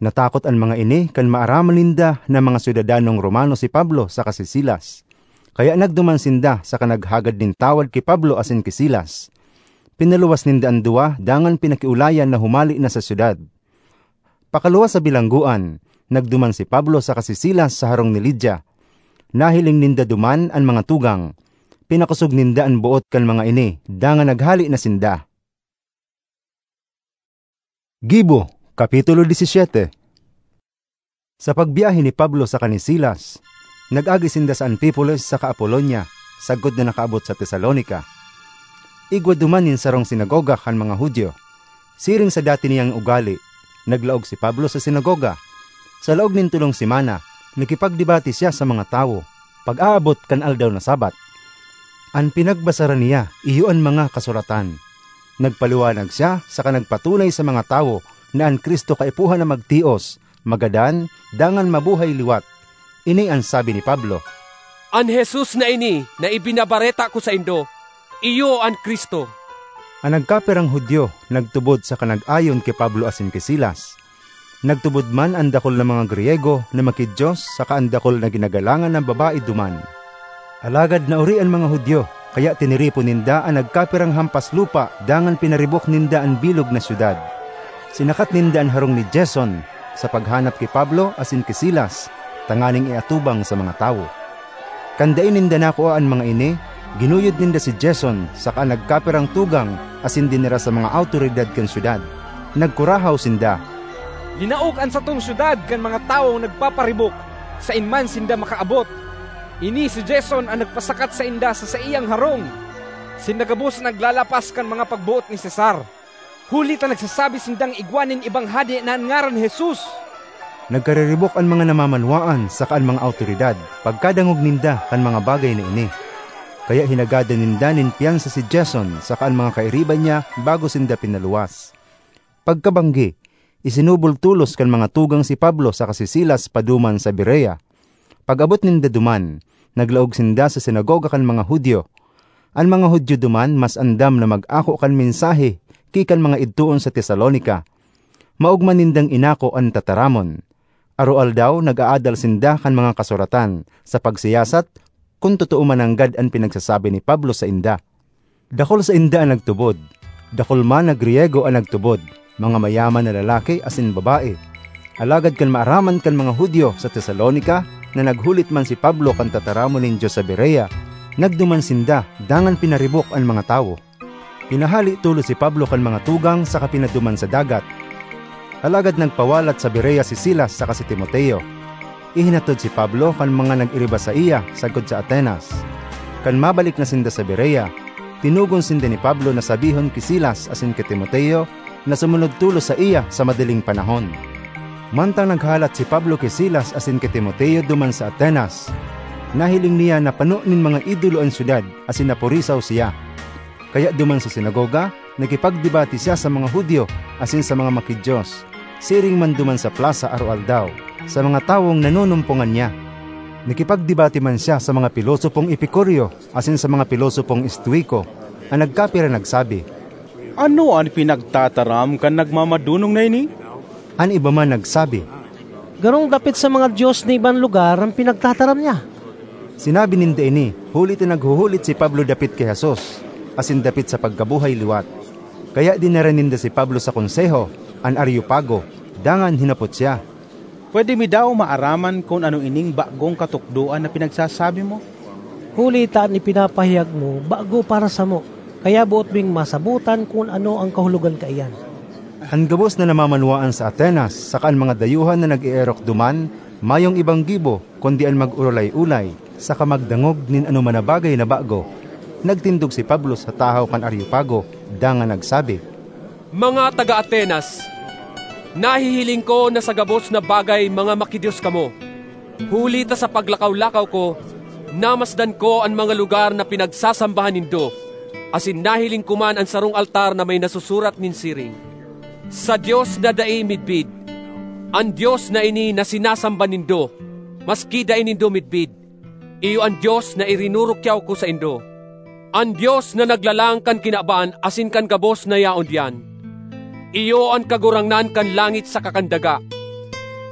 Natakot an mga ini kan maaraman ninda na mga syudadanong Romano si Pablo saka si Silas. Kaya nagduman sinda saka naghagad nin tawad ki Pablo asin ki Silas. Pinaluwas ninda an duwa dangan pinakiolayan na humali na sa syudad. Pakaluwas sa bilanggoan, nagduman si Pablo saka si Silas sa harong ni Lydia. Nahiling ninda duman an mga tugang. Pinakosog ninda an boot kan mga ini, dangan naghale na sinda. Gibo, Kapitulo disisiete. Sa pagbyahe ni Pablo saka ni Silas, nag-agi sinda sa Anfipolis saka Apolonia, sagkod na nakaabot sa Tesalonica. Igwa duman nin sarong sinagoga kan mga Judio. Siring sa dati niyang ugali, naglaog si Pablo sa sinagoga. Sa laog nin tolong semana, nakipagdebate siya sa mga tawo, pag-aabot kan aldaw na Sabbath. An pinagbasaran niya, iyo an mga Kasuratan. Nagpaliwanag siya saka nagpatunay sa mga tawo na an Cristo kaipuhan na magtios, magadan, dangan mabuhay liwat. Ini an sabi ni Pablo, "An Jesus na ini na ibinabareta ko saindo, iyo an Cristo." An nagkapirang Judio nagtubod saka nag-ayon ki Pablo asin ki Silas. Nagtubod man an dakul na mga Griyego na maki-Dios saka an dakul na ginagalangan na babae duman. Alagad naori an mga Judio, kaya tiniripon ninda an nagkapirang hampas lupa dangan pinaribok ninda an bilog na syudad. Sinakat ninda an harong ni Jason sa paghanap ki Pablo asin ki Silas, tanganing iatubang sa mga tawo. Kan dai ninda nakua an mga ini, ginuyod ninda si Jason saka an nagkapirang tugang asin dinara sa mga awtoridad kan syudad. Nagkurahaw sinda, "Linaog an satong syudad kan mga tawong nagpaparibok, saen man sinda makaabot. Ini si Jason an nagpasakat sainda sa saiyang harong, sinda gabos naglalapas kan mga pagboot ni Cesar, huli ta nagsasabi sindang igwa nin ibang hade na an ngaran Jesus." Nagkariribok an mga namamanwaan saka an mga awtoridad pagkadangog ninda kan mga bagay na ini. Kaya hinagadan ninda nin pyansa si Jason saka an mga kairiba niya bago sinda pinaluwas. Pagkabanggi, isinubol tolos kan mga tugang si Pablo saka si Silas paduman sa Berea. Pag-abot ninda duman, naglaog sinda sa sinagoga kan mga Judio. An mga Judio duman mas andam na mag-ako kan mensahe ki kan mga idtoon sa Tesalonica. Maogma nindang inako an tataramon. Aroaldaw nag-aadal sinda kan mga kasuratan sa pagsiyasat kun totoo man nanggad an pinagsasabi ni Pablo sainda. Dakul sainda an nagtubod. Dakul man na Griyego an nagtubod, mga mayaman na lalaki asin babae. Alagad kan maaraman kan mga Judio sa Tesalonica na naghulit man si Pablo kan tataramon nin Dios sa Berea, nagduman sinda dangan pinaribok an mga tawo. Pinahale tolos si Pablo kan mga tugang saka pinaduman sa dagat. Alagad nagpawalat sa Berea si Silas saka si Timoteo. Ihinatod si Pablo kan mga nag-iriba saiya sagkod sa Atenas. Kan mabalik na sinda sa Berea, tinugon sinda ni Pablo na sabihon ki Silas asin ki Timoteo na sumunod tolos saiya sa madaling panahon. Mantang naghalat si Pablo ki Silas asin ki Timoteo duman sa Atenas, nahiling niya na pano nin mga idolo an syudad asin napurisaw siya. Kaya duman sa sinagoga, nakipagdebate siya sa mga Judio asin sa mga maki-Dios, siring man duman sa plasa aroaldaw, sa mga tawong nanunumpongan niya. Nakipagdebate man siya sa mga pilosopong Epicurio asin sa mga pilosopong Estoico. An nagkapira nagsabi, "Ano an pinagtataram kan nagmamadonong na ini?" An iba man nagsabi, "Garong dapit sa mga dios na ibang lugar an pinagtataram niya." Sinabi ninda ini huli ta naghuhulit si Pablo dapit ki Jesus asin dapit sa pagkabuhay liwat. Kaya dinara ninda si Pablo sa Konseho, an Areopago, dangan hinapot siya, "Pwede mi daw maaraman kun ano ining bagong katukdoan na pinagsasabi mo? Huli ta an ipinapahayag mo bago para samo, kaya boot ming masabotan kun ano an kahulogan kaiyan." An gabos na namamanwaan sa Atenas saka an mga dayuhan na nag-eerok duman, mayong ibang gibo kundi an mag-orolay-olay saka magdangog nin anoman na bagay na bago. Nagtindog si Pablo sa tahaw kan Areopago dangan nagsabi, "Mga taga Atenas, nahihiling ko na sa gabos na bagay mga makidios kamo. Huli ta sa paglakaw-lakaw ko, namasdan ko an mga lugar na pinagsasambahan nindo, asin nahiling ko man an sarong altar na may nasusurat nin siring, 'Sa Dios na dai midbid.' An Dios na ini na sinasamba nindo, maski dai nindo midbid, iyo an Dios na irinurukyaw ko saindo. An Dios na naglalang kan kinaban asin kan gabos na yaon diyan. Iyo an Kagurangnan kan langit saka kan daga.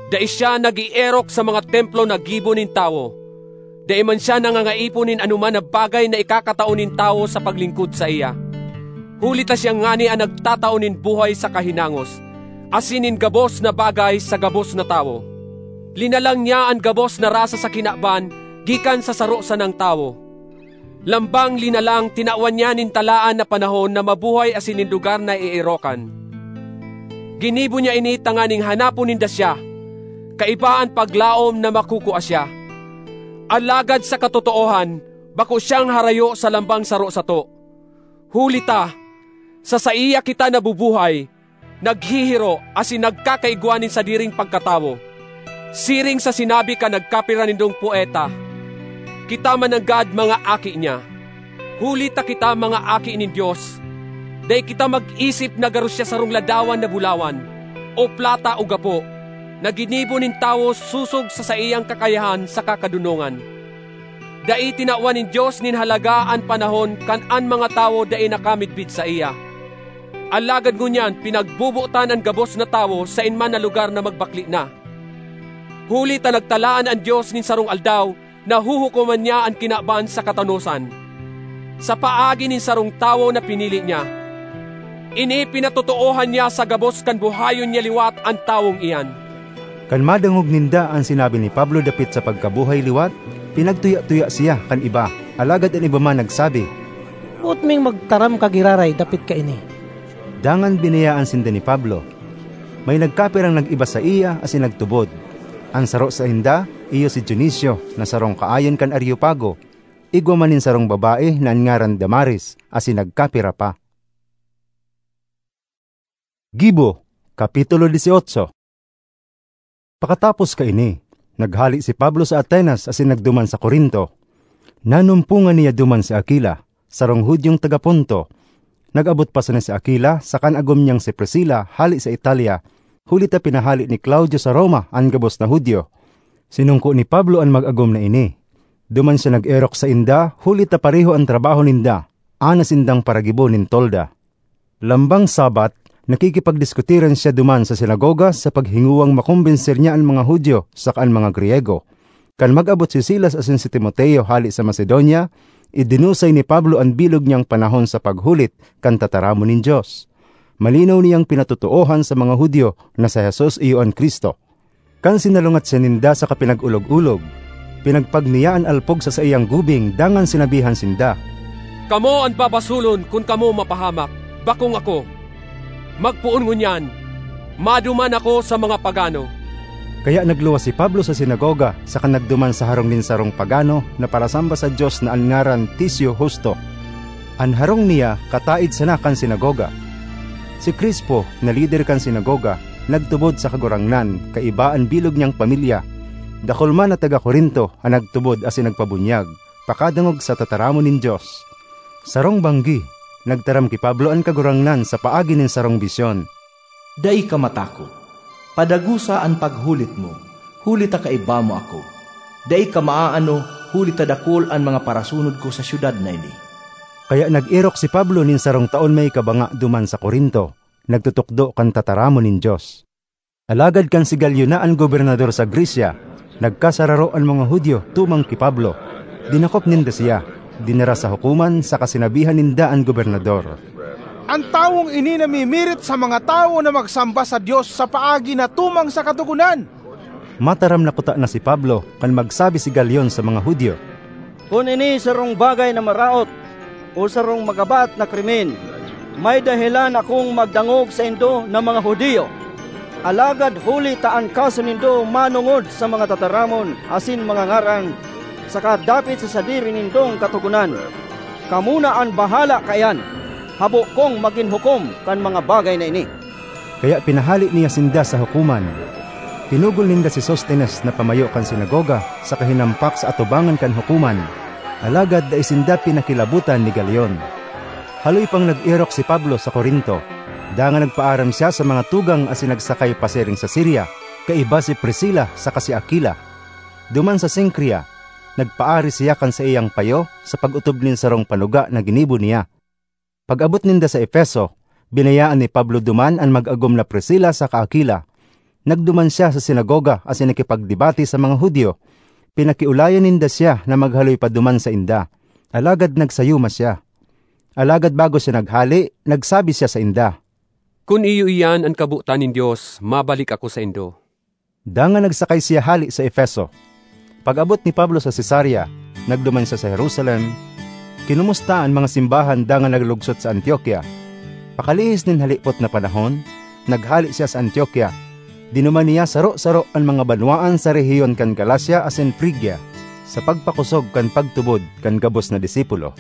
Dai siya nag-eerok sa mga templo na gibo nin tawo. Dai man siya nangangaipo nin anoman na bagay na ikakatao nin tawo sa paglingkod saiya. Huli ta siya ngani an nagtatao nin buhay sa kahinangos, asin nin gabos na bagay sa gabos na tawo. Linalang niya an gabos na rasa sa kinaban gikan sa saro sanang tawo. Lambang linalang, tinawan niya nin talaan na panahon na mabuhay asin nin lugar na eerokan. Ginibo niya ini tanganing hanapon ninda siya, kaiba an paglaom na makukua siya. Alagad sa katotoohan, bako siyang harayo sa lambang saro sato. Huli ta, sa saiya kita nabubuhay, naghihiro asin nagkakaigwa nin sadiring pagkatawo. Siring sa sinabi kan nagkapira nindong poeta, 'Kita man nanggad mga aki niya.' Huli ta kita mga aki nin Dios, dai kita mag-isip na garo siya sarong ladawan na bulawan, o plata o gapo, na ginibo nin tawo sosog sa saiyang kakayahan saka kadonongan. Dai tinawan nin Dios nin halaga an panahon kan an mga tawo dai nakamidbid saiya. Alagad ngunyan pinagbobotan an gabos na tawo saen man na lugar na magbakle na. Huli ta nagtalaan an Dios nin sarong aldaw na huhukoman niya an kinaban sa katanosan, sa paagi nin sarong tawo na pinili niya. Ini pinatotoohan niya sa gabos kan buhayon niya liwat an tawong iyan." Kan madangog ninda an sinabi ni Pablo dapit sa pagkabuhay liwat, pinagtuya-tuya siya kan iba, alagad an iba man nagsabi, "Boot ming magtaram ka giraray dapit kaini." Dangan biniyayaan sinda ni Pablo. May nagkapirang nag-iba saiya asin nagtubod. An saro sainda iyo si Dionisio na sarong kaayon kan Areopago, igwa man nin sarong babae na an ngaran Damaris, asin nagkapira pa. Gibo, Kapitulo dieciocho. Pakatapos kaini, naghale si Pablo sa Atenas asin nagduman sa Corinto. Nanumpongan niya duman si Aquila, sarong Judiong taga Ponto. Nag-abot pa sana si Aquila sa kan agom niyang si Priscila hale sa Italia, huli ta pinahale ni Claudio sa Roma an gabos na Judio. Sinungko ni Pablo an mag-agom na ini. Duman siya nag-erok sainda, huli ta pareho an trabaho ninda, ana sindang paragibo nin tolda. Lambang Sabbath, Nakikipagdiskutiran siya duman sa sinagoga sa paghinguwang makombensir niya an mga Judio saka an mga Griyego. Kan mag-abot si Silas asin si Timoteo hale sa Macedonia, idinusay ni Pablo an bilog niyang panahon sa paghulit kan tataramon nin Dios. Malinaw niyang pinatotoohan sa mga Judio na si Jesus iyo an Cristo. Kan sinalungat siya ninda saka pinag-olog-olog, pinagpag niya an alpog sa saiyang gubing dangan sinabihan sinda, "Kamo an babasolon kun kamo mapahamak, bakong ako. Magpoon ngunyan, maduman ako sa mga pagano." Kaya nagluwas si Pablo sa sinagoga saka nagduman sa harong nin sarong pagano na parasamba sa Dios na an ngaran Ticio Justo. An harong niya kataed sana kan sinagoga. Si Crispo, na lider kan sinagoga, nagtubod sa Kagurangnan kaiba an bilog niyang pamilya. Dakul man na taga Corinto an nagtubod asin nagpabunyag pakadangog sa tataramon nin Dios. Sarong banggi, nagtaram ki Pablo an Kagurangnan sa paagi nin sarong bisyon. "Dai ka matakot. Padagosa an paghulit mo, huli ta kaiba mo ako. Dai ka maaano, huli ta dakul an mga parasunod ko sa syudad na ini." Kaya nag-erok si Pablo nin sarong taon may kabanga duman sa Corinto, nagtutukdo kan tataramon nin Dios. Alagad kan si Galio na an gobernador sa Grecia, nagkasararo an mga Judio tumang ki Pablo. Dinakop ninda siya, dinara sa hukoman saka sinabihan ninda an gobernador, "An tawong ini namimirit sa mga tawo na magsamba sa Dios sa paagi na tumang sa Katogonan." Mataram na kuta na si Pablo kan magsabi si Galion sa mga Judio, "Kun ini sarong bagay na maraot o sarong magabat na krimen, may dahelan akong magdangog saindo na mga Judio. Alagad huli ta an kaso nindo manongod sa mga tataramon asin mga ngaran, saka dapit sa sadiri nindong Katogonan, kamo na an bahala kaiyan. Habo kong magin hukom kan mga bagay na ini." Kaya pinahale niya sinda sa hukoman. Pinugol ninda si Sostenes na pamayo kan sinagoga saka hinampak sa atubangan kan hukoman, alagad dai sinda pinakilabotan ni Galion. Haloy pang nag-erok si Pablo sa Corinto, dangan nagpaaram siya sa mga tugang asin nagsakay pasiring sa Siria, kaiba si Priscila saka si Aquila. Duman sa Cencrea, nagpaari siya kan saiyang payo sa pag-otob nin sarong panuga na ginibo niya. Pag-abot ninda sa Efeso, binayaan ni Pablo duman an mag-agom na Priscila saka Aquila. Nagduman siya sa sinagoga asin nakipagdebate sa mga Judio. Pinakiolayan ninda siya na maghaloy pa duman sainda, alagad nagsayuma siya. Alagad bago siya naghale, nagsabi siya sainda, "Kun iyo iyan an kabotan nin Dios, mabalik ako saindo." Dangan nagsakay siya hale sa Efeso. Pag-abot ni Pablo sa Cesarea, nagduman siya sa Jerusalem, kinumusta an mga simbahan dangan naglugsot sa Antiokia. Pakalihis nin halipot na panahon, naghale siya sa Antiokia. Dinuman niya saro-saro an mga banwaan sa rehiyon kan Galacia asin Frigia, sa pagpakosog kan pagtubod kan gabos na disipulo.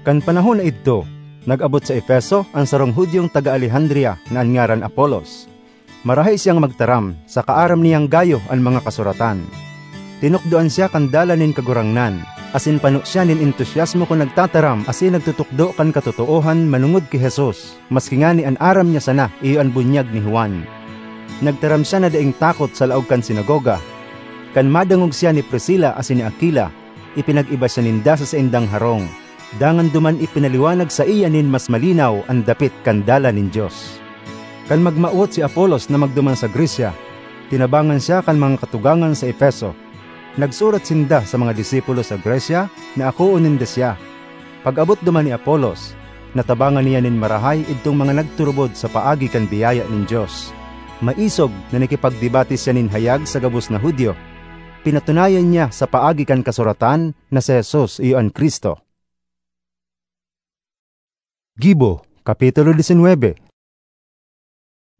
Kan panahon na idto, nag-abot sa Efeso an sarong Judiong taga Alejandria na an ngaran Apolos. Marahay siyang magtaram, saka aram niyang gayo an mga kasuratan. Tinukdoan siya kan dalan nin Kagurangnan, asin pano siya nin entusiasmo kun nagtataram asin nagtutukdo kan katotoohan manongod ki Jesus, maski ngani an aram niya sana iyo an bunyag ni Juan. Nagtaram siya na daing takot sa laog kan sinagoga. Kan madangog siya ni Priscila asin ni Aquila, ipinag-iba siya ninda sa saindang harong, dangan duman ipinaliwanag saiya nin mas malinaw an dapit kan dalan nin Dios. Kan magmawot si Apolos na magduman sa Grecia, tinabangan siya kan mga katugangan sa Efeso. Nagsurat sinda sa mga disipulo sa Grecia na akoon ninda siya. Pag-abot duman ni Apolos, natabangan niya nin marahay idtong mga nagturubod sa paagi kan biyaya nin Dios. Maisog na nakipagdebate siya nin hayag sa gabos na Judio. Pinatunayan niya sa paagi kan kasuratan na si Jesus iyo an Cristo. Gibo, Kapitulo diecinuebe.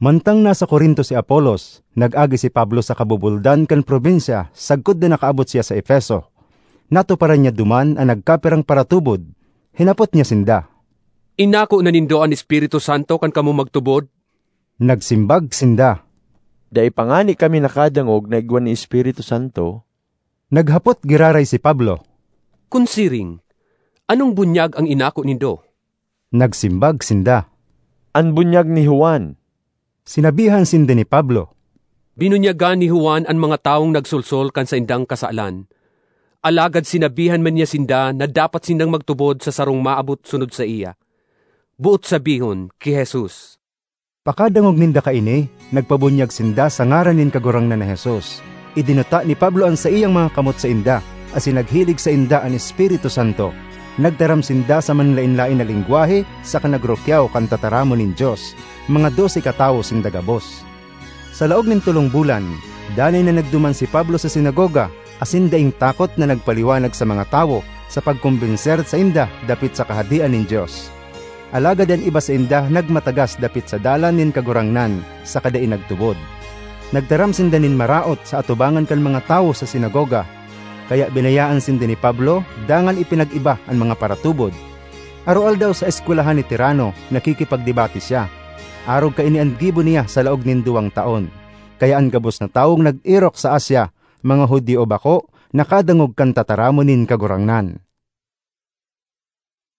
Mantang nasa Corinto si Apolos, nag-agi si Pablo sa kabubuldan kan probinsya sagkod na nakaabot siya sa Efeso. Natuparan niya duman an nagkapirang paratubod. Hinapot niya sinda, "Inako na nindo an Espiritu Santo kan kamo magtubod?" Nagsimbag sinda, "Dai pa ngani kami nakadangog na igwa nin Espiritu Santo." Naghapot giraray si Pablo, "Kun siring, anong bunyag ang inako nindo?" Nagsimbag sinda, "An bunyag ni Juan." Sinabihan sinda ni Pablo, "Binunyagan ni Juan an mga tawong nagsolsol kan saindang kasalan, alagad sinabihan man niya sinda na dapat sindang magtubod sa sarong maabot sunod saiya, boot sabihon, ki Jesus." Pakadangog ninda kaini, nagpabunyag sinda sa ngaran nin Kagurangnan na Jesus. Idinuta ni Pablo an saiyang mga kamot sainda, asin naghilig sainda an Espiritu Santo. Nagtaram sinda sa manlaen-laen na lengwahe saka nagrukyaw kan tataramon nin Dios. Mga dose katawo sinda gabos. Sa laog nin tolong bulan, danay na nagduman si Pablo sa sinagoga, asin daing takot na nagpaliwanag sa mga tawo sa pagkombenser sainda dapit sa Kahadean nin Dios. Alagad an iba sainda nagmatagas dapit sa dalan nin Kagurangnan saka dai nagtubod. Nagtaram sinda nin maraot sa atubangan kan mga tawo sa sinagoga, kaya binayaan sinda ni Pablo dangan ipinag-iba an mga paratubod. Aroaldaw sa eskwelahan ni Tirano, nakikipagdebate siya. Arog kaini an gibo niya sa laog nin duwang taon. Kaya an gabos na tawong nag-erok sa Asia, mga Judio o bako, nakadangog kan tataramon nin Kagurangnan.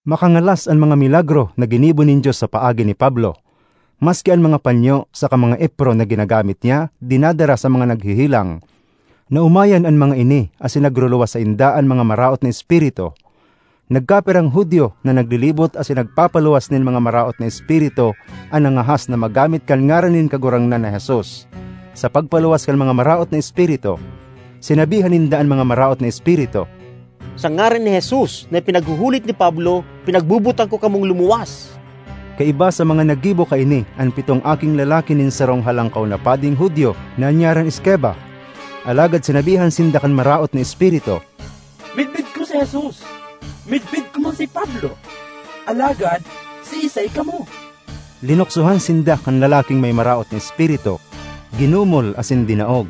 Makangalas an mga milagro na ginibo nin Dios sa paagi ni Pablo. Maski an mga panyo saka mga epro na ginagamit niya, dinadara sa mga naghehelang. Naomayan an mga ini asin nagruluwas sainda an mga maraot na espiritu. Nagkapirang Judio na naglilibot asin nagpapaluwas nin mga maraot na espiritu an nangahas na magamit kan ngaran nin Kagurangnan na Jesus. Sa pagpaluwas kan mga maraot na espiritu, sinabihan ninda an mga maraot na espiritu, "Sa ngaran ni Jesus na ipinaghuhulit ni Pablo, pinagbubutang ko kamong lumuwas." Kaiba sa mga naggibo kaini, an pitong aking lalaki nin sarong halangkaw na pading Judio na an ngaran Esceva. Alagad sinabihan sinda kan maraot na espiritu, "Midbid ko si Jesus! Midbid ko man si Pablo! Alagad siisay kamo?" Linuksohan sinda kan lalaking may maraot na espiritu, ginumol asin dinaog.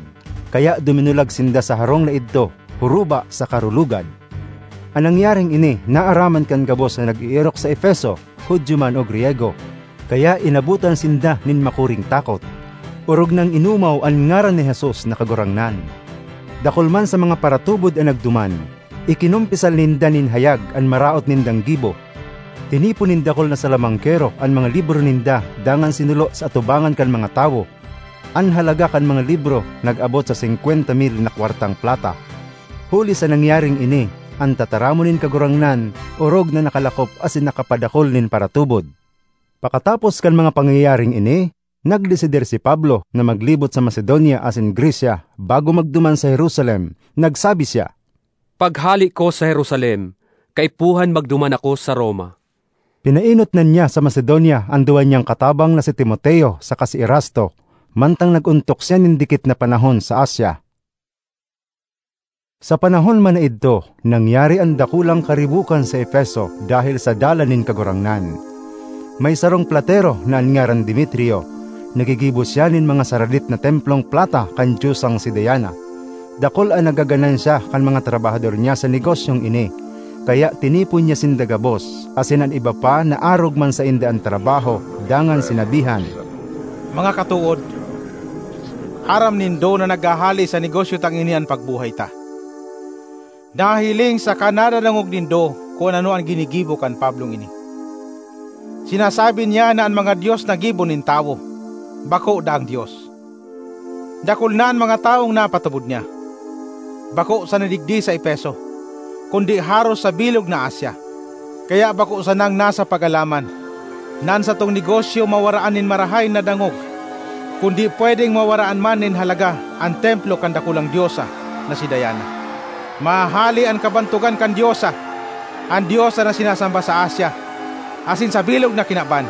Kaya duminulag sinda sa harong na idto, huruba sa karulugad. An nangyaring ini naaraman kan gabos na nag-eerok sa Efeso, Judio man o Griyego. Kaya inabotan sinda nin makuring takot, orog nang inumaw an ngaran ni Jesus na Kagurangnan. Dakul man sa mga paratubod an nagduman, ikinumpisal ninda nin hayag an maraot nindang gibo. Tinipon nin dakul na salamangkero an mga libro ninda dangan sinulo sa atubangan kan mga tawo. An halaga kan mga libro nag-abot sa singkwenta mil na kwartang plata. Huli sa nangyaring ini, an tataramon nin Kagurangnan orog na nakalakop asin nakapadakul nin paratubod. Pakatapos kan mga pangyayaring ini, nagdesidir si Pablo na maglibot sa Macedonia asin Grecia bago magduman sa Jerusalem. Nagsabi siya, "Paghale ko sa Jerusalem, kaipuhan magduman ako sa Roma." Pinaenot na niya sa Macedonia an duwa niyang katabang na si Timoteo saka si Erasto, mantang nag-ontok siya nin dikit na panahon sa Asia. Sa panahon man na idto, nangyari an dakulang karibokan sa Efeso dahil sa Dalan nin Kagurangnan. May sarong platero na an ngaran Demetrio. Naggigibo siya nin mga saradit na templong plata kan diosang si Diana. Dakul an nagaganansya kan mga trabahador niya sa negosyong ini, kaya tinipon niya sinda gabos, asin an iba pa na arog man sainda an trabaho, dangan sinabihan, "Mga katood, aram nindo na naghahale sa negosyo tang ini an pagbuhay ta. Nahihiling saka nadadangog nindo kun ano an ginigibo kan Pablong ini. Sinasabi niya na an mga dios na gibo nin tawo, bako daang dios. Dakul na an mga tawong napatubod niya. Bako sana digdi sa Efeso, kundi haros sa bilog na Asia. Kaya bako sanang nasa pag-alaman na an satong negosyo mawaraan nin marahay na dangog, kundi pwedeng mawaraan man nin halaga an templo kan dakulang diosa na si Diana. Mahahale an kabantogan kan diosa, an diosa na sinasamba sa Asia, asin sa bilog na kinaban."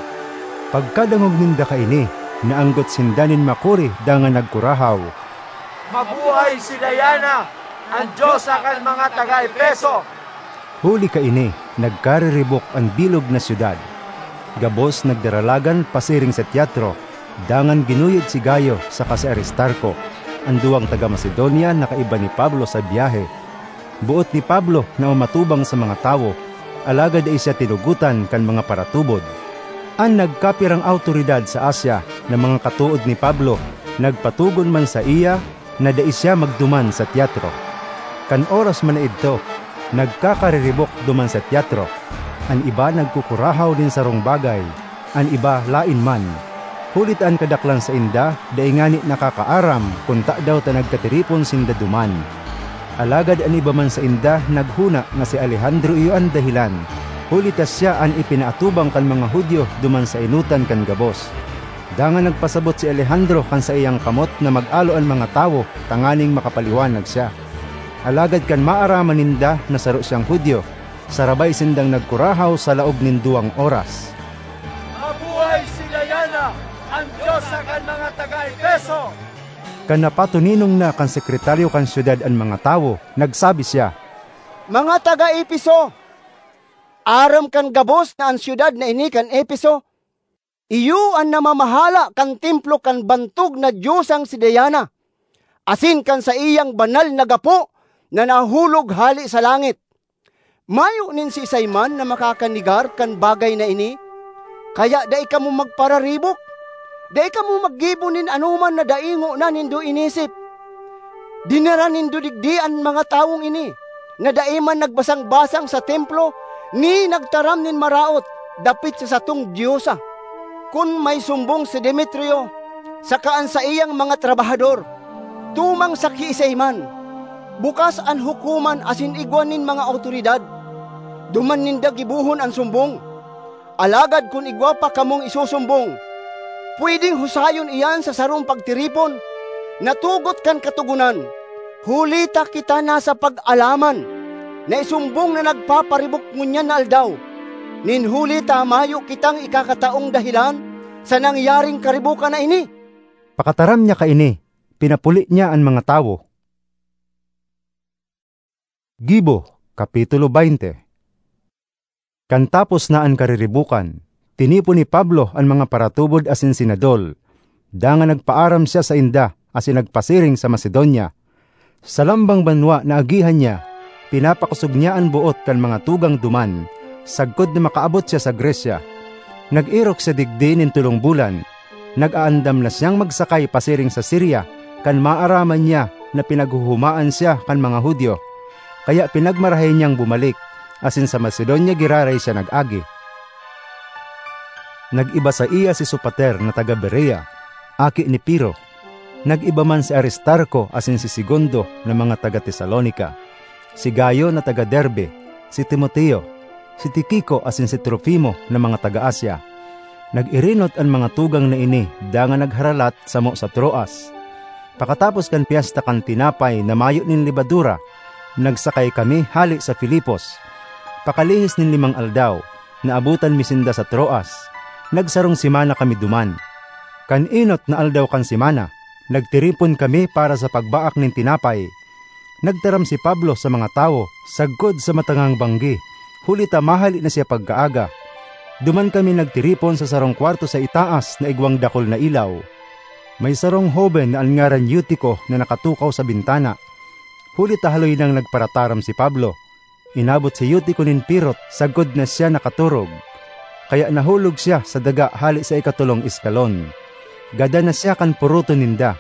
Pagkadangog ninda kaini, naanggot sinda nin makuri dangan nagkurahaw, "Mabuhay si Diana, an diosa kan mga taga Efeso!" Huli kaini, nagkariribok an bilog na syudad. Gabos nagdaralagan pasiring sa teatro, dangan ginuyod si Gayo saka si Aristarco, an duwang taga Macedonia na kaiba ni Pablo sa biyahe. Boot ni Pablo na umatubang sa mga tawo, alagad dai siya tinugotan kan mga paratubod. An nagkapirang awtoridad sa Asia na mga katood ni Pablo nagpatogon man saiya na dai siya magduman sa teatro. Kan oras man na idto, nagkakariribok duman sa teatro. An iba nagkukurahaw nin sarong bagay, an iba laen man. Huli ta an kadaklan sainda dai ngani nakakaaram kun tadaw ta nagkatiripon sinda duman. Alagad an iba man sainda naghona na si Alejandro iyo an dahelan, huli ta siya an ipinaatubang kan mga Judio duman sa enotan kan gabos. Dangan nagpasabot si Alejandro kan saiyang kamot na mag-alo an mga tawo tanganing makapaliwanag siya. Alagad kan maaraman ninda na saro siyang Judio, sarabay sindang nagkurahaw sa laog nin duwang oras, "Mabuhay si Diana, an diosa kan mga taga Efeso!" Kan napatoninong na kan sekretaryo kan syudad an mga tawo, nagsabi siya, "Mga taga Efeso, aram kan gabos na an syudad na ini kan Efeso, iyo an namamahala kan templo kan bantog na diosang si Diana, asin kan saiyang banal na gapo na nahulog hale sa langit. Mayo nin siisay man na makakanegar kan bagay na ini, kaya dai kamo magpararibok. Dai kamo maggibo nin anoman na dai ngona nindo inisip. Dinara nindo digdi an mga tawong ini, na dai man nagbasang-basang sa templo, ni nagtaram nin maraot dapit sa satong diosa. Kun may sumbong si Demetrio saka an saiyang mga trabahador tumang sa kiisay man, bukas an hukoman asin igwa nin mga awtoridad. Duman ninda gibohon an sumbong. Alagad kun igwa pa kamong isusumbong, pwedeng husayon iyan sa sarong pagtiripon na tugot kan Katogonan, huli ta kita nasa pag-alaman na isumbong na nagpaparibok ngunyan na aldaw, nin huli ta mayo kitang ikakataong dahelan sa nangyaring karibokan na ini." Pakataram niya kaini, pinapuli niya an mga tawo. Gibo, Kapitulo twenty. Kan tapos na an kariribokan, tinipon ni Pablo an mga paratubod asin senador, dangan nagpaaram siya sainda asin nagpasiring sa Macedonia. Sa lambang banwa na agihan niya, pinapakosog niya an boot kan mga tugang duman, sagkod na makaabot siya sa Grecia. Nag-erok siya digdi nin tolong bulan. Nag-aandam na siyang magsakay pasiring sa Siria, kan maaraman niya na pinaghuhumaan siya kan mga Judio. Kaya pinagmarahay niyang bumalik, asin sa Macedonia giraray siya nag-agi. Nag-iba saiya si Sopater na taga Berea, aki ni Piro. Nag-iba man si Aristarco asin si Segundo na mga taga Tesalonica, si Gayo na taga Derbe, si Timoteo, si Tiquico asin si Trofimo na mga taga Asia. Nag-irinot an mga tugang na ini dangan nagharalat samo sa Troas. Pakatapos kan Pyesta kan Tinapay na Mayo nin Lebadura, nagsakay kami hale sa Filipos. Pakalihis nin limang aldaw, naabotan mi sinda sa Troas. Nagsarong semana kami duman. Kan enot na aldaw kan semana, nagtiripon kami para sa pagbaak nin tinapay. Nagtaram si Pablo sa mga tawo sagkod sa matangang banggi, huli ta mahale na siya pagkaaga. Duman kami nagtiripon sa sarong kwarto sa itaas na igwang dakul na ilaw. May sarong hoben na an ngaran Eutico na nakatukaw sa bintana. Huli ta haloy nang nagparataram si Pablo, inabot si Eutico nin pirot sagkod na siya nakaturog. Kaya nahulog siya sa daga hale sa ikatolong eskalon. Gadan na siya kan puroton ninda.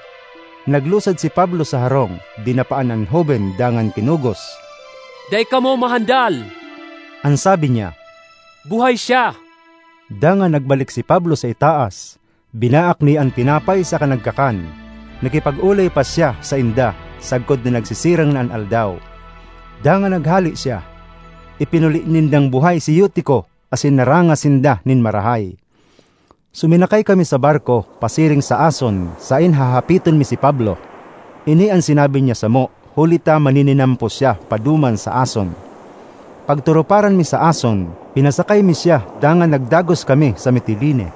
Naglusad si Pablo sa harong, dinapaan an hoben dangan kinugos. "Dai kamo mahandal!" an sabi niya. "Buhay siya!" Dangan nagbalik si Pablo sa itaas. Binaak niya an tinapay saka nagkakan. Nakipag-olay pa siya sainda sagkod na nagsisirang na an aldaw. Dangan naghale siya. Ipinuli nindang buhay si Eutico asin narangas sinda nin marahay. Suminakay kami sa barko pasiring sa Ason, sain hahapiton mi si Pablo. Ini an sinabi niya samo, huli ta manininampos siya paduman sa Ason. Pagturuparan mi sa Ason, pinasakay mi siya dangan nagdagos kami sa Mitilene.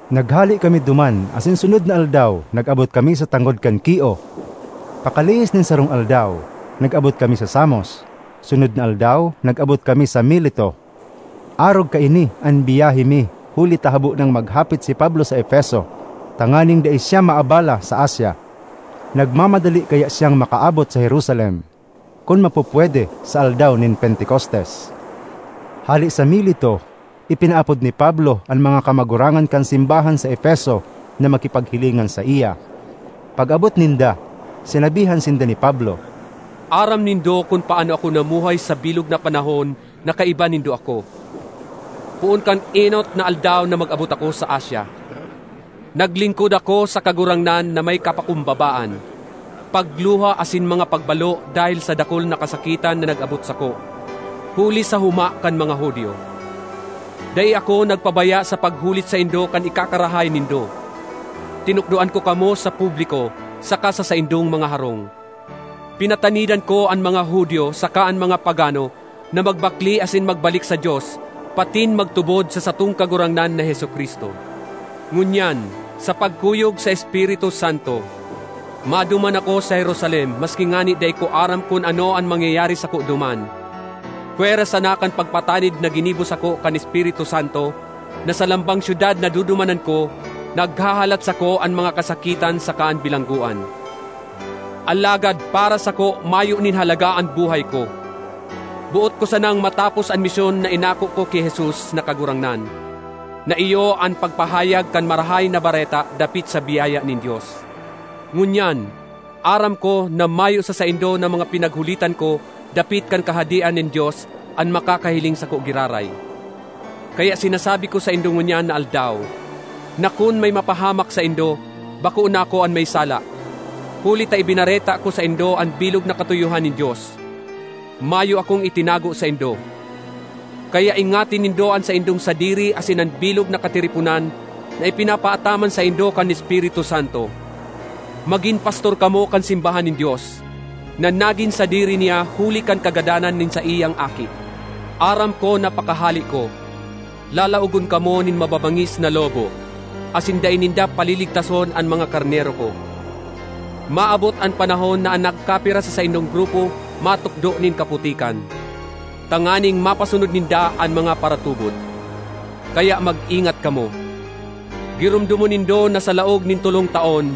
Naghale kami duman asin sunod na aldaw nag-abot kami sa tangod kan Quio. Pakalihis nin sarong aldaw, nag-abot kami sa Samos. Sunod na aldaw, nag-abot kami sa Mileto. Arog kaini an biyahe mi, huli ta habo nang maghapit si Pablo sa Efeso, tanganing dai siya maabala sa Asia. Nagmamadali kaya siyang makaabot sa Jerusalem, kun mapupwede, sa aldaw nin Pentecostes. Hale sa Mileto, ipinaapod ni Pablo an mga kamagurangan kan simbahan sa Efeso na makipaghilingan saiya. Pag-abot ninda, sinabihan sinda ni Pablo, "Aram nindo kun paano ako namuhay sa bilog na panahon na kaiba nindo ako. Poon kan enot na aldaw na mag-abot ako sa Asia, naglingkod ako sa Kagurangnan na may kapakumbabaan, pagluha asin mga pagbalo dahil sa dakul na kasakitan na nag-abot sako, huli sa huma kan mga Judio. Dai ako nagpabaya sa paghulit saindo kan ikakarahay nindo. Tinukdoan ko kamo sa publiko saka sa saindong mga harong. Pinatanidan ko an mga Judio saka an mga pagano na magbakle asin magbalik sa Dios, patin magtubod sa satong Kagurangnan na Jesu-Cristo. Ngunyan, sa pagkuyog sa Espiritu Santo, maduman ako sa Jerusalem, maski ngani dai ko aram kun ano an mangyayari sako duman. Pwera sana kan pagpatanid na ginibo sako kan Espiritu Santo, na sa lambang syudad na dudumanan ko, naghahalat sako an mga kasakitan saka an bilanggoan. Alagad para sako, mayo nin halaga an buhay ko. Boot ko sanang matapos an misyon na inako ko ki Jesus na Kagurangnan, na iyo an pagpahayag kan Marahay na Bareta dapit sa biyaya nin Dios. Ngunyan, aram ko na mayo sa saindo na mga pinaghulitan ko dapit kan Kahadean nin Dios an makakahiling sako giraray. Kaya sinasabi ko saindo ngunyan na aldaw, na kun may mapahamak saindo, bako na ako an may sala, huli ta ibinareta ko saindo an bilog na katuyohan nin Dios. Mayo akong itinago saindo. Kaya ingati nindo an saindong sadiri asin an bilog na katiriponan na ipinapaataman saindo kan Espiritu Santo. Magin pastor kamo kan simbahan nin Dios, na nagin sadiri niya huli kan kagadanan nin saiyang Aki. Aram ko na pakahale ko, lalaogon kamo nin mababangis na lobo, asin dai ninda paliligtason an mga karnero ko. Maabot an panahon na an nagkapira sa saindong grupo matukdo nin kaputikan, tanganing mapasunod ninda an mga paratubod. Kaya mag-ingat kamo. Giromdomon nindo na sa laog nin tolong taon,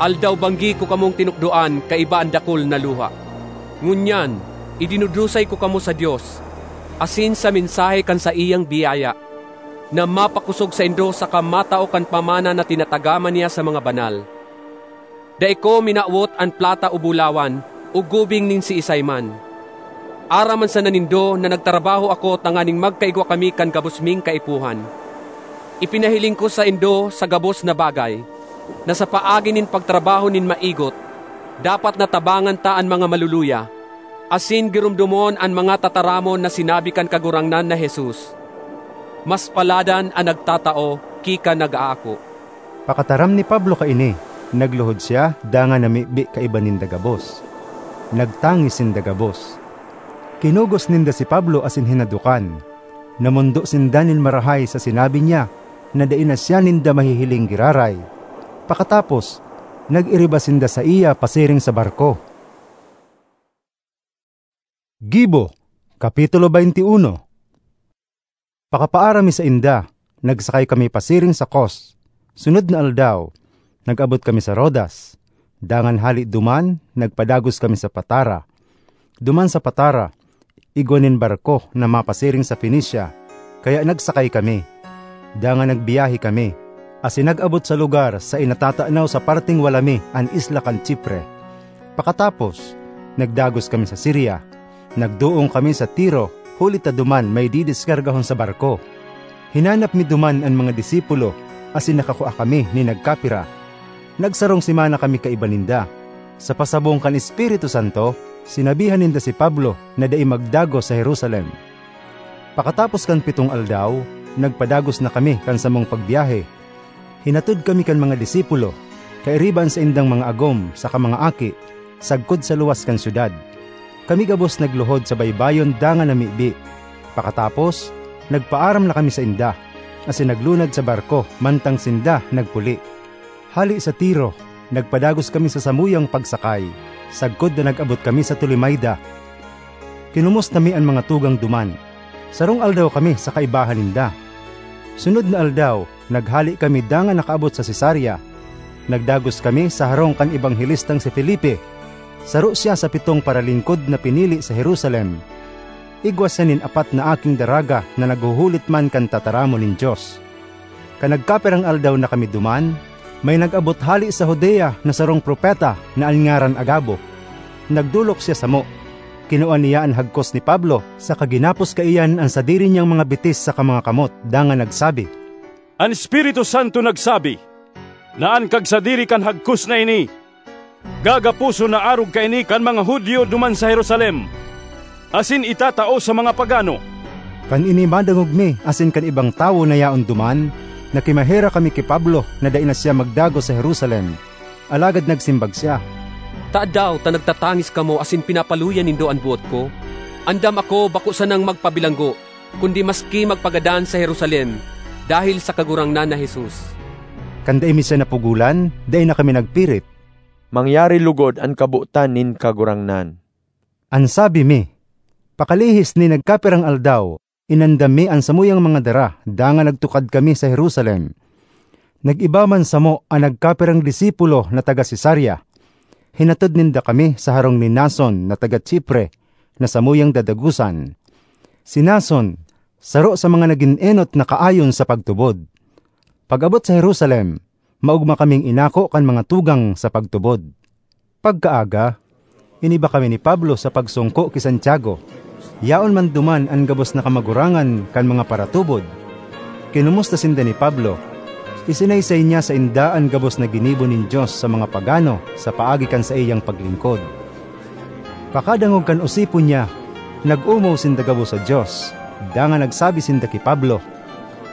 aldaw-banggi ko kamong tinukdoan kaiba an dakul na luha. Ngunyan, idinudusay ko kamo sa Dios, asin sa mensahe kan saiyang biyaya, na mapakosog saindo saka matao kan pamana na tinatagama niya sa mga banal. Dai ko minawot an plata o bulawan o gubing nin siisay man. Aram man sana nindo na nagtrabaho ako tanganing magkaigwa kami kan gabos ming kaipuhan. Ipinahiling ko saindo sa gabos na bagay, na sa paagi nin pagtrabaho nin maigot, dapat na tabangan ta an mga maluluya, asin giromdomon an mga tataramon na sinabi kan Kagurangnan na Jesus. Mas paladan an nagtatao ki kan nag-aako. Pakataram ni Pablo kaini, nagluhod siya dangan namibi kaiba ninda gabos. Nagtangis sinda gabos. Kinugos ninda si Pablo asin hinadokan. Namondo sinda nin marahay sa sinabi niya na dai na siya ninda mahihiling giraray. Pakatapos, nag-iriba sinda saiya pasiring sa barko. Gibo, Kapitulo twenty-one. Pakapaaram mi sainda, nagsakay kami pasiring sa Kos. Sunod na aldaw, nag-abot kami sa Rodas. Dangan hale duman, nagpadagos kami sa Patara. Duman sa Patara, igwa nin barko na mapasiring sa Fenicia, kaya nagsakay kami. Dangan nagbiyahe kami, asin nag-abot sa lugar sa inatatanaw sa parteng wala mi, an isla kan Chipre. Pakatapos, nagdagos kami sa Siria. Nagdoong kami sa Tiro, huli ta duman may didiskargahon sa barko. Hinanap mi duman an mga disipulo, asin nakakua kami nin nagkapira. Nagsarong semana kami kaiba ninda. Sa pasabong kan Espiritu Santo, sinabihan ninda si Pablo na dai magdagos sa Jerusalem. Pakatapos kan pitong aldaw, nagpadagos na kami kan samong pagbiyahe. Hinatod kami kan mga disipulo, kairiba an saindang mga agom saka mga aki, sagkod sa luwas kan syudad. Kami gabos nagluhod sa baybayon dangan namibi. Pakatapos, nagpaaram na kami sainda, asin naglunad sa barko mantang sinda nagpuli. Hale sa Tiro, nagpadagos kami sa samuyang pagsakay, sagkod na nag-abot kami sa Tolemaida. Kinumusta mi an mga tugang duman. Sarong aldaw kami sa kaibahan ninda. Sunod na aldaw, naghale kami dangan nakaabot sa Cesarea. Nagdagos kami sa harong kan ebanghelistang si Felipe. Saro siya sa pitong paralingkod na pinili sa Jerusalem. Igwa siya nin apat na aking daraga na naghuhulit man kan tataramon nin Dios. Kan nagkapirang aldaw na kami duman, may nag-abot hale sa Judea na sarong propeta na an ngaran Agabo. Nagdolok siya samo. Kinua niya an hagkos ni Pablo, saka ginapos kaiyan an sadiri niyang mga bitis saka mga kamot, dangan nagsabi, "An Espiritu Santo nagsabi na an kagsadiri kan hagkos na ini gagaposon na arog kaini kan mga Judio duman sa Jerusalem, asin itatao sa mga pagano." Kan ini madangog mi asin kan ibang tawo na yaon duman, Nakimaherak kami ki Pablo na dai na siya magdagos sa Jerusalem. Alagad nagsimbag siya, "Tadaw ta nagtatangis kamo asin pinapaluya nindo an boot ko? Andam ako bako sanang magpabilanggo, kundi maski magpagadan sa Jerusalem dahil sa Kagurangnan na Jesus." Kan dai mi siya napugolan, dai na kami nagpirit. Mangyari lugod an kabotan nin Kagurangnan. An sabi mi, pakalihis nin nagkapirang aldaw, inandam mi an samuyang mga dara dangan nagtukad kami sa Jerusalem. Nag-iba man samo an nagkapirang disipulo na taga Cesarea. Hinatod ninda kami sa harong ni Mnason na taga Chipre, na samuyang dadagosan. Si Mnason, saro sa mga nagin enot na kaayon sa pagtubod. Pag-abot sa Jerusalem, maogma kaming inako kan mga tugang sa pagtubod. Pagkaaga, iniba kami ni Pablo sa pagsungko ki Santiago. Yaon man duman an gabos na kamagurangan kan mga paratubod. Kinomusta sinda ni Pablo. Isinaysay niya sainda an gabos na ginibo nin Dios sa mga pagano sa paagi kan saiyang paglingkod. Pakadangog kan osipon niya, nag-omaw sinda gabos sa Dios, dangan nagsabi sinda ki Pablo,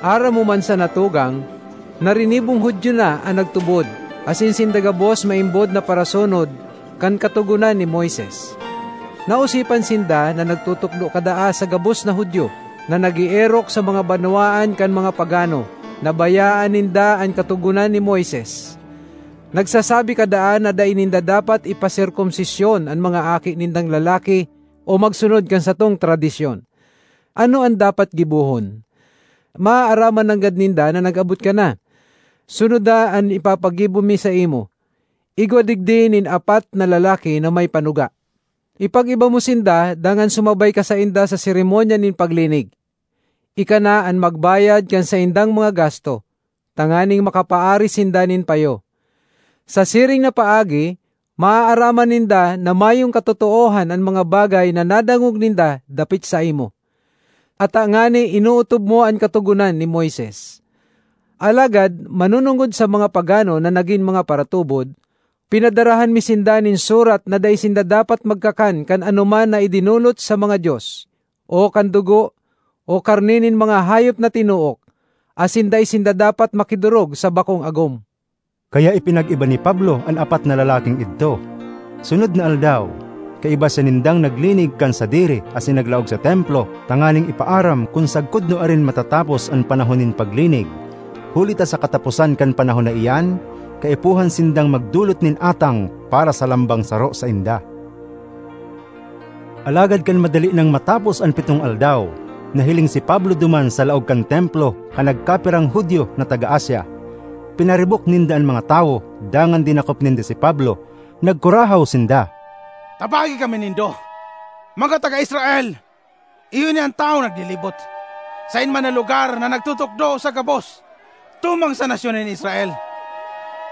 "Aram mo man sana, tugang, na rinibong Judio na an nagtubod, asin sinda gabos maimbod na parasunod kan Katogonan ni Moises. Naosipan sinda na nagtutukdo kadaa sa gabos na Judio na nag-eerok sa mga banwaan kan mga pagano na bayaan ninda an Katogonan ni Moises. Nagsasabi kadaa na dai ninda dapat ipaserkomsisyon an mga aki nindang lalaki o magsunod kan satong tradisyon. Ano an dapat gibohon? Maaaraman nanggad ninda na nag-abot ka na. Sunoda an ipapagibo mi saimo. Igwa digdi nin apat na lalaki na may panuga. Ipag-iba mo sinda dangan sumabay ka sainda sa seremonya nin paglinig. Ika na an magbayad kan saindang mga gasto, tanganing makapaari sinda nin payo. Sa siring na paagi, maaaraman ninda na mayong katotoohan an mga bagay na nadangog ninda dapit saimo. Ata ngani inootob mo an Katogonan ni Moises. Alagad, manunungod sa mga pagano na nagin mga paratubod, pinadarahan mi sinda nin surat na dai sinda dapat magkakan kan anoman na idinolot sa mga dios, o kan dugo, o karne nin mga hayop na tinuok, asin dai sinda dapat makidorog sa bakong agom." Kaya ipinag-iba ni Pablo an apat na lalaking idto. Sunod na aldaw, kaiba siya nindang naglinig kan sadiri asin naglaog sa Templo tanganing ipaaram kun sagkod nuarin matatapos an panahon nin paglinig, huli ta sa kataposan kan panahon na iyan, kaipuhan sindang magdolot nin atang para sa lambang saro sainda. Alagad kan madali nang matapos an pitong aldaw, nahiling si Pablo duman sa laog kan Templo kan nagkapirang Judio na taga Asia. Pinaribok ninda an mga tawo, dangan dinakop ninda si Pablo. Nagkurahaw sinda, "Tabagi kami nindo, mga taga Israel! Iyo ini an tawong naglilibot, saen man na lugar na nagtutukdo sa gabos tumang sa nasyon nin Israel,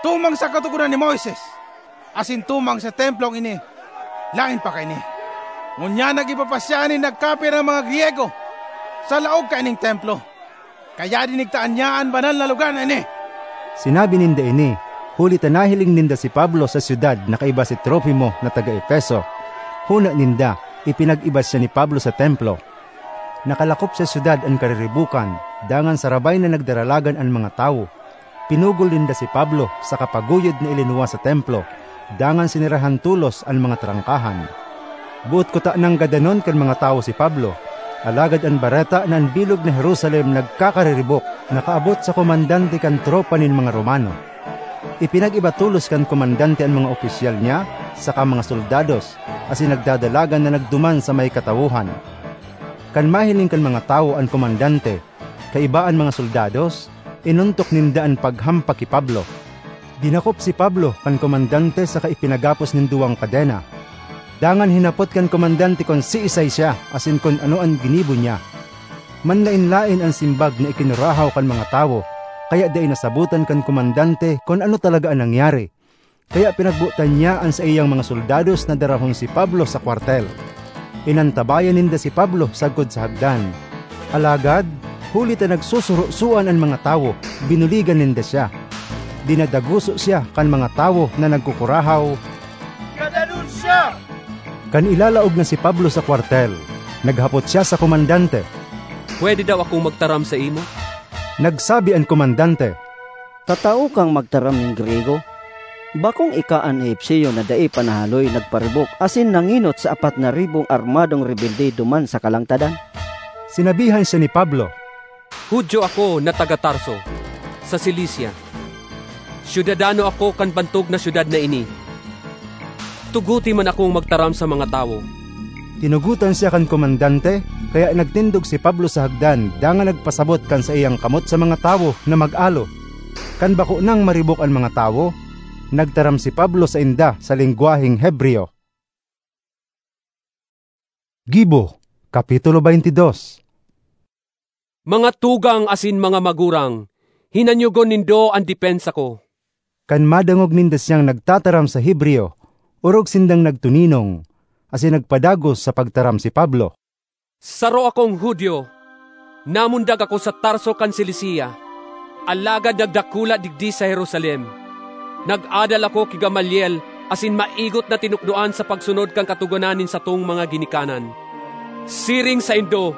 tumang sa Katogonan ni Moises, asin tumang sa Templong ini. Laen pa kaini, ngunyan nag-iba pa siya nin nagkapirang mga Griego sa laog kaining Templo, kaya dinigtaan niya an banal na lugar na ini." Sinabi ninda ini, huli ta nahiling ninda si Pablo sa syudad na kaiba si Trofimo na taga Efeso. Hona ninda, ipinag-iba siya ni Pablo sa Templo. Nakalakop sa syudad an kariribokan, dangan sarabay na nagdaralagan an mga tawo. Pinugol ninda si Pablo saka paguyod na ilinuwas sa Templo, dangan sinerahan tolos an mga trangkahan. Boot kutanang gadanon kan mga tawo si Pablo, alagad an bareta na an bilog na Jerusalem nagkakariribok nakaabot sa komandante kan tropa nin mga Romano. Ipinag-iba tolos kan komandante an mga opisyal niya saka mga soldados, asin nagdadalagan na nagduman sa may katawohan. Kan mahiling kan mga tawo an komandante, kaiba an mga soldados, inontok ninda an paghampak ki Pablo. Dinakop si Pablo kan komandante saka ipinagapos nin duwang kadena. Dangan hinapot kan komandante kun siisay siya asin kun ano an ginibo niya. Manlaen-laen an simbag na ikinurahaw kan mga tawo, kaya dai nasabotan kan komandante kun ano talaga an nangyari. Kaya pinagbotan niya an saiyang mga soldados na darahon si Pablo sa kwartel. Inantabayan ninda si Pablo sagkod sa hagdan. Alagad, huli ta nagsusurosoan an mga tawo, binuligan ninda siya. Dinadagoso siya kan mga tawo na nagkukurahaw, "Gadanon siya!" Kan ilalaog na si Pablo sa kwartel, naghapot siya sa komandante, "Pwede daw akong magtaram saimo?" Nagsabi an komandante, "Tatao kang magtaram nin Griyego? Bakong ika an Egipcio na dai pa nahaloy nagparibok asin nangenot sa apat na ribong armadong rebelde duman sa kalangtadan?" Sinabihan siya ni Pablo, "Judio ako na taga Tarso, sa Cilicia. Syudadano ako kan bantog na syudad na ini. Tugote man akong magtaram sa mga tawo." Tinugotan siya kan komandante, kaya nagtindog si Pablo sa hagdan dangan nagpasabot kan saiyang kamot sa mga tawo na mag-alo. Kan bako nang maribok an mga tawo, nagtaram si Pablo sainda sa lengwaheng Hebreo. Gibo, Kapitulo twenty-two. "Mga tugang asin mga magurang, hinanyogon nindo an depensa ko." Kan madangog ninda siyang nagtataram sa Hebreo, orog sindang nagtuninong, asin nagpadagos sa pagtaram si Pablo. "Saro akong Judio. Namundag ako sa Tarso kan Cilicia, alagad nagdakula digdi sa Jerusalem. Nag-adal ako ki Gamaliel asin maigot na tinukdoan sa pagsunod kan Katogonan nin satong mga ginikanan. Siring saindo,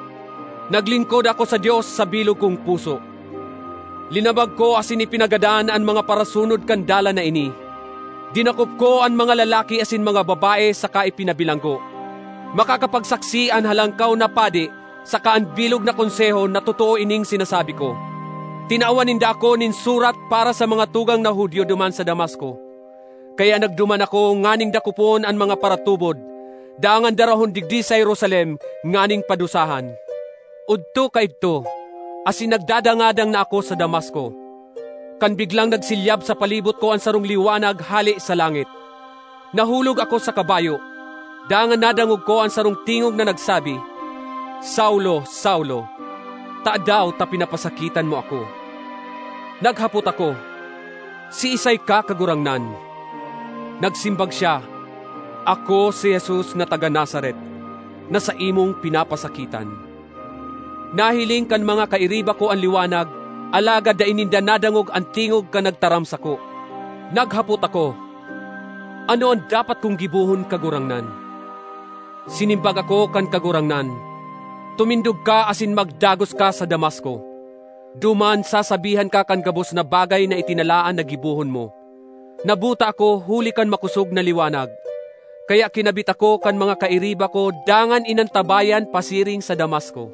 naglingkod ako sa Dios sa bilog kong puso. Linabag ko asin ipinagadan an mga parasunod kan dalan na ini. Dinakop ko an mga lalaki asin mga babae saka ipinabilanggo. Makakapagsaksi an Halangkaw na Padi saka an bilog na Konseho na totoo ining sinasabi ko. Tinawan ninda ako nin surat para sa mga tugang na Judio duman sa Damasco. Kaya nagduman ako nganing dakopon an mga paratubod, dangan darahon digdi sa Jerusalem nganing padusahan. Odto kaidto, asin nagdadangadang na ako sa Damasco, kan biglang nagsilyab sa palibot ko an sarong liwanag hale sa langit. Nahulog ako sa kabayo, dangan nadangog ko an sarong tingog na nagsabi, 'Saulo, Saulo, tadaw ta pinapasakitan mo ako?' Naghapot ako, 'Siisay ka, Kagurangnan?' Nagsimbag siya, 'Ako si Jesus na taga Nazaret, na saimong pinapasakitan.' Nahiling kan mga kairiba ko an liwanag, alagad dai ninda nadangog an tingog kan nagtaram sako. Naghapot ako, 'Ano an dapat kong gibohon, Kagurangnan?' Sinimbag ako kan Kagurangnan, 'Tumindog ka asin magdagos ka sa Damasco. Duman sasabihan ka kan gabos na bagay na itinalaan na gibohon mo.' Nabuta ako huli kan makosog na liwanag. Kaya kinabit ako kan mga kairiba ko dangan inantabayan pasiring sa Damasco.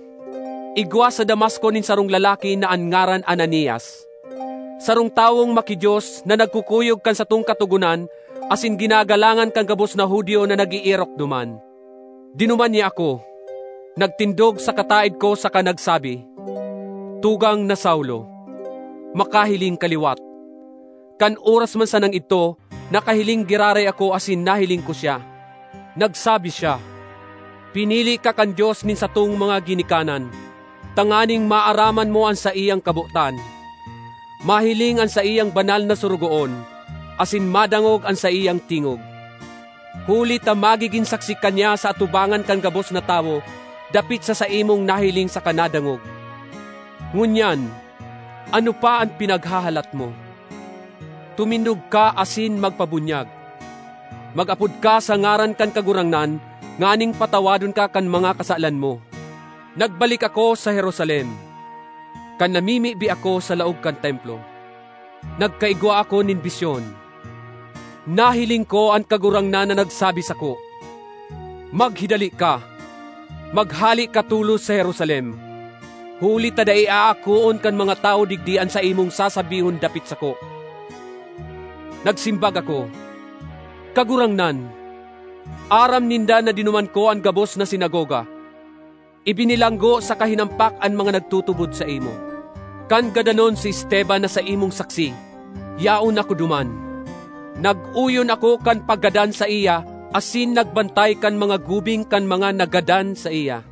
Igwa sa Damasco nin sarong lalaki na an ngaran Ananias, sarong tawong maki-Dios na nagkukuyog kan satong Katogonan asin ginagalangan kan gabos na Judio na nag-eerok duman. Dinuman niya ako, nagtindog sa kataed ko saka nagsabi, 'Tugang na Saulo, makahiling ka liwat.' Kan oras man sanang idto, nakahiling giraray ako asin nahiling ko siya. Nagsabi siya, 'Pinili ka kan Dios nin satong mga ginikanan, tanganing maaraman mo an saiyang kabotan, mahiling an saiyang banal na sorogoon, asin madangog an saiyang tingog. Huli ta magigin saksi ka niya sa atubangan kan gabos na tawo dapit sa saimong nahiling saka nadangog. Ngunyan, ano pa an pinaghahalat mo? Tumindog ka asin magpabunyag. Mag-apod ka sa ngaran kan Kagurangnan nganing patawadon ka kan mga kasalan mo.' Nagbalik ako sa Jerusalem. Kan namimibi ako sa laog kan Templo, nagkaigwa ako nin bisyon. Nahiling ko an Kagurangnan na nagsabi sako, 'Maghidali ka, maghale ka tolos sa Jerusalem, huli ta dai aakoon kan mga tawo digdi an saimong sasabihon dapit sako.' Nagsimbag ako, 'Kagurangnan, aram ninda na dinuman ko an gabos na sinagoga. Ibinilanggo saka hinampak an mga nagtutubod saimo. Kan gadanon si Esteban na saimong saksi, yaon ako duman. Nag-oyon ako kan paggadan saiya asin nagbantay kan mga gubing kan mga naggadan saiya.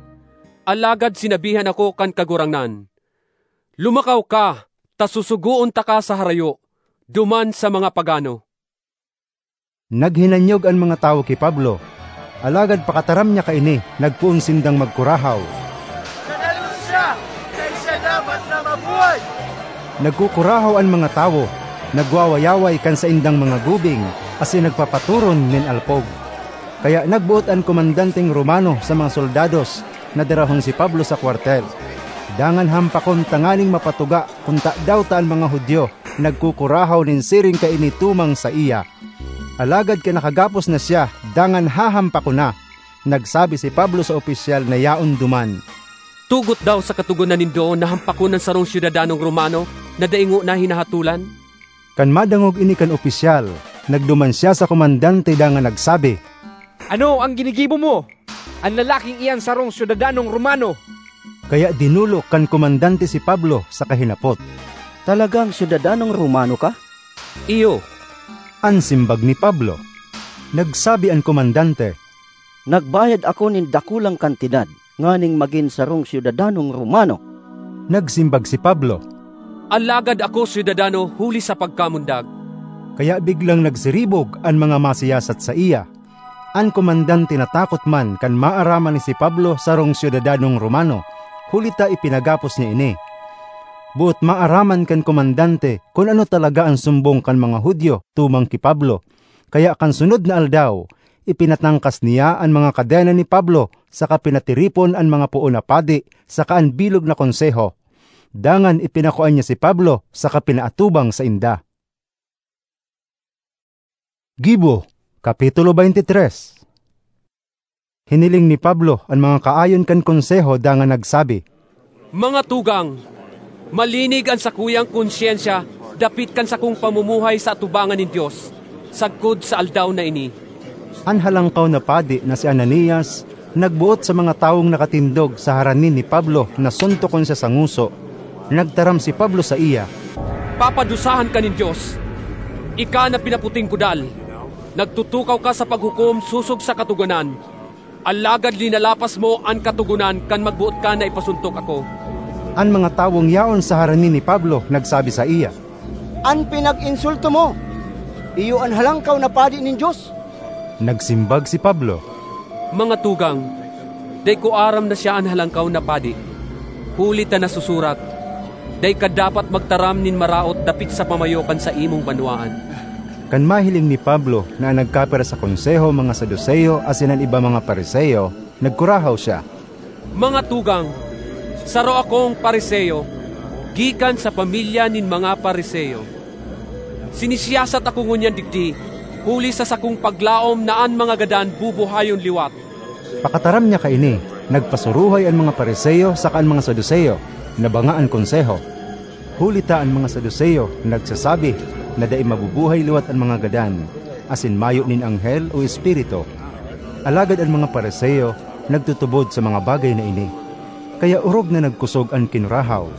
Alagad sinabihan ako kan Kagurangnan, 'Lumakaw ka, ta susugoon taka sa harayo, duman sa mga pagano.'" Naghinanyog an mga tawo ki Pablo, alagad pakataram niya kaini, nagpoon sindang magkurahaw, "Dadalos siya! Dai siya dapat na mabuhay!" Nagkukurahaw an mga tawo, nagwawayaway kan saindang mga gubing, asin nagpapatoron nin alpog. Kaya nagboot an komandanteng Romano sa mga soldados na darahon si Pablo sa kwartel. dangan hampakon tanganing mapatuga kun tadaw ta an mga Judio nagkukurahaw nin siring kaini tumang saiya. Alagad kan nakagapos na siya, dangan hahampakon na, nagsabi si Pablo sa opisyal na yaon duman, "Tugot daw sa katogonan nindo na hampakon an sarong syudadanong Romano na dai ngona hinahatolan?" Kan madangog ini kan opisyal, nagduman siya sa komandante dangan nagsabi, "Ano an ginigibo mo? An lalaking iyan sarong syudadanong Romano." Kaya dinolok kan komandante si Pablo saka hinapot, "Talagang syudadanong Romano ka?" "Iyo," an simbag ni Pablo. Nagsabi an komandante, "Nagbayad ako nin dakulang kantidad nganing magin sarong syudadanong Romano." Nagsimbag si Pablo, "Alagad ako syudadano huli sa pagkamundag." Kaya biglang nagsiribog an mga masiyasat saiya. An komandante natakot man kan maaraman ni si Pablo sarong syudadanong Romano, huli ta ipinagapos niya ini. Boot maaraman kan komandante kun ano talaga an sumbong kan mga Judio tumang ki Pablo. Kaya kan sunod na aldaw, ipinatangkas niya an mga kadena ni Pablo saka pinatiripon an mga poon na padi saka an bilog na konseho. Dangan ipinakua niya si Pablo saka pinaatubang sainda. Gibo, Kapitulo twenty-three. Hiniling ni Pablo an mga kaayon kan Konseho dangan nagsabi, "Mga tugang, malinig an sakuyang konsyensya dapit kan sakong pamumuhay sa atubangan nin Dios sagkod sa aldaw na ini." An Halangkaw na Padi na si Ananias nagboot sa mga tawong nakatindog sa harani ni Pablo na suntokon siya sa ngoso. Nagtaram si Pablo saiya, "Papadusahan ka nin Dios, ika na pinaputing kudal! Nagtutukaw ka sa paghukom sosog sa Katogonan, alagad linalapas mo an Katogonan kan magboot ka na ipasuntok ako." An mga tawong yaon sa harani ni Pablo nagsabi saiya, "An pinag-insulto mo, iyo an Halangkaw na Padi nin Dios." Nagsimbag si Pablo, "Mga tugang, dai ko aram na siya an Halangkaw na Padi, huli ta nasusurat, 'Dai ka dapat magtaram nin maraot dapit sa pamayo kan saimong banwaan.'" Kan mahiling ni Pablo na an nagkapira sa Konseho mga Saduceo asin an iba mga Fariseo, nagkurahaw siya, "Mga tugang, saro akong Fariseo, gikan sa pamilya nin mga Fariseo. Sinisiyasat ako ngunyan digdi, huli sa sakong paglaom na an mga gadan bubuhayon liwat." Pakataram niya kaini, nagpasuruhay an mga Fariseo saka an mga Saduceo, na banga an Konseho. Huli ta an mga Saduceo nagsasabi na dai mabubuhay liwat an mga gadan, asin mayo nin anghel o espiritu. Alagad an mga Fariseo nagtutubod sa mga bagay na ini. Kaya orog na nagkusog an kinurahaw.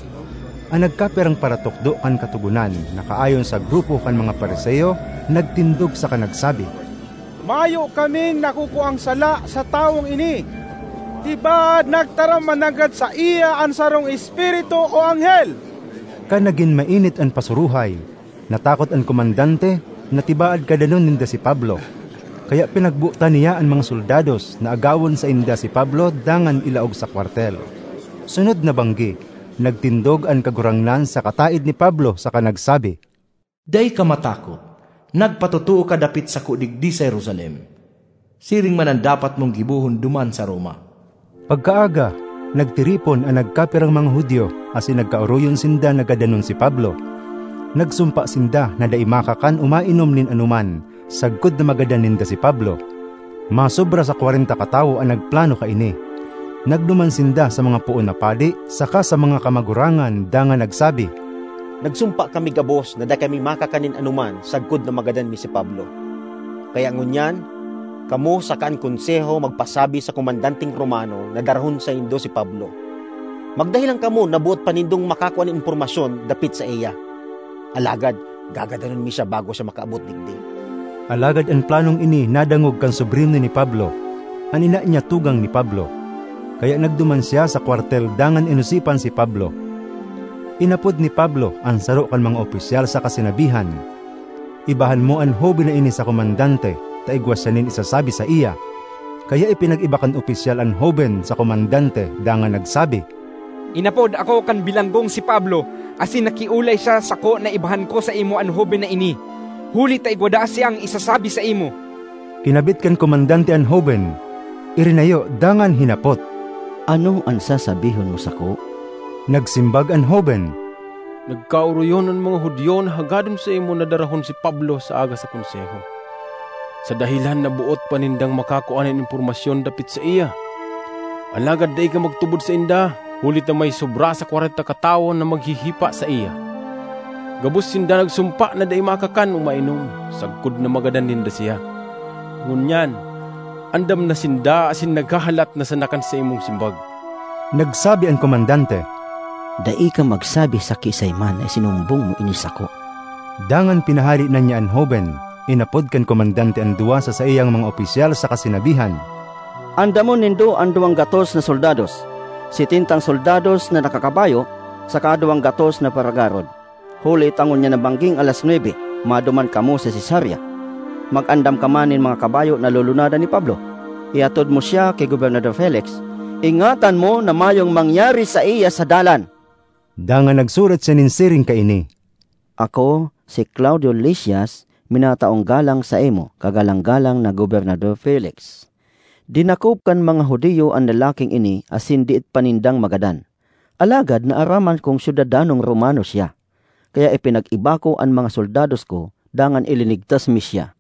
An nagkapirang paratukdo kan Katogonan na kaayon sa grupo kan mga Fariseo nagtindog saka nagsabi, "Mayo kaming nakukuang sala sa tawong ini. Tibaad nagtaram mananggad saiya an sarong espiritu o anghel." Kan nagin mainit an pasuruhay, natakot an komandante na tibaad gadanon ninda si Pablo. Kaya pinagbotan niya an mga soldados na agawon sainda si Pablo dangan ilaog sa kwartel. Sunod na banggi, nagtindog an kagurangnan sa kataed ni Pablo saka nagsabi, "Dai ka matakot. Nagpatotoo ka dapit sako digdi sa Jerusalem. Siring man an dapat mong gibohon duman sa Roma." Pagkaaga, nagtiripon an nagkapirang mga Judio asin nagkaoroyon sinda na gadanon si Pablo. Nagsumpa sinda na dai makakan o mainom nin anoman sagkod na magadan ninda si Pablo. Masobra sa kwarenta katawo an nagplano kaini. Nagduman sinda sa mga poon na padi saka sa mga kamagurangan dangan nagsabi, "Nagsumpa kami gabos na dai kami makakan nin anoman sagkod na magadan mi si Pablo. Kaya ngunyan, kamo saka an Konseho magpasabi sa komandanteng Romano na darahon saindo si Pablo. Magdahilan kamo na boot pa nindong makakua nin impormasyon dapit saiya. Alagad gagadanon mi siya bago siya makaabot digdi." Alagad an planong ini nadangog kan sobrino ni Pablo. An ina niya tugang ni Pablo. Kaya nagduman siya sa kwartel dangan inosipan si Pablo. Inapod ni Pablo an saro kan mga opisyal saka sinabihan, "Ibahan mo an hoben na ini sa komandante, ta igwa siya nin isasabi saiya." Kaya ipinag-iba kan opisyal an hoben sa komandante dangan nagsabi, "Inapod ako kan bilanggong si Pablo, asin nakiolay siya sako na ibahan ko saimo an hoben na ini, huli ta igwa daa siyang isasabi saimo." Kinabit kan komandante an hoben, irinayo dangan hinapot, "Ano an sasabihon mo sako?" Nagsimbag an hoben, "Nagkaoroyon an mga Judio na hagadon saimo na darahon si Pablo sa aga sa Konseho, sa dahelan na boot pa nindang makakua nin impormasyon dapit saiya. Alagad dai ka magtubod sainda, huli ta may sobra sa kwarenta katawo na maghihipa saiya. Gabos sinda nagsumpa na dai makakan o mainom, sagkod na magadan ninda siya. Ngunyan, andam na sinda asin naghahalat na sana kan saimong simbag." Nagsabi an komandante, "Dai ka magsabi sa kiisay man na isinumbong mo ini sako." Dangan pinahale na niya an hoben. Inapod kan komandante an duwa sa saiyang mga opisyal saka sinabihan, "Andamon nindo an duwang gatos na soldados, setentang soldados na nakakabayo, saka duwang gatos na paragarod. Huli ta ngunyan na bangging alas nuebe, maduman kamo sa Cesarea. Mag-andam ka man nin mga kabayo na lulunadan ni Pablo. Ihatod mo siya ki Gobernador Felix. Ingatan mo na mayong mangyari saiya sa dalan." Dangan nagsurat siya nin siring kaini, "Ako, si Claudio Lisias, minataong galang saimo, kagalang-galang na Gobernador Felix. Dinakop kan mga Judio an lalaking ini asin diit pa nindang magadan. Alagad naaraman kong syudadanong Romano siya, kaya ipinag-iba ko an mga soldados ko dangan ilinigtas mi siya.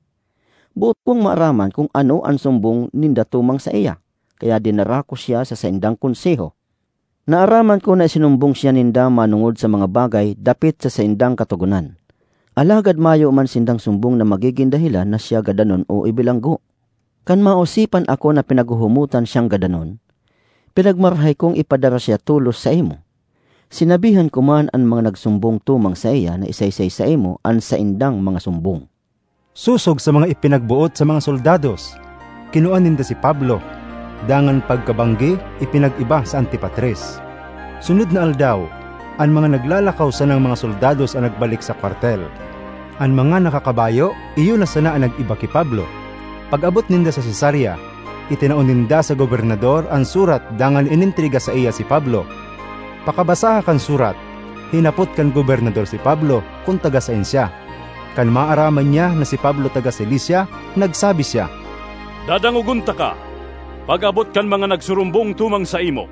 Boot kong maaraman kun ano an sumbong ninda tumang saiya, kaya dinara ko siya sa saindang konseho. Naaraman ko na isinumbong siya ninda manongod sa mga bagay dapit sa saindang katogonan. Alagad mayo man sindang sumbong na magigin dahelan na siya gadanon o ibilanggo. Kan maosipan ako na pinaghuhumotan siyang gadanon, pinagmarahay kong ipadara siya tolos saimo. Sinabihan ko man an mga nagsumbong tumang saiya na isaysay saimo an saindang mga sumbong." Sosog sa mga ipinagboot sa mga soldados, kinua ninda si Pablo, dangan pagkabanggi, ipinag-iba sa Antipatres. Sunod na aldaw, an mga naglalakaw sanang mga soldados an nagbalik sa kwartel. An mga nakakabayo, iyo na sana an nag-iba ki Pablo. Pag-abot ninda sa Cesarea, itinao ninda sa gobernador an surat dangan inentrega saiya si Pablo. Pakabasaha kan surat, hinapot kan gobernador si Pablo kun taga saen siya. Kan maaraman niya na si Pablo taga Cilicia, nagsabi siya, "Dadangogon taka, pag-abot kan mga nagsurumbong tumang saimo."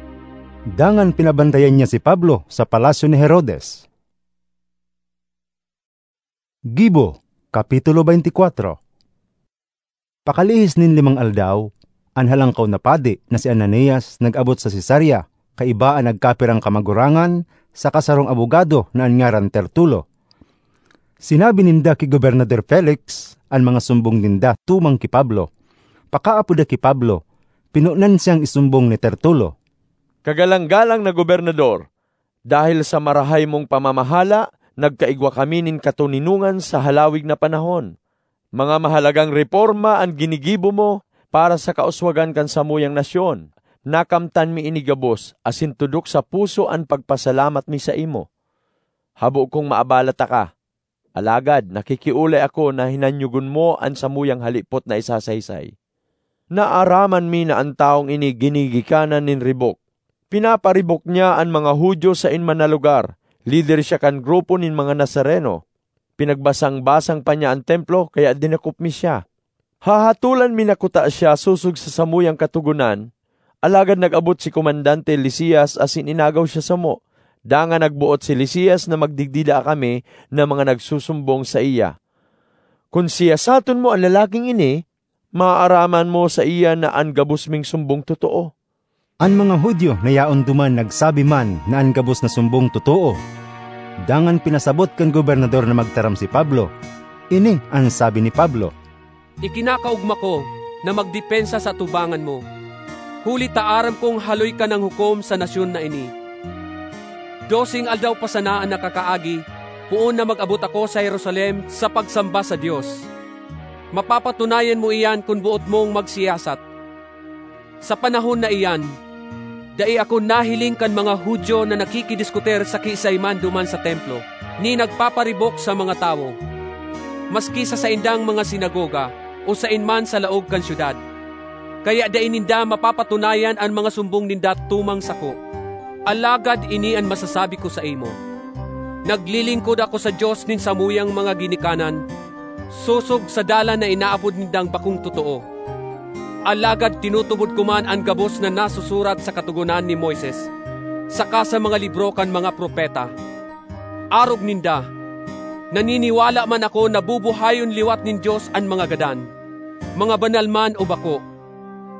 Dangan pinabantayan niya si Pablo sa palasyo ni Herodes. Gibo, Kapitulo twenty-four. Pakalihis nin limang aldaw, an halangkaw na padi na si Ananias nag-abot sa Cesarea, kaiba an nagkapirang kamagurangan saka sarong abogado na an ngaran Tertulo. Sinabi ninda ki Gobernador Felix an mga sumbong ninda tumang ki Pablo. Pakaapoda ki Pablo, pinonan siyang isumbong ni Tertulo. "Kagalang-galang na gobernador, dahil sa marahay mong pamamahala, nagkaigwa kami nin katoninongan sa halawig na panahon. Mga mahalagang reporma an ginigibo mo para sa kauswagan kan samuyang nasyon. Nakamtan mi ini gabos, asin tudok sa puso an pagpasalamat mi saimo. Habo kong maabala taka, alagad nakikiolay ako na hinanyogon mo an samuyang halipot na isasaysay. Naaraman mi na an tawong ini ginigikanan nin ribok. Pinaparibok niya an mga Judio saen man na lugar. Lider siya kan grupo nin mga Nazareno. Pinagbasang-basang pa niya an Templo, kaya dinakop mi siya. Hahatolan mi na kuta siya sosog sa samuyang Katogonan, alagad nag-abot si Komandante Lisias asin inagaw siya samo. Dangan nagboot si Lisias na magdigdi daa kami na mga nagsusumbong saiya. Kun siyasaton mo an lalaking ini, maaaraman mo saiya na an gabos ming sumbong totoo." An mga Judio na yaon duman nagsabi man na an gabos na sumbong totoo. Dangan pinasabot kan gobernador na magtaram si Pablo. Ini an sabi ni Pablo, "Ikinakaogma ko na magdepensa sa atubangan mo, huli ta aram kong haloy ka nang hukom sa nasyon na ini. Doseng aldaw pa sana an nakakaagi, poon na mag-abot ako sa Jerusalem sa pagsamba sa Dios. Mapapatunayan mo iyan kun boot mong magsiyasat." Sa panahon na iyan, dai ako nahiling kan mga Judio na nakikidiskutir sa kiisay man duman sa Templo, ni nagpaparibok sa mga tawo, maski sa saindang mga sinagoga o saen man sa laog kan syudad. Kaya dai ninda mapapatunayan an mga sumbong ninda tumang sako. Alagad ini an masasabi ko saimo: naglilingkod ako sa Dios nin samuyang mga ginikanan, sosog sa dalan na inaapod nindang bakong totoo. Alagad tinutubod ko man an gabos na nasusurat sa Katogonan ni Moises, saka sa mga libro kan mga propeta. Arog ninda, naniniwala man ako na bubuhayon liwat nin Dios an mga gadan, mga banal man o bako.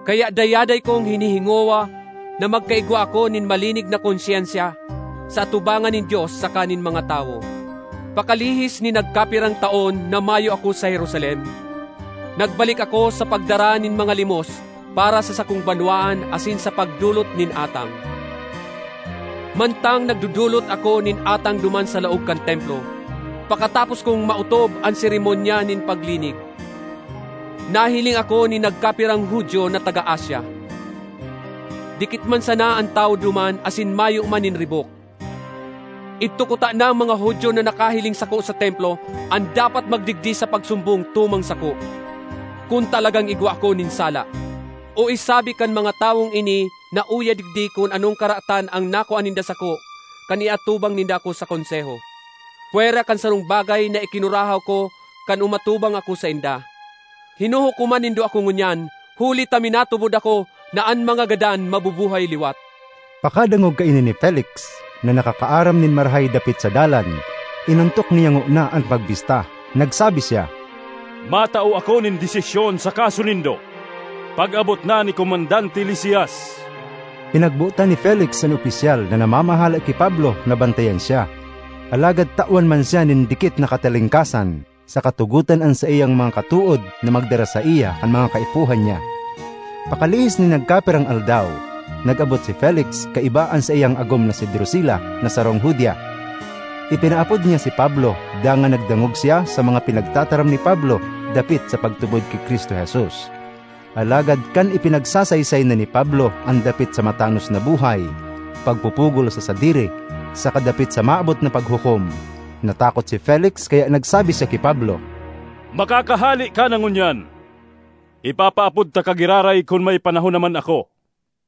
Kaya dayaday kong hinihingowa na magkaigwa ako nin malinig na konsyensya sa atubangan nin Dios saka nin mga tawo. Pakalihis nin nagkapirang taon na mayo ako sa Jerusalem, nagbalik ako sa pagdara nin mga limos para sa sakong banwaan asin sa pagdolot nin atang. Mantang nagdodolot ako nin atang duman sa laog kan Templo, pakatapos kong maotob an seremonya nin paglinig, nahiling ako nin nagkapirang Judio na taga Asia. Dikit man sana an tawo duman asin mayo man nin ribok. Idto kuta na ang mga Judio na nakahiling sako sa Templo an dapat magdigdi sa pagsumbong tumang sako, kun talagang igwa ako nin sala. O isabi kan mga tawong ini na uya digdi kun anong karatan ang nakua ninda sako kan iatubang ninda ako sa Konseho, pwera kan sarong bagay na ikinurahaw ko kan umatubang ako sainda. Hinuhukoman nindo ako ngunyan, huli ta minatubod ako na an mga gadan mabubuhay liwat. Pakadangog kaini ni Felix, na nakakaaram nin marahay dapit sa dalan, inontok niya ngona an pagbista. Nagsabi siya, "Matao ako nin desisyon sa kaso nindo, pag-abot na ni Komandante Lisias." Pinagbotan ni Felix an opisyal na namamahala ki Pablo na bantayan siya. Alagad tawan man siya nin dikit na katalingkasan, sa katugotan an saiyang mga katood na magdara saiya kan mga kaipuhan niya. Pakalihis nin nagkapirang aldaw, nag-abot si Felix kaiba an saiyang agom na si Drusila na sarong Judia. Ipinaapod niya si Pablo, dangan nagdangog siya sa mga pinagtataram ni Pablo dapit sa pagtubod ki Cristo Jesus. Alagad kan ipinagsasaysay na ni Pablo an dapit sa matanos na buhay, pagpupugol sa sadiri, saka dapit sa maabot na paghukom, natakot si Felix kaya nagsabi siya ki Pablo, "Makakahale ka na ngunyan. Ipapaapod taka giraray kun may panahon naman ako."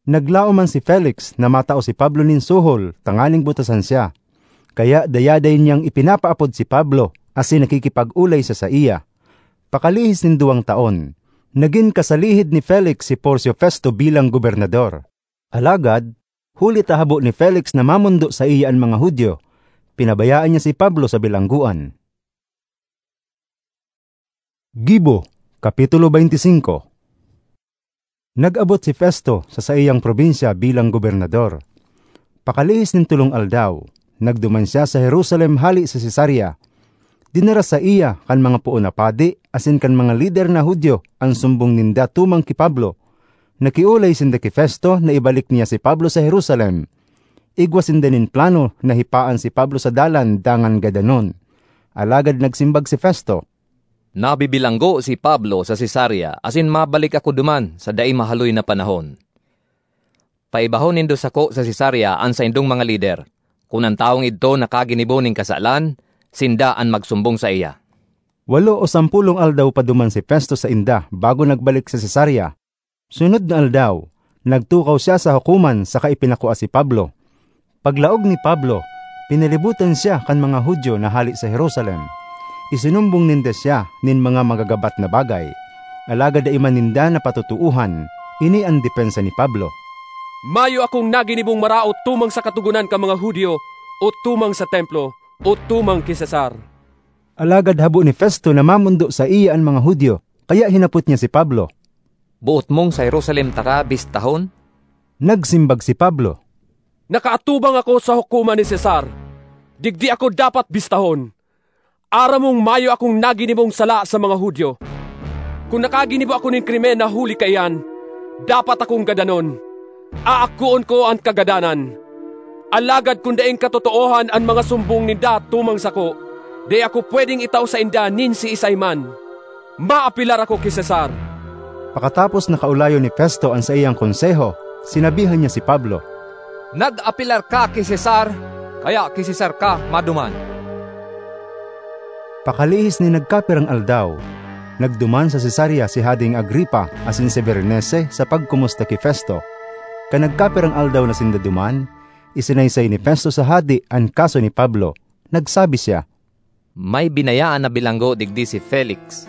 Naglaom man si Felix na matao si Pablo nin suhol tanganing butasan siya. Kaya dayaday niyang ipinapaapod si Pablo asin nakikipag-olay sa saiya. Pakalihis nin duwang taon, nagin kasalihid ni Felix si Porcio Festo bilang gobernador. Alagad, huli ta habo ni Felix na mamondo saiya an mga Judio, pinabayaan niya si Pablo sa bilanggoan. Gibo, Kapitulo twenty-five. Nag-abot si Festo sa saiyang probinsya bilang gobernador. Pakalihis nin tolong aldaw, nagduman siya sa Jerusalem hale sa Cesarea. Dinara saiya kan mga poon na padi asin kan mga lider na Judio an sumbong ninda tumang ki Pablo. Nakiolay sinda ki Festo na ibalik niya si Pablo sa Jerusalem. Igwa sinda nin plano na hipaan si Pablo sa dalan dangan gadanon. Alagad nagsimbag si Festo, "Nabibilanggo si Pablo sa Cesarea asin mabalik ako duman sa dai mahaloy na panahon. Paibahon nindo sako sa Cesarea an saindong mga lider. Kun an tawong idto nakaginibo nin kasalan, sinda an magsumbong saiya." Walo o sampolong aldaw pa duman si Festo sainda bago nagbalik sa Cesarea. Sunod na aldaw, nagtukaw siya sa hukoman saka ipinakua si Pablo. Paglaog ni Pablo, pinalibutan siya kan mga Judio na hale sa Jerusalem. Isinumbong ninda siya nin mga magagabat na bagay, alagad dai man ninda napatotoohan. Ini an depensa ni Pablo, "Mayo akong naginibong maraot tumang sa Katogonan kan mga Judio o tumang sa Templo o tumang ki Cesar." Alagad habo ni Festo na mamondo saiya an mga Judio, kaya hinapot niya si Pablo, "Boot mong sa Jerusalem taka bistahon?" Nagsimbag si Pablo, "Nakaatubang ako sa hukoman ni Cesar. Digdi ako dapat bistahon. Aram mong mayo akong naginibong sala sa mga Judio. Kun nakaginibo ako nin krimen na huli kaiyan, dapat akong gadanon. Aagkoon ko an kagadanan. Alagad kun daing katotoohan an mga sumbong ninda tumang sako, dai ako pwedeng itao sainda nin siisay man. Maapelar ako ki Cesar." Pakatapos na kaolayon ni Festo an saiyang konseho, sinabihan niya si Pablo, "Nag-apelar ka ki Cesar, kaya ki Cesar ka maduman." Pakalihis nin nagkapirang aldaw, nagduman sa Cesarea si Hadeng Agripa asin si Berenice sa pagkomusta ki Festo. Kan nagkapirang aldaw na sinda duman, isinaysay ni Festo sa hade an kaso ni Pablo. Nagsabi siya, "May binayaan na bilanggo digdi si Felix.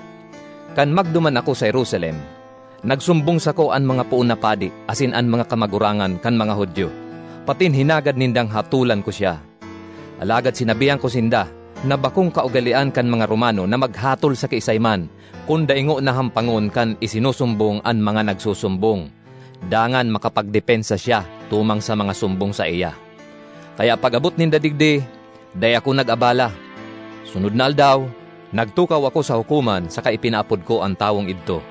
Kan magduman ako sa Jerusalem, nagsumbong sako an mga poon na padi asin an mga kamagurangan kan mga Judio. patin hinagad nindang hatolan ko siya. Alagad sinabihan ko sinda na bakong kaugalean kan mga Romano na maghatol sa kiisay man, kun dai ngona hampangon kan isinusumbong an mga nagsusumbong, dangan makapagdepensa siya tumang sa mga sumbong saiya. Kaya pag-abot ninda digdi, dai ako nag-abala. Sunod na aldaw, nagtukaw ako sa hukoman saka ipinaapod ko an tawong idto.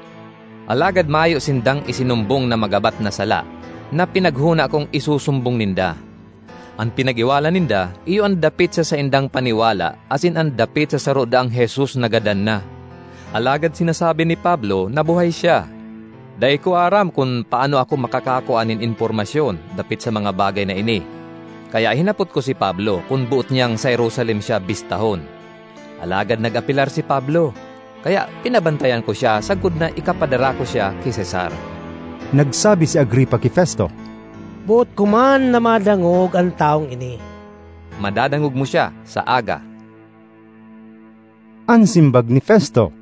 Alagad mayo sindang isinumbong na magabat na sala na pinaghona kong isusumbong ninda. An pinag-iwalan ninda iyo an dapit sa saindang paniwala asin an dapit sa saro daang Jesus na gadan na. Alagad sinasabi ni Pablo na buhay siya. Dai ko aram kun paano ako makakakua nin impormasyon dapit sa mga bagay na ini. Kaya hinapot ko si Pablo kun boot niyang sa Jerusalem siya bistahon. Alagad nag-apelar si Pablo, kaya pinabantayan ko siya sagkod na ikapadara ko siya ki Cesar. Nagsabi si Agripa ki Festo, "Boot ko man na madangog an tawong ini." "Madadangog mo siya sa aga," an simbag ni Festo.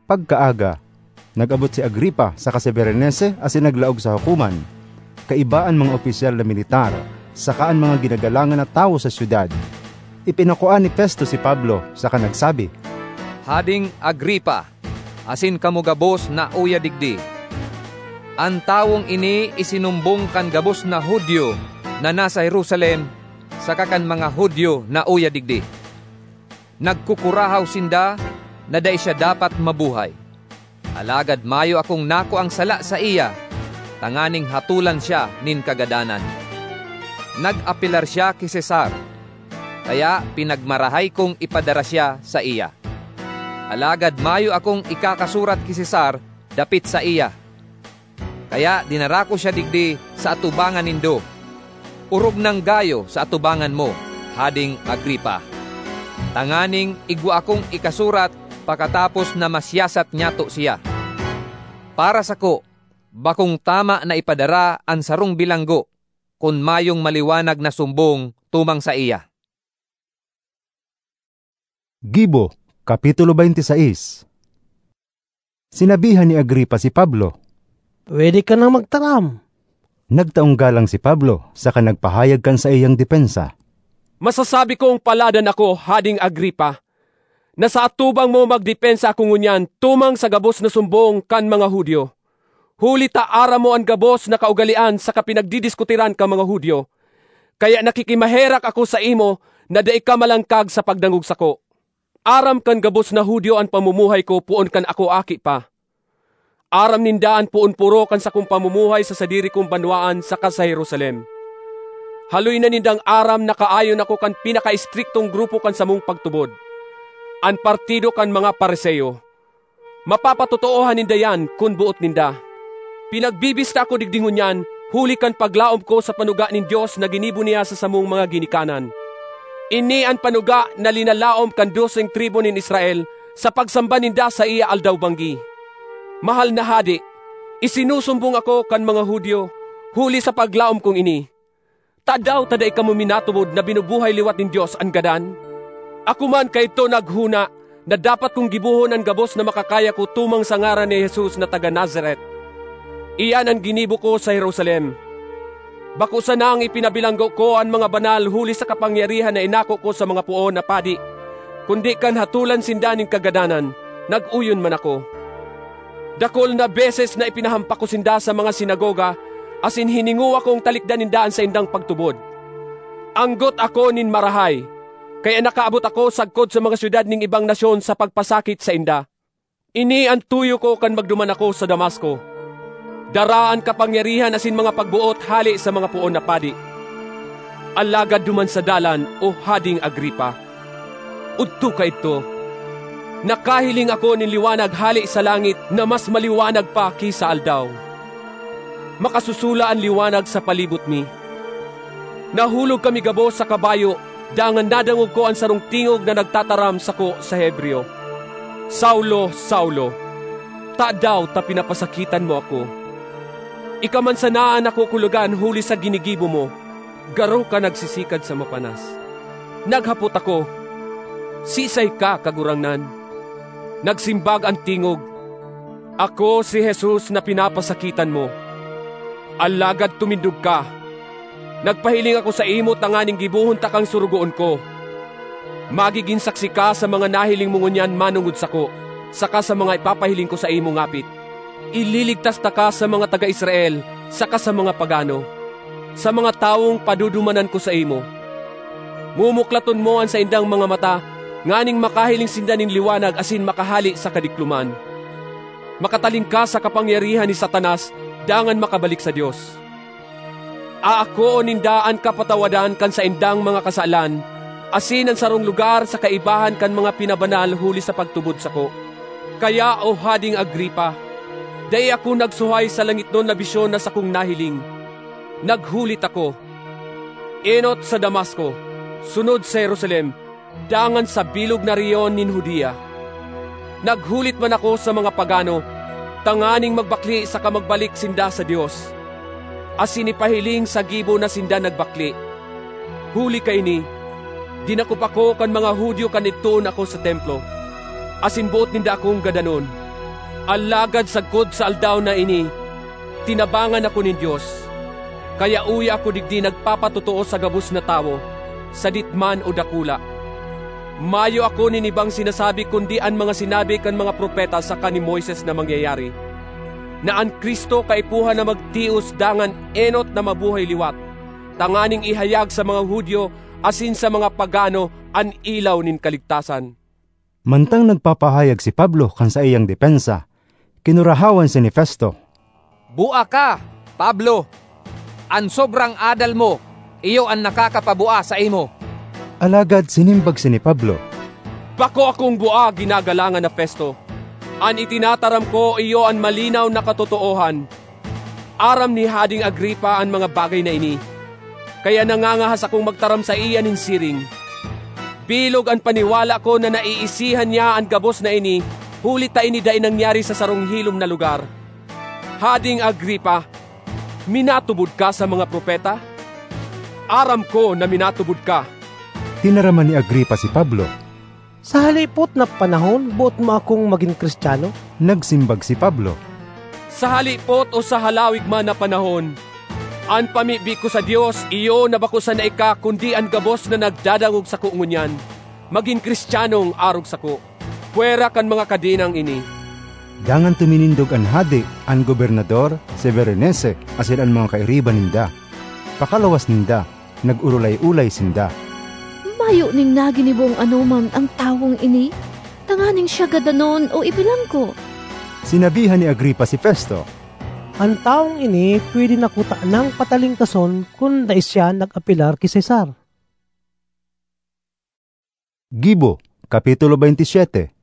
Pagkaaga, nag-abot si Agripa saka si Berenice asin naglaog sa hukoman, kaiba an mga opisyal na militar saka an mga ginagalangan na tawo sa syudad. Ipinakua ni Festo si Pablo saka nagsabi, "Hading Agripa, asin kamo gabos na uya digdi, an tawong ini isinumbong kan gabos na Judio na nasa Jerusalem saka kan mga Judio na uya digdi. Nagkukurahaw sinda na dai siya dapat mabuhay. Alagad mayo akong nakuang sala saiya tanganing hatolan siya nin kagadanan. Nag-apelar siya ki Cesar, kaya pinagmarahay kong ipadara siya saiya. Alagad mayo akong ikakasurat ki Cesar dapit saiya. Kaya dinara ko siya digdi sa atubangan nindo, orog nang gayo sa atubangan mo, Hading Agripa, tanganing igwa akong ikasurat pakatapos na masiyasat nyato siya. Para sako, bakong tama na ipadara an sarong bilanggo kun mayong maliwanag na sumbong tumang saiya." Gibo, Kapitulo twenty-six. Sinabihan ni Agripa si Pablo, "Pwede ka nang magtaram." Nagtaong galang si Pablo saka nagpahayag kan saiyang depensa. "Masasabi kong paladan ako, Hading Agripa, na sa atubang mo magdepensa ako ngunyan tumang sa gabos na sumbong kan mga Judio. Huli ta aram mo an gabos na kaugalean saka pinagdidiskutiran kan mga Judio, kaya nakikimaherak ako saimo na dai ka malangkag sa pagdangog sako. Aram kan gabos na Judio an pamumuhay ko poon kan ako aki pa. Aram ninda an poon poro kan sakong pamumuhay sa sadiri kong banwaan saka sa Jerusalem. Haloy na nindang aram na kaayon ako kan pinakaistriktong grupo kan samong pagtubod, an partido kan mga Fariseo. Mapapatotoohan ninda iyan kun boot ninda. Pinagbibista ako digdi ngunyan huli kan paglaom ko sa panuga nin Dios na ginibo niya sa samong mga ginikanan. Ini an panuga na linalaom kan doseng tribu nin Israel sa pagsamba ninda saiya aldaw-banggi. Mahal na hade, isinusumbong ako kan mga Judio huli sa paglaom kong ini. Tadaw ta dai kamo minatubod na binubuhay liwat nin Dios an gadan? Ako man kaidto naghona na dapat kong gibohon an gabos na makakaya ko tumang sa ngaran ni Jesus na taga Nazaret. Iyan an ginibo ko sa Jerusalem. Bako sanang ipinabilanggo ko an mga banal huli sa kapangyarihan na inako ko sa mga poon na padi, kundi kan hatolan sinda nin kagadanan, nag-oyon man ako. Dakul na beses na ipinahampak ko sinda sa mga sinagoga asin hiningowa kong talikdan ninda an saindang pagtubod. Anggot ako nin marahay, kaya nakaabot ako sagkod sa mga syudad nin ibang nasyon sa pagpasakit sainda. Ini an tuyo ko kan magduman ako sa Damasco. Dara an kapangyarihan asin mga pagboot hale sa mga poon na padi. Alagad duman sa dalan, o Hading Agripa, odto kaidto, nakahiling ako nin liwanag hale sa langit na mas maliwanag pa ki sa aldaw. Makasusula an liwanag sa palibot mi. Nahulog kami gabos sa kabayo, dangan nadangog ko an sarong tingog na nagtataram sako sa Hebreo, 'Saulo, Saulo, tadaw ta pinapasakitan mo ako? Ika man sana an nakukulogan huli sa ginigibo mo, garo ka nagsisikad sa mapanas.' Naghapot ako, 'Siisay ka, Kagurangnan?' Nagsimbag an tingog, 'Ako si Jesus na pinapasakitan mo. Alagad tumindog ka, Nagpahiling ako saimo tanganing gibohon takang sorogoon ko. Magigin saksi ka sa mga nahiling mo ngunyan manongod sako, saka sa mga ipapahiling ko saimo ngapit. Ililigtas taka sa mga taga Israel saka sa mga pagano, sa mga tawong padudumanan ko saimo. Mumuklaton mo an saindang mga mata, nganing makahiling sinda nin liwanag asin makahale sa kadikloman. Makatalingkas sa kapangyarihan ni Satanas, dangan makabalik sa Dios. Aakoon ninda an kapatawadan kan saindang mga kasalan, asin an sarong lugar sa kaibahan kan mga pinabanal huli sa pagtubod sako. Kaya, O Hading Agripa, dai ako nagsuhay sa langitnon na bisyon na sakong nahiling. Naghulit ako, enot sa Damasco, sunod sa Jerusalem, dangan sa bilog na rehiyon nin Judea. Naghulit man ako sa mga pagano, tanganing magbakle saka magbalik sinda sa Dios, asin ipahiling sa gibo na sinda nagbakle. Huli kaini, dinakop ako kan mga Judio kan idtoon ako sa Templo, asin boot ninda akong gadanon. Alagad sagkod sa aldaw na ini, tinabangan ako nin Dios, kaya uya ako digdi nagpapatotoo sa gabos na tawo, sadit man o dakula. Mayo ako nin ibang sinasabi kundi an mga sinabi kan mga propeta saka ni Moises na mangyayari, na an Cristo kaipuhan na magtios dangan enot na mabuhay liwat, tanganing ihayag sa mga Judio asin sa mga pagano an ilaw nin kaligtasan. Mantang nagpapahayag si Pablo kan saiyang depensa, kinurahawan siya ni Festo. "Bua ka, Pablo! An sobrang adal mo, iyo an nakakapabua saimo." Alagad sinimbag siya ni Pablo, "Bako akong bua, ginagalangan na Festo. An itinataram ko, iyo an malinaw na katotoohan. Aram ni Hading Agripa an mga bagay na ini, kaya nangangahas akong magtaram saiya nin siring. Bilog an paniwala ko na naiisihan niya an gabos na ini, huli ta ini dai nangyari sa sarong hilom na lugar. Hading Agripa, minatubod ka sa mga propeta? Aram ko na minatubod ka." Tinaraman ni Agripa si Pablo. "Sa halipot na panahon, boot mo akong magin Cristiano?" Nagsimbag si Pablo, "Sa halipot o sa halawig man na panahon, an pamibi ko sa Dios iyo na bako sana ika kundi an gabos na nagdadangog sako ngunyan, magin Cristianong arog sako, pwera kan mga kadenang ini." Dangan tuminindog an hade, an gobernador, si Berenice, asin an mga kairiba ninda. Pakalawas ninda, nag-orolay-olay sinda. "Mayo nin naginibong anoman ang tawong ini, tanganing siya gadanon o ibilanggo." Sinabihan ni Agripa si Festo, "An tawong ini pwede na kutanang patalingkason kun dai siya nag-apelar ki Cesar." Gibo, Kapitulo twenty-seven.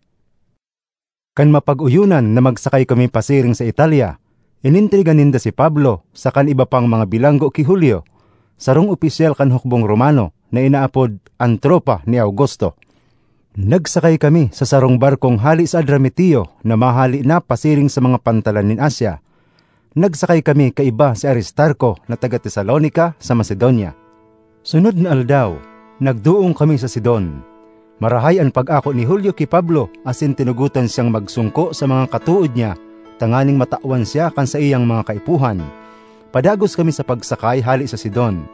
Kan mapag-oyonan na magsakay kami pasiring sa Italia, inentrega ninda si Pablo sa kan iba pang mga bilanggo ki Julio, sarong opisyal kan hukbong Romano na inaapod an tropa ni Augusto. Nagsakay kami sa sarong barkong hale sa Adramitio na mahale na pasiring sa mga pantalan nin Asia. Nagsakay kami kaiba si Aristarco na taga Tesalonica sa Macedonia. Sunod na aldaw, nagdoong kami sa Sidon. Marahay an pag-ako ni Julio ki Pablo asin tinugotan siyang magsungko sa mga katood niya tanganing matawan siya kan saiyang mga kaipuhan. Padagos kami sa pagsakay hale sa Sidon,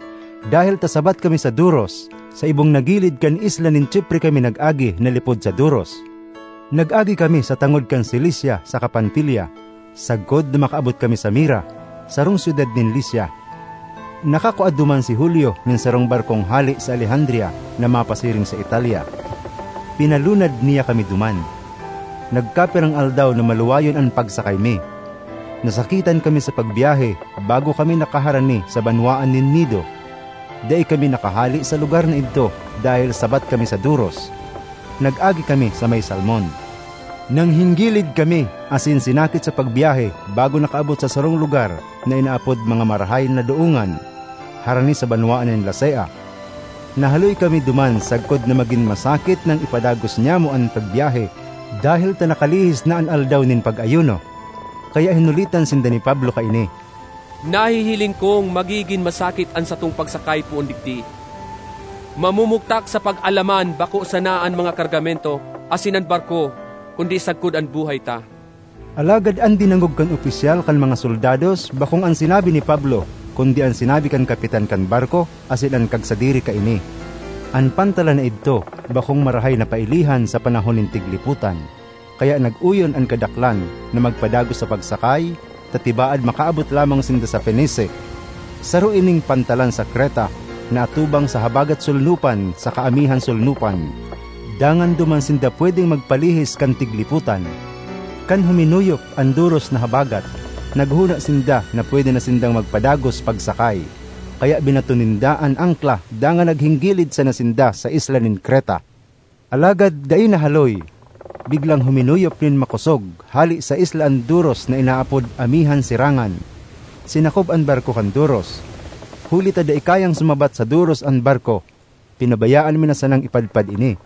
dahel ta sabat kami sa Duros, sa ibong na gilid kan isla nin Chipre kami nag-agi na lipod sa Duros. Nag-agi kami sa tangod kan Cilicia saka Panfilia, sagkod na makaabot kami sa Mira, sarong syudad nin Licia. Nakakua duman si Julio nin sarong barkong hale sa Alejandria na mapasiring sa Italia. Pinalunad niya kami duman. Nagkapirang aldaw na maluwayon an pagsakay mi. Nasakitan kami sa pagbiyahe bago kami nakaharani sa banwaan nin Nido. Dai kami nakahale sa lugar na idto dahel sabat kami sa Duros. Nag-agi kami sa may Salmon. Nanghinggilid kami asin sinakit sa pagbiyahe bago nakaabot sa sarong lugar na inaapod Mga Marahay na Doongan, harani sa banwaan nin Lasea. Nahaloy kami duman sagkod na magin masakit nang ipadagos nyamo an pagbiyahe, dahel ta nakalihis na an aldaw nin pag-ayuno. Kaya hinulitan sinda ni Pablo kaini. Nahihiling kong magigin masakit an satong pagsakay poon digdi. Mamumugtak sa pag-alaman bako sana an mga kargamento asin an barko, kundi sagkod an buhay ta. Alagad an dinangog kan opisyal kan mga soldados bakong an sinabi ni Pablo, kundi an sinabi kan kapitan kan barko asin an kagsadiri kaini. An pantalan na idto bakong marahay na pailihan sa panahon nin tiglipotan, kaya nag-uyon an kadaklan na magpadagos sa pagsakay, ta tibaad makaabot lamang sinda sa Fenice. Saro ining pantalan sa Creta na atubang sa habagat solnopan saka amihan solnopan, dangan duman sinda pwedeng magpalihis kan tiglipotan. Kan huminuyop an doros na habagat, naghona sinda na pwede na sindang magpadagos pagsakay, kaya binato ninda an angkla dangan naghinggilid sana sinda sa isla nin Creta. Alagad dai nahaloy, biglang huminuyop nin makosog hale sa isla an doros na inaapod Amihan Sirangan. Sinakob an barko kan doros. Huli ta dai kayang sumabat sa doros an barko, pinabayaan mi na sanang ipadpad ini.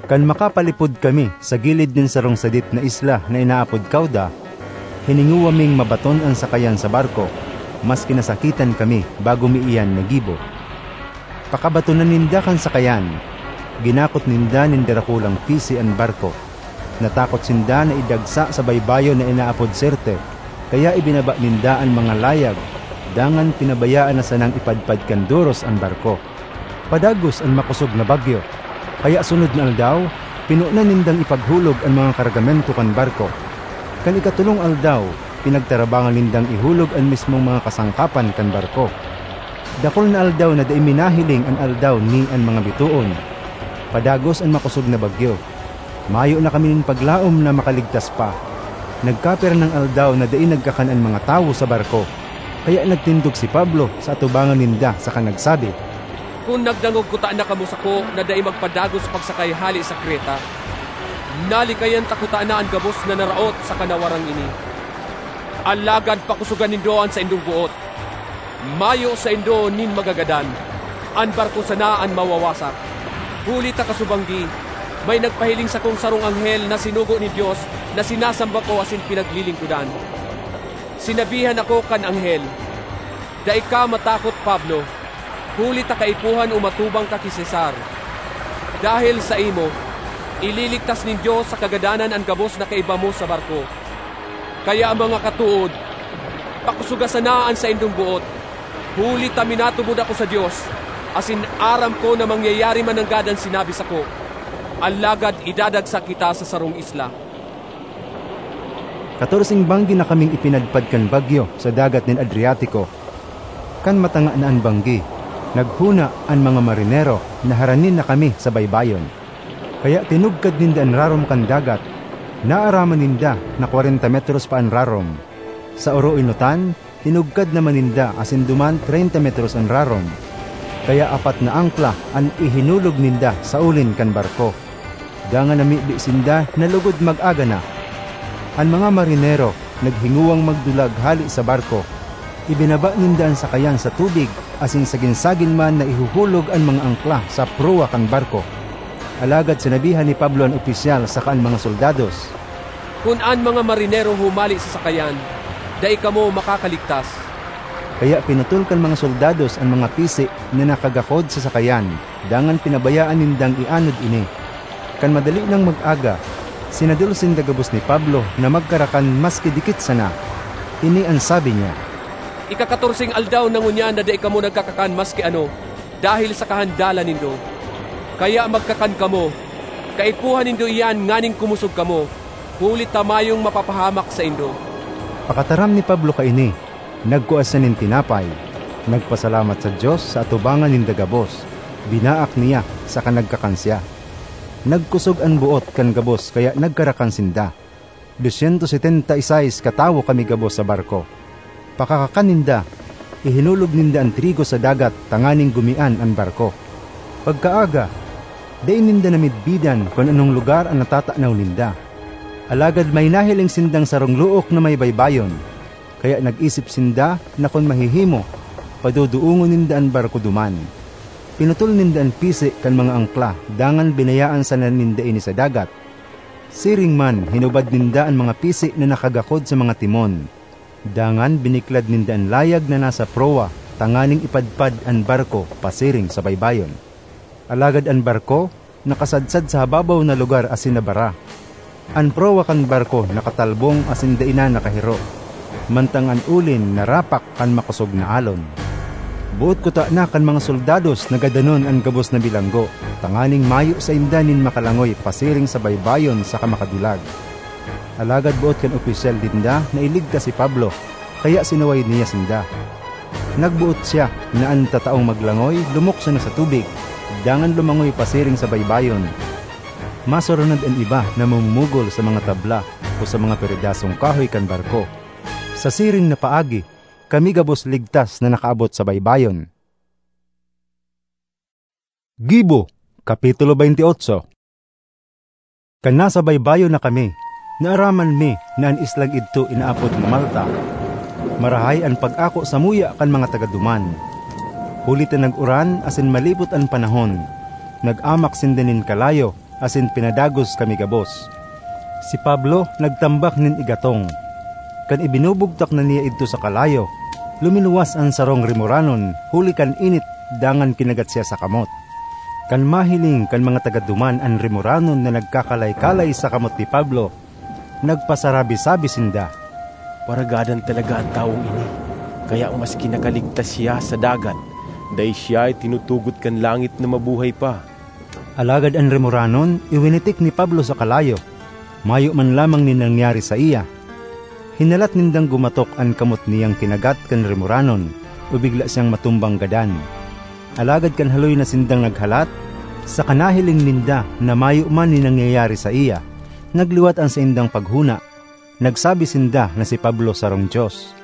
Kan makapalipod kami sa gilid nin sarong sadit na isla na inaapod Cauda, hiningowa ming mabaton an sakayan sa barko, maski nasakitan kami bago mi iyan nagibo. Pakabatonan ninda kan sakayan, ginakot ninda nin darakulang pisi an barko. Natakot sinda na idagsa sa baybayon na inaapod Sirte, kaya ibinaba ninda an mga layag, dangan pinabayaan na sanang ipadpad kan doros an barko. Padagos an makosog na bagyo, kaya sunod na aldaw, pinonan nindang ipaghulog an mga kargamento kan barko. Kan ikatolong aldaw, pinagtarabangan nindang ihulog an mismong mga kasangkapan kan barko. Dakul na aldaw na dai mi nahiling an aldaw ni an mga bitoon. Padagos an makosog na bagyo. Mayo na kami nin paglaom na makaligtas pa. Nagkapirang aldaw na dai nagkakan an mga tawo sa barko. Kaya nagtindog si Pablo sa atubangan ninda saka nagsabi, "Kun nagdangog kutana kamo sako na dai magpadagos pagsakay hale sa Creta, nalikayan ta kutana an gabos na naraot saka nawarang ini. Alagad pakosogan nindo an saindong boot. Mayo saindo nin magagadan. An barko sana an mawawasak. Huli ta kasubanggi, may nagpahiling sakong sarong anghel na sinugo nin Dios na sinasamba ko asin pinaglilingkodan. Sinabihan ako kan anghel, 'Dai ka matakot, Pablo, huli ta kaipuhan o matubang ka ki Cesar. Dahel saimo, ililigtas nin Dios sa kagadanan an gabos na kaiba mo sa barko.' Kaya, mga katood, pakosoga sana an saindong boot, huli ta minatubod ako sa Dios, asin aram ko na mangyayari man nanggad an sinabi sako. Alagad idadagsa kita sa sarong isla." Katorseng banggi na kaming ipinadpad kan bagyo sa dagat nin Adriatico. Kan matanga na an banggi, naghona an mga marinero na haranin na kami sa baybayon. Kaya tinugkad ninda an rarom kan dagat. Naaraman ninda na kwarenta metros pa an rarom. Sa oroenotan, tinugkad naman ninda asin duman treinta metros an rarom. Kaya apat na angkla an ihinulog ninda sa ulin kan barko. Dangan namibi sinda na lugod mag-aga na. An mga marinero naghingowang magdulag hale sa barko. Ibinaba ninda an sakayan sa tubig, asin sagin-sagin man naihuhulog an mga angkla sa prowa kan barko. Alagad sinabihan ni Pablo an opisyal saka an mga soldados, "Kun an mga marinero humale sa sakayan, dai kamo makakaligtas." Kaya pinutol kan mga soldados an mga pisi na nakagakod sa sakayan, dangan pinabayaan nindang ianod ini. Kan madali nang mag-aga, sinadol sinda gabos ni Pablo na magkarakan maski dikit sana. Ini an sabi niya, "Ikakatorseng aldaw na ngunyan na dai kamo nagkakakan maski ano, dahel sa kahandalan nindo. Kaya magkakan kamo. Kaipuhan nindo iyan nganing kumosog kamo, huli ta mayong mapapahamak saindo." Pakataram ni Pablo kaini, nagkua siya nin tinapay, nagpasalamat sa Dios sa atubangan ninda gabos, binaak niya, saka nagkakan siya. Nagkosog an boot kan gabos kaya nagkarakan sinda. Dosyentos setenta y seis katawo kami gabos sa barko. Pakakakan ninda, ihinulog ninda an trigo sa dagat tanganing gumian an barko. Pagkaaga, dai ninda namidbidan kun anong lugar an natatanaw ninda. Alagad may nahiling sindang sarong look na may baybayon, kaya nag-isip sinda na kun mahihimo, paduduongon ninda an barko duman. Pinutol ninda an pisi kan mga angkla, dangan binayaan sana ninda ini sa dagat. Siring man, hinubad ninda an mga pisi na nakagakod sa mga timon. Dangan biniklad ninda an layag na nasa prowa tanganing ipadpad an barko pasiring sa baybayon. Alagad an barko nakasadsad sa hababaw na lugar asin nabara. An prowa kan barko nakatalbong asin dai na nakahiro, mantang an ulin narapak kan makosog na alon. Boot kutana kan mga soldados na gadanon an gabos na bilanggo, tanganing mayo sainda nin makalangoy pasiring sa baybayon saka makadulag. Alagad boot kan opisyal ninda na iligtas si Pablo, kaya sinuway niya sinda. Nagboot siya na an tataong maglangoy lumukso na sa tubig, dangan lumangoy pasiring sa baybayon. Masurunod an iba na mamumugol sa mga tabla o sa mga peredasong kahoy kan barko. Sa siring na paagi, kami gabos ligtas na nakaabot sa baybayon. Gibo, Kapitulo twenty-eight. Kan nasa baybayon na kami, naaraman mi na an islang idto inaapod na Malta. Marahay an pag-ako samuya kan mga taga-duman. Huli ta nag-uran asin malipot an panahon, nag-amak sinda nin kalayo asin pinadagos kami gabos. Si Pablo nagtambak nin igatong. Kan ibinubugtak na niya idto sa kalayo, luminuwas an sarong rimoranon huli kan init dangan kinagat siya sa kamot. Kan mahiling kan mga taga-duman an rimoranon na nagkakalay-kalay sa kamot ni Pablo, nagpasarabi-sabi sinda, "Paragadan talaga an tawong ini, kaya maski nakaligtas siya sa dagat, dai siya itinutugot kan langit na mabuhay pa." Alagad an rimoranon iwinitik ni Pablo sa kalayo, mayo man lamang nin nangyari saiya. Hinalat nindang gumatok an kamot niyang kinagat kan rimoranon o bigla siyang matumbang gadan. Alagad kan haloy na sindang naghalat, saka nahiling ninda na mayo man nin nangyayari saiya, nagliwat an saindang paghona. Nagsabi sinda na si Pablo sarong dios.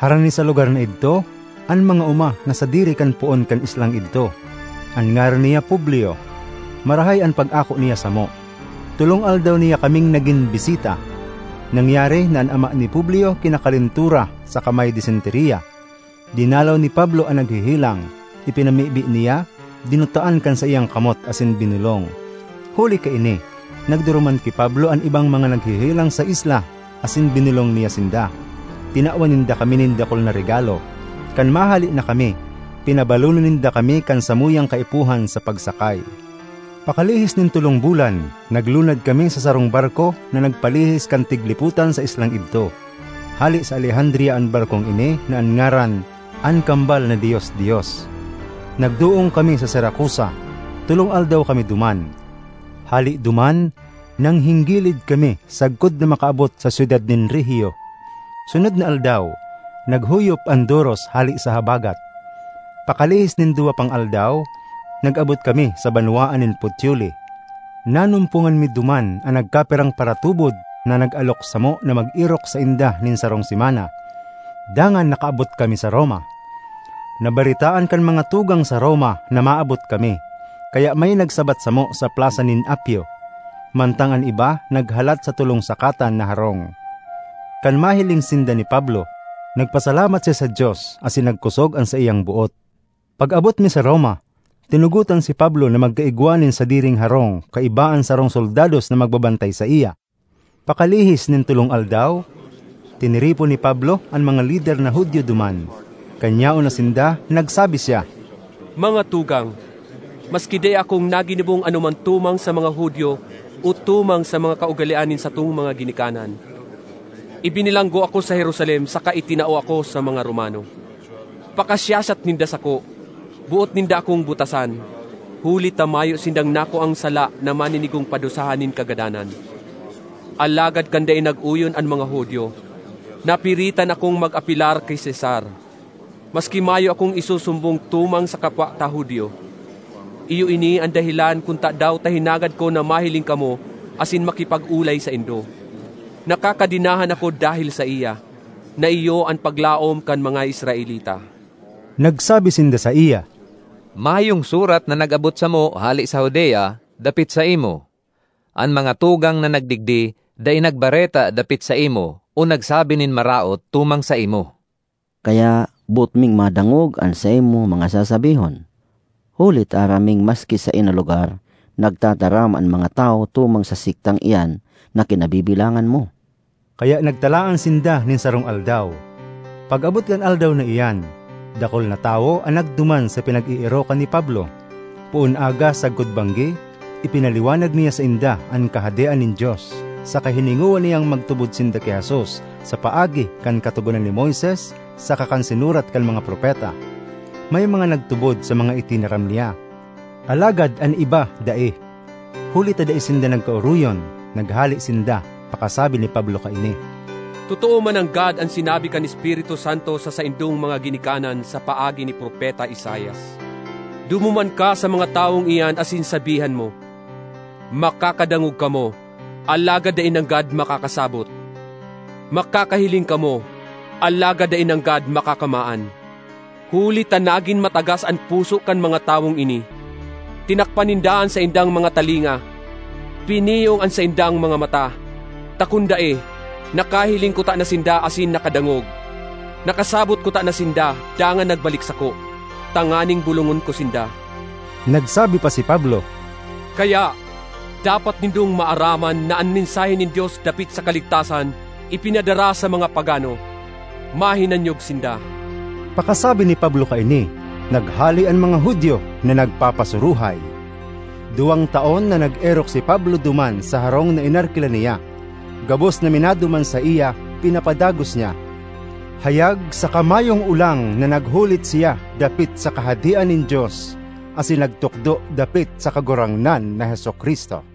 Harani sa lugar na idto, an mga oma na sadiri kan poon kan islang idto. An ngaran niya Publio. Marahay an pag-ako niya samo. Tolong aldaw niya kaming nagin bisita. Nangyari na an ama ni Publio kinakalentura saka may disenteriya. Dinalaw ni Pablo an naghehelang, ipinamibi niya, dinutaan kan saiyang kamot asin binolong. Huli kaini, nagduruman ki Pablo an ibang mga naghehelang sa isla asin binolong niya sinda. Tinawan ninda kami nin dakul na regalo. Kan mahale na kami, pinabalonon ninda kami kan samuyang kaipuhan sa pagsakay. Pakalihis nin tolong bulan, naglunad kami sa sarong barko na nagpalihis kan tiglipotan sa islang idto. Hale sa Alejandria an barkong ini na an ngaran, "An Kambal na Dios-dios." Nagdoong kami sa Siracusa, tolong aldaw kami duman. Hale duman, nanghinggilid kami sagkod na makaabot sa syudad nin Regio. Sunod na aldaw, naghuyop an doros hale sa habagat. Pakalihis nin duwa pang aldaw, nag-abot kami sa banwaan nin Puteoli. Nanumpongan mi duman an nagkapirang paratubod na nag-alok samo na mag-erok sainda nin sarong semana. Dangan nakaabot kami sa Roma. Nabaretaan kan mga tugang sa Roma na maabot kami, kaya may nagsabat samo sa Plasa nin Apio, mantang an iba naghalat sa tolong sakatan na harong. Kan mahiling sinda ni Pablo, nagpasalamat siya sa Dios asin nagkosog an saiyang boot. Pag-abot mi sa Roma, tinugotan si Pablo na magkaigwa nin sadiring harong kaiba an sarong soldados na magbabantay saiya. Pakalihis nin tolong aldaw, tiniripon ni Pablo an mga lider na Judio duman. Kan yaon na sinda, nagsabi siya, "Mga tugang, maski dai akong naginibong anoman tumang sa mga Judio o tumang sa mga kaugalean nin satong mga ginikanan, ibinilanggo ako sa Jerusalem saka itinao ako sa mga Romano. Pakasiyasat ninda sako, boot ninda akong butasan, huli ta mayo sindang nakuang sala na maninigong padusahan nin kagadanan. Alagad kan dai nag-oyon an mga Judio, napiritan akong mag-apelar ki Cesar. Maski mayo akong isusumbong tumang sa kapwa ta Judio. Iyo ini an dahelan kun tadaw ta hinagad ko na mahiling kamo asin makipag-olay saindo. Nakakadenahan ako dahel saiya, na iyo an paglaom kan mga Israelita." Nagsabi sinda saiya, "Mayong surat na nag-abot samo hale sa Judea dapit saimo. An mga tugang na nagdigdi dai nagbareta dapit saimo o nagsabi nin maraot tumang saimo. Kaya boot ming madangog an saimong mga sasabihon. Huli ta aram ming maski saen na lugar, nagtataram an mga tawo tumang sa sektang iyan na kinabibilangan mo." Kaya nagtalaan sinda nin sarong aldaw. Pag-abot kan aldaw na iyan, dakul na tawo an nagduman sa pinag-eerokan ni Pablo. Poon aga sagkod banggi, ipinaliwanag niya sainda an Kahadean nin Dios, saka hiningowa niyang magtubod sinda ki Jesus sa paagi kan Katogonan ni Moises saka kan sinurat kan mga propeta. may mga nagtubod sa mga itinaram niya, alagad an iba dai. Huli ta dai sinda nagkaoroyon, naghale sinda pakasabi ni Pablo kaini. Totoo mananggad an sinabi kan Espiritu Santo sa saindong mga ginikanan sa paagi ni Propeta Isaias, "Dumuman ka sa mga tawong iyan asin sabihan mo, 'Makakadangog kamo, alagad dai nanggad makakasabot. Makakahiling kamo, alagad dai nanggad makakamaan.' Huli ta nagin matagas an puso kan mga tawong ini. Tinakpan ninda an saindang mga talinga, piniyong an saindang mga mata. Ta kun dai, nakahiling kuta na sinda asin nakadangog. Nakasabot kuta na sinda, dangan nagbalik sako, tanganing bolongon ko sinda." Nagsabi pa si Pablo, "Kaya, dapat nindong maaraman na an mensahe nin Dios dapit sa kaligtasan ipinadara sa mga pagano. Mahinanyog sinda." Pakasabi ni Pablo kaini, naghale an mga Judio na nagpapasuruhay. Duwang taon na nag-erok si Pablo duman sa harong na inarkilan niya. Gabos na minaduman saiya, pinapadagos niya. Hayag saka mayong olang na naghulit siya dapit sa Kahadean nin Dios, asin nagtukdo dapit sa Kagurangnan na Jesu-Cristo.